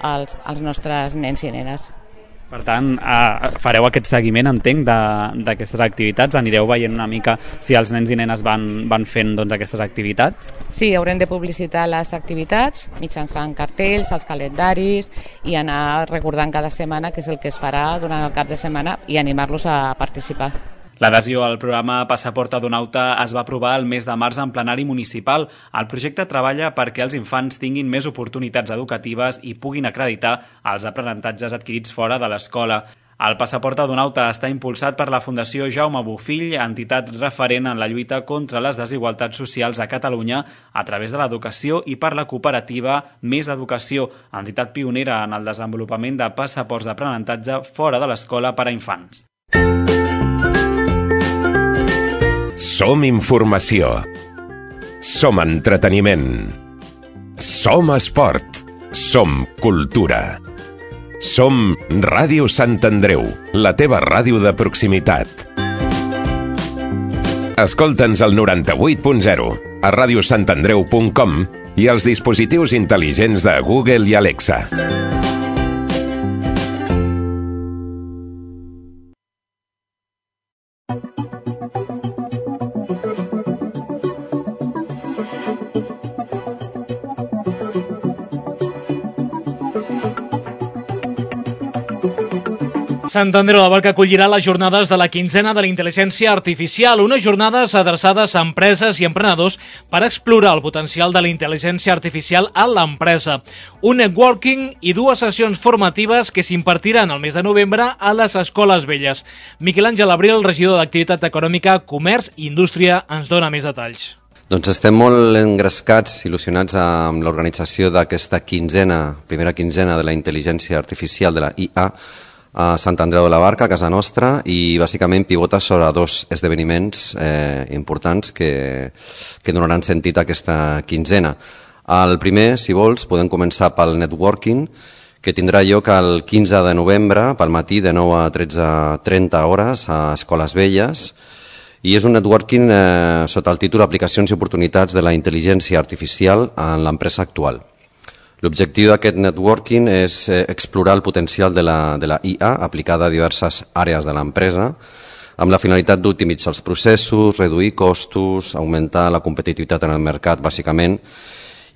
als, als nostres nens i nenes. Per tant, eh, fareu aquest seguiment, entenc, d'aquestes activitats? Anireu veient una mica si els nens i nenes van, van fent doncs, aquestes activitats? Sí, haurem de publicitar les activitats mitjançant cartells, els calendaris i anar recordant cada setmana què és el que es farà durant el cap de setmana i animar-los a participar. L'adhesió al programa Passaport Edonauta es va aprovar el mes de març en plenari municipal. El projecte treballa perquè els infants tinguin més oportunitats educatives i puguin acreditar els aprenentatges adquirits fora de l'escola. El Passaport Edonauta està impulsat per la Fundació Jaume Bofill, entitat referent en la lluita contra les desigualtats socials a Catalunya a través de l'educació, i per la cooperativa Més Educació, entitat pionera en el desenvolupament de passaports d'aprenentatge fora de l'escola per a infants. Som informació. Som entreteniment. Som esport. Som cultura. Som Ràdio Sant Andreu, la teva ràdio de proximitat. Escolta'ns al noranta-vuit punt zero, a radiosantandreu punt com i els dispositius intel·ligents de Google i Alexa. Sant Andreu de la Barca acollirà les jornades de la quinzena de la intel·ligència artificial, unes jornades adreçades a empreses i emprenedors per explorar el potencial de la intel·ligència artificial a l'empresa. Un networking i dues sessions formatives que s'impartiran el mes de novembre a les Escoles Velles. Miquel Àngel Abril, regidor d'Activitat Econòmica, Comerç i Indústria, ens dona més detalls. Doncs estem molt engrescats, il·lusionats amb l'organització d'aquesta quinzena, primera quinzena de la intel·ligència artificial de la I A, a Sant Andreu de la Barca, a casa nostra, i bàsicament pivota sobre dos esdeveniments eh, importants que, que donaran sentit a aquesta quinzena. El primer, si vols, podem començar pel networking, que tindrà lloc el quinze de novembre, pel matí, de nou a tretze trenta hores, a Escoles Velles, i és un networking eh, sota el títol Aplicacions i oportunitats de la intel·ligència artificial en l'empresa actual. L'objectiu d'aquest networking és explorar el potencial de la, de la I A aplicada a diverses àrees de l'empresa amb la finalitat d'optimitzar els processos, reduir costos, augmentar la competitivitat en el mercat, bàsicament.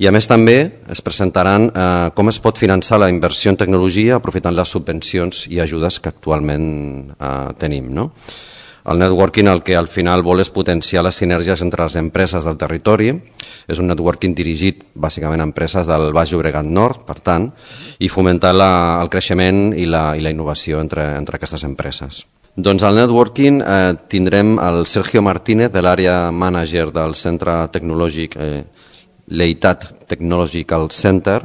I a més també es presentaran eh, com es pot finançar la inversió en tecnologia aprofitant les subvencions i ajudes que actualment eh, tenim, no? El networking el que al final vol és potenciar les sinergies entre les empreses del territori. És un networking dirigit bàsicament a empreses del Baix Llobregat Nord, per tant, i fomentar la, el creixement i la, i la innovació entre, entre aquestes empreses. Doncs al networking eh, tindrem el Sergio Martínez, de l'àrea manager del Centre Tecnològic eh, Leitat Technological Center,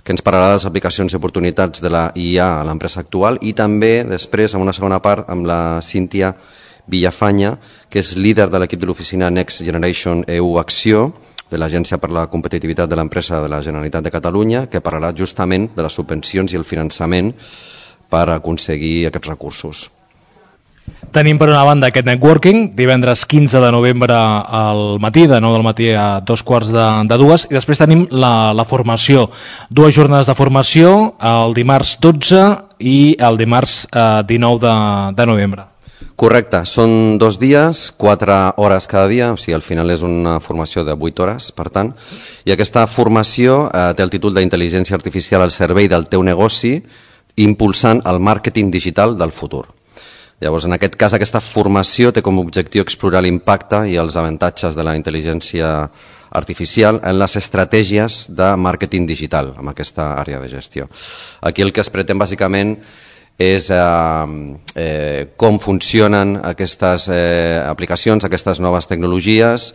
que ens parlarà de les aplicacions i oportunitats de la I A a l'empresa actual, i també després, en una segona part, amb la Cíntia Villafanya, que és líder de l'equip de l'oficina Next Generation E U Acció, de l'Agència per la Competitivitat de l'Empresa de la Generalitat de Catalunya, que parlarà justament de les subvencions i el finançament per aconseguir aquests recursos. Tenim per una banda aquest networking, divendres quinze de novembre al matí, de nou del matí a dos quarts de, de dues, i després tenim la, la formació, dues jornades de formació, el dimarts dotze i el dimarts eh, dinou de, de novembre. Correcte, són dos dies, quatre hores cada dia, o sigui, al final és una formació de vuit hores, per tant, i aquesta formació eh, té el títol d'Intel·ligència Artificial al servei del teu negoci, impulsant el màrqueting digital del futur. Llavors, en aquest cas, aquesta formació té com a objectiu explorar l'impacte i els avantatges de la intel·ligència artificial en les estratègies de màrqueting digital, en aquesta àrea de gestió. Aquí el que es pretén, bàsicament, és eh, eh, com funcionen aquestes eh, aplicacions, aquestes noves tecnologies,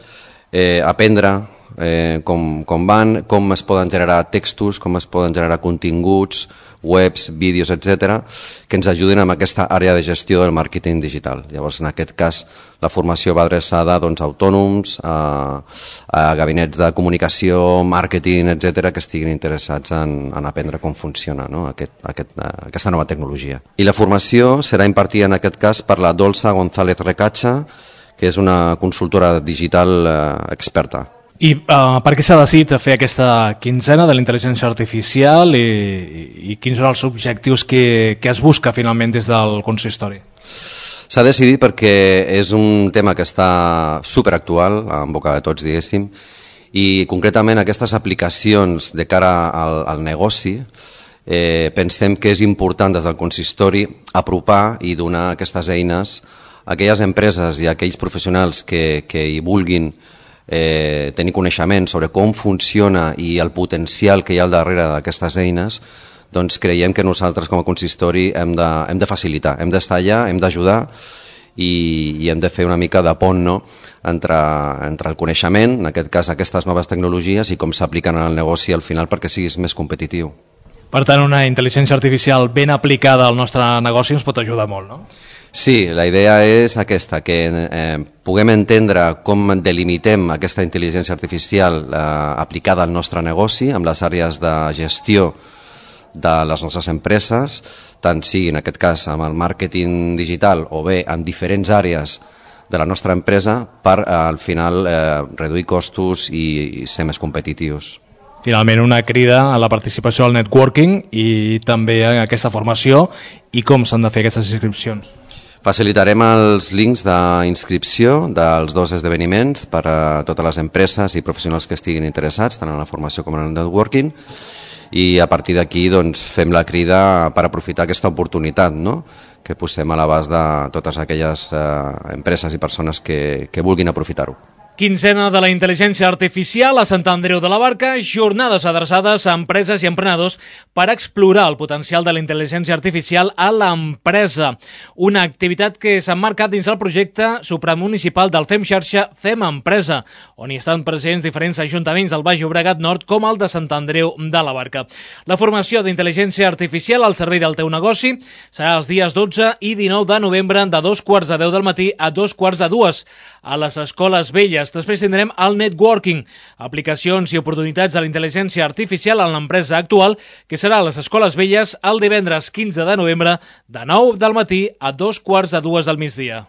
eh, aprendre eh, com, com van, com es poden generar textos, com es poden generar continguts, webs, vídeos, etcètera, que ens ajuden amb aquesta àrea de gestió del màrqueting digital. Llavors, en aquest cas, la formació va adreçada doncs, a autònoms, a, a gabinets de comunicació, màrqueting, etcètera, que estiguin interessats en, en aprendre com funciona, no? aquest, aquest, aquesta nova tecnologia. I la formació serà impartida, en aquest cas, per la Dolça González Recacha, que és una consultora digital eh, experta. I uh, per què s'ha decidit fer aquesta quinzena de la intel·ligència artificial i, i quins són els objectius que, que es busca finalment des del consistori? S'ha decidit perquè és un tema que està superactual, en boca de tots, diguéssim, i concretament aquestes aplicacions de cara al, al negoci eh, pensem que és important des del consistori apropar i donar aquestes eines a aquelles empreses i a aquells professionals que, que hi vulguin Eh, tenir coneixement sobre com funciona i el potencial que hi ha al darrere d'aquestes eines, doncs creiem que nosaltres com a consistori hem de, hem de facilitar, hem d'estar allà, hem d'ajudar i, i hem de fer una mica de pont, no? entre, entre el coneixement, en aquest cas aquestes noves tecnologies, i com s'apliquen en el negoci al final perquè siguis més competitiu. Per tant, una intel·ligència artificial ben aplicada al nostre negoci ens pot ajudar molt, no? Sí, la idea és aquesta, que eh, puguem entendre com delimitem aquesta intel·ligència artificial eh, aplicada al nostre negoci, amb les àrees de gestió de les nostres empreses, tant sigui en aquest cas amb el màrqueting digital o bé en diferents àrees de la nostra empresa per al final eh, reduir costos i, i ser més competitius. Finalment, una crida a la participació al networking i també a aquesta formació i com s'han de fer aquestes inscripcions. Facilitarem els links d'inscripció dels dos esdeveniments per a totes les empreses i professionals que estiguin interessats, tant en la formació com en el networking, i a partir d'aquí doncs, fem la crida per aprofitar aquesta oportunitat, no?, que posem a l'abast de totes aquelles eh, empreses i persones que, que vulguin aprofitar-ho. Quinzena de la intel·ligència artificial a Sant Andreu de la Barca, jornades adreçades a empreses i emprenedors per explorar el potencial de la intel·ligència artificial a l'empresa. Una activitat que s'emmarca dins del projecte supramunicipal del Fem Xarxa Fem Empresa, on hi estan presents diferents ajuntaments del Baix Llobregat Nord com el de Sant Andreu de la Barca. La formació d'intel·ligència artificial al servei del teu negoci serà els dies dotze i dinou de novembre de dos quarts de deu del matí a dos quarts de dues a les escoles velles. Després tindrem el networking, aplicacions i oportunitats de la intel·ligència artificial en l'empresa actual, que serà a les escoles velles el divendres quinze de novembre de nou del matí a dos quarts de dues del migdia.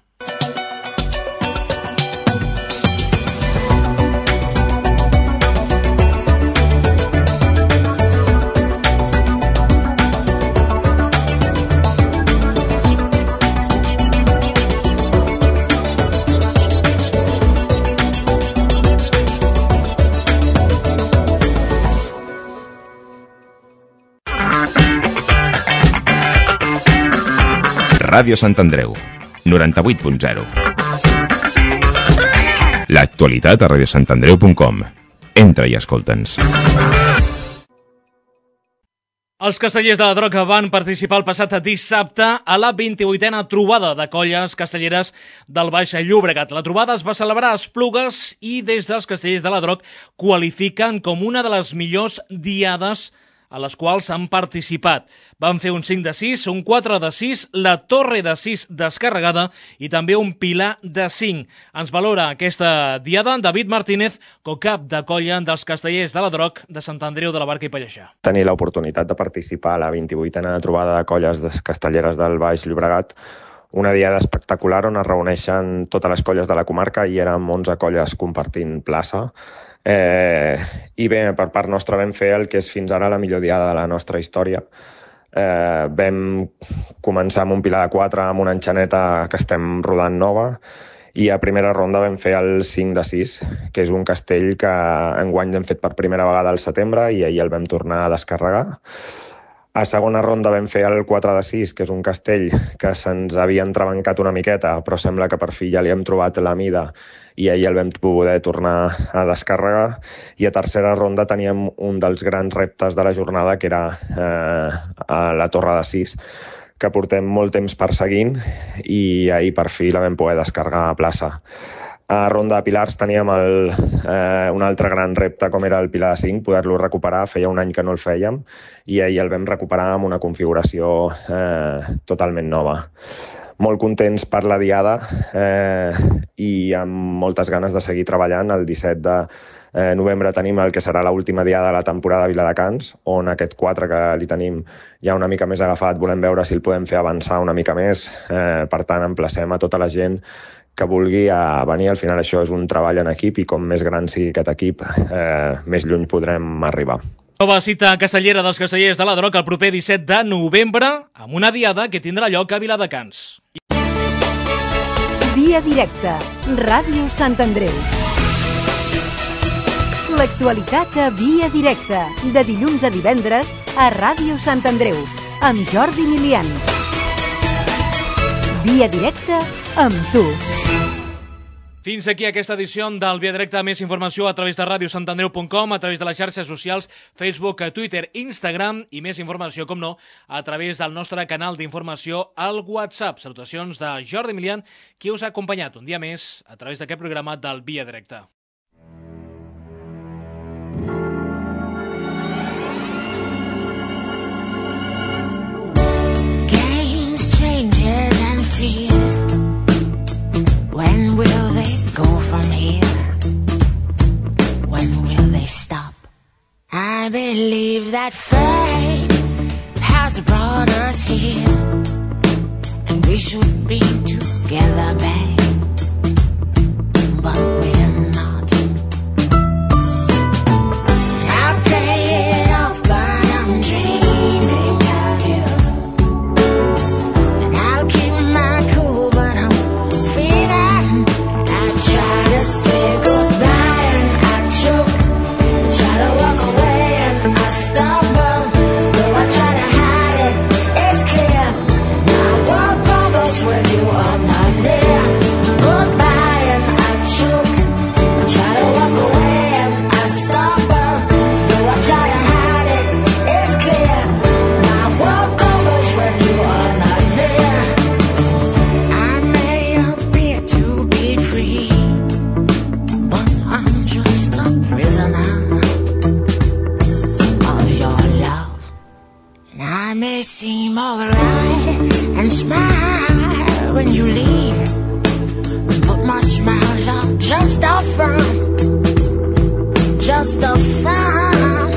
Ràdio Sant Andreu, noranta-vuit punt zero. L'actualitat a ràdio sant andreu punt com. Entra i escolta'ns. Els castellers de la Droga van participar el passat dissabte a la vint-i-vuitena trobada de colles castelleres del Baix Llobregat. La trobada es va celebrar a Esplugues i des dels castellers de la Droga qualifiquen com una de les millors diades a les quals han participat. Van fer un cinc de sis, un quatre de sis, la torre de sis descarregada i també un pilar de cinc. Ens valora aquesta diada David Martínez, co-cap de colla dels castellers de la Droga de Sant Andreu de la Barca i Pallejà. Tenir l'oportunitat de participar a la vint-i-vuitena trobada de colles castelleres del Baix Llobregat, una diada espectacular on es reuneixen totes les colles de la comarca i érem onze colles compartint plaça. Eh, I bé, per part nostra vam fer el que és fins ara la millor diada de la nostra història. Eh, vam començar amb un pilar de quatre amb una enxaneta que estem rodant nova i a primera ronda vam fer el cinc de sis, que és un castell que enguany hem fet per primera vegada al setembre i ahir el vam tornar a descarregar. A segona ronda vam fer el quatre de sis, que és un castell que se'ns havia entrebancat una miqueta, però sembla que per fi ja li hem trobat la mida i ahir el vam poder tornar a descarregar. I a tercera ronda teníem un dels grans reptes de la jornada, que era eh, a la torre de sis, que portem molt temps perseguint i ahir per fi la vam poder descarregar a plaça. A ronda de pilars teníem el, eh, un altre gran repte, com era el pilar de cinc, poder-lo recuperar. Feia un any que no el fèiem i ahir el vam recuperar amb una configuració eh, totalment nova. Molt contents per la diada eh, i amb moltes ganes de seguir treballant. El disset de eh, novembre tenim el que serà l'última diada de la temporada a Viladecans, on aquest quatre que li tenim ja una mica més agafat, volem veure si el podem fer avançar una mica més. Eh, per tant, emplacem a tota la gent que vulgui a venir. Al final això és un treball en equip i com més gran sigui aquest equip, eh, més lluny podrem arribar. Nova cita castellera dels castellers de la Droga el proper disset de novembre amb una diada que tindrà lloc a Viladecans. Via directa, Ràdio Sant Andreu. L'actualitat a Via directa, de dilluns a divendres a Ràdio Sant Andreu, amb Jordi Milian. Via directa amb tu. Fins aquí aquesta edició del Via Directa. Més informació a través de ràdio sant andreu punt com, a través de les xarxes socials, Facebook, Twitter, Instagram i més informació, com no, a través del nostre canal d'informació al WhatsApp. Salutacions de Jordi Milian, qui us ha acompanyat un dia més a través d'aquest programa del Via Directa. Games, changes and fears. When will they go from here? When will they stop? I believe that fate has brought us here, and we should be together, babe. may seem alright and smile when you leave, but my smiles are just a front, just a front.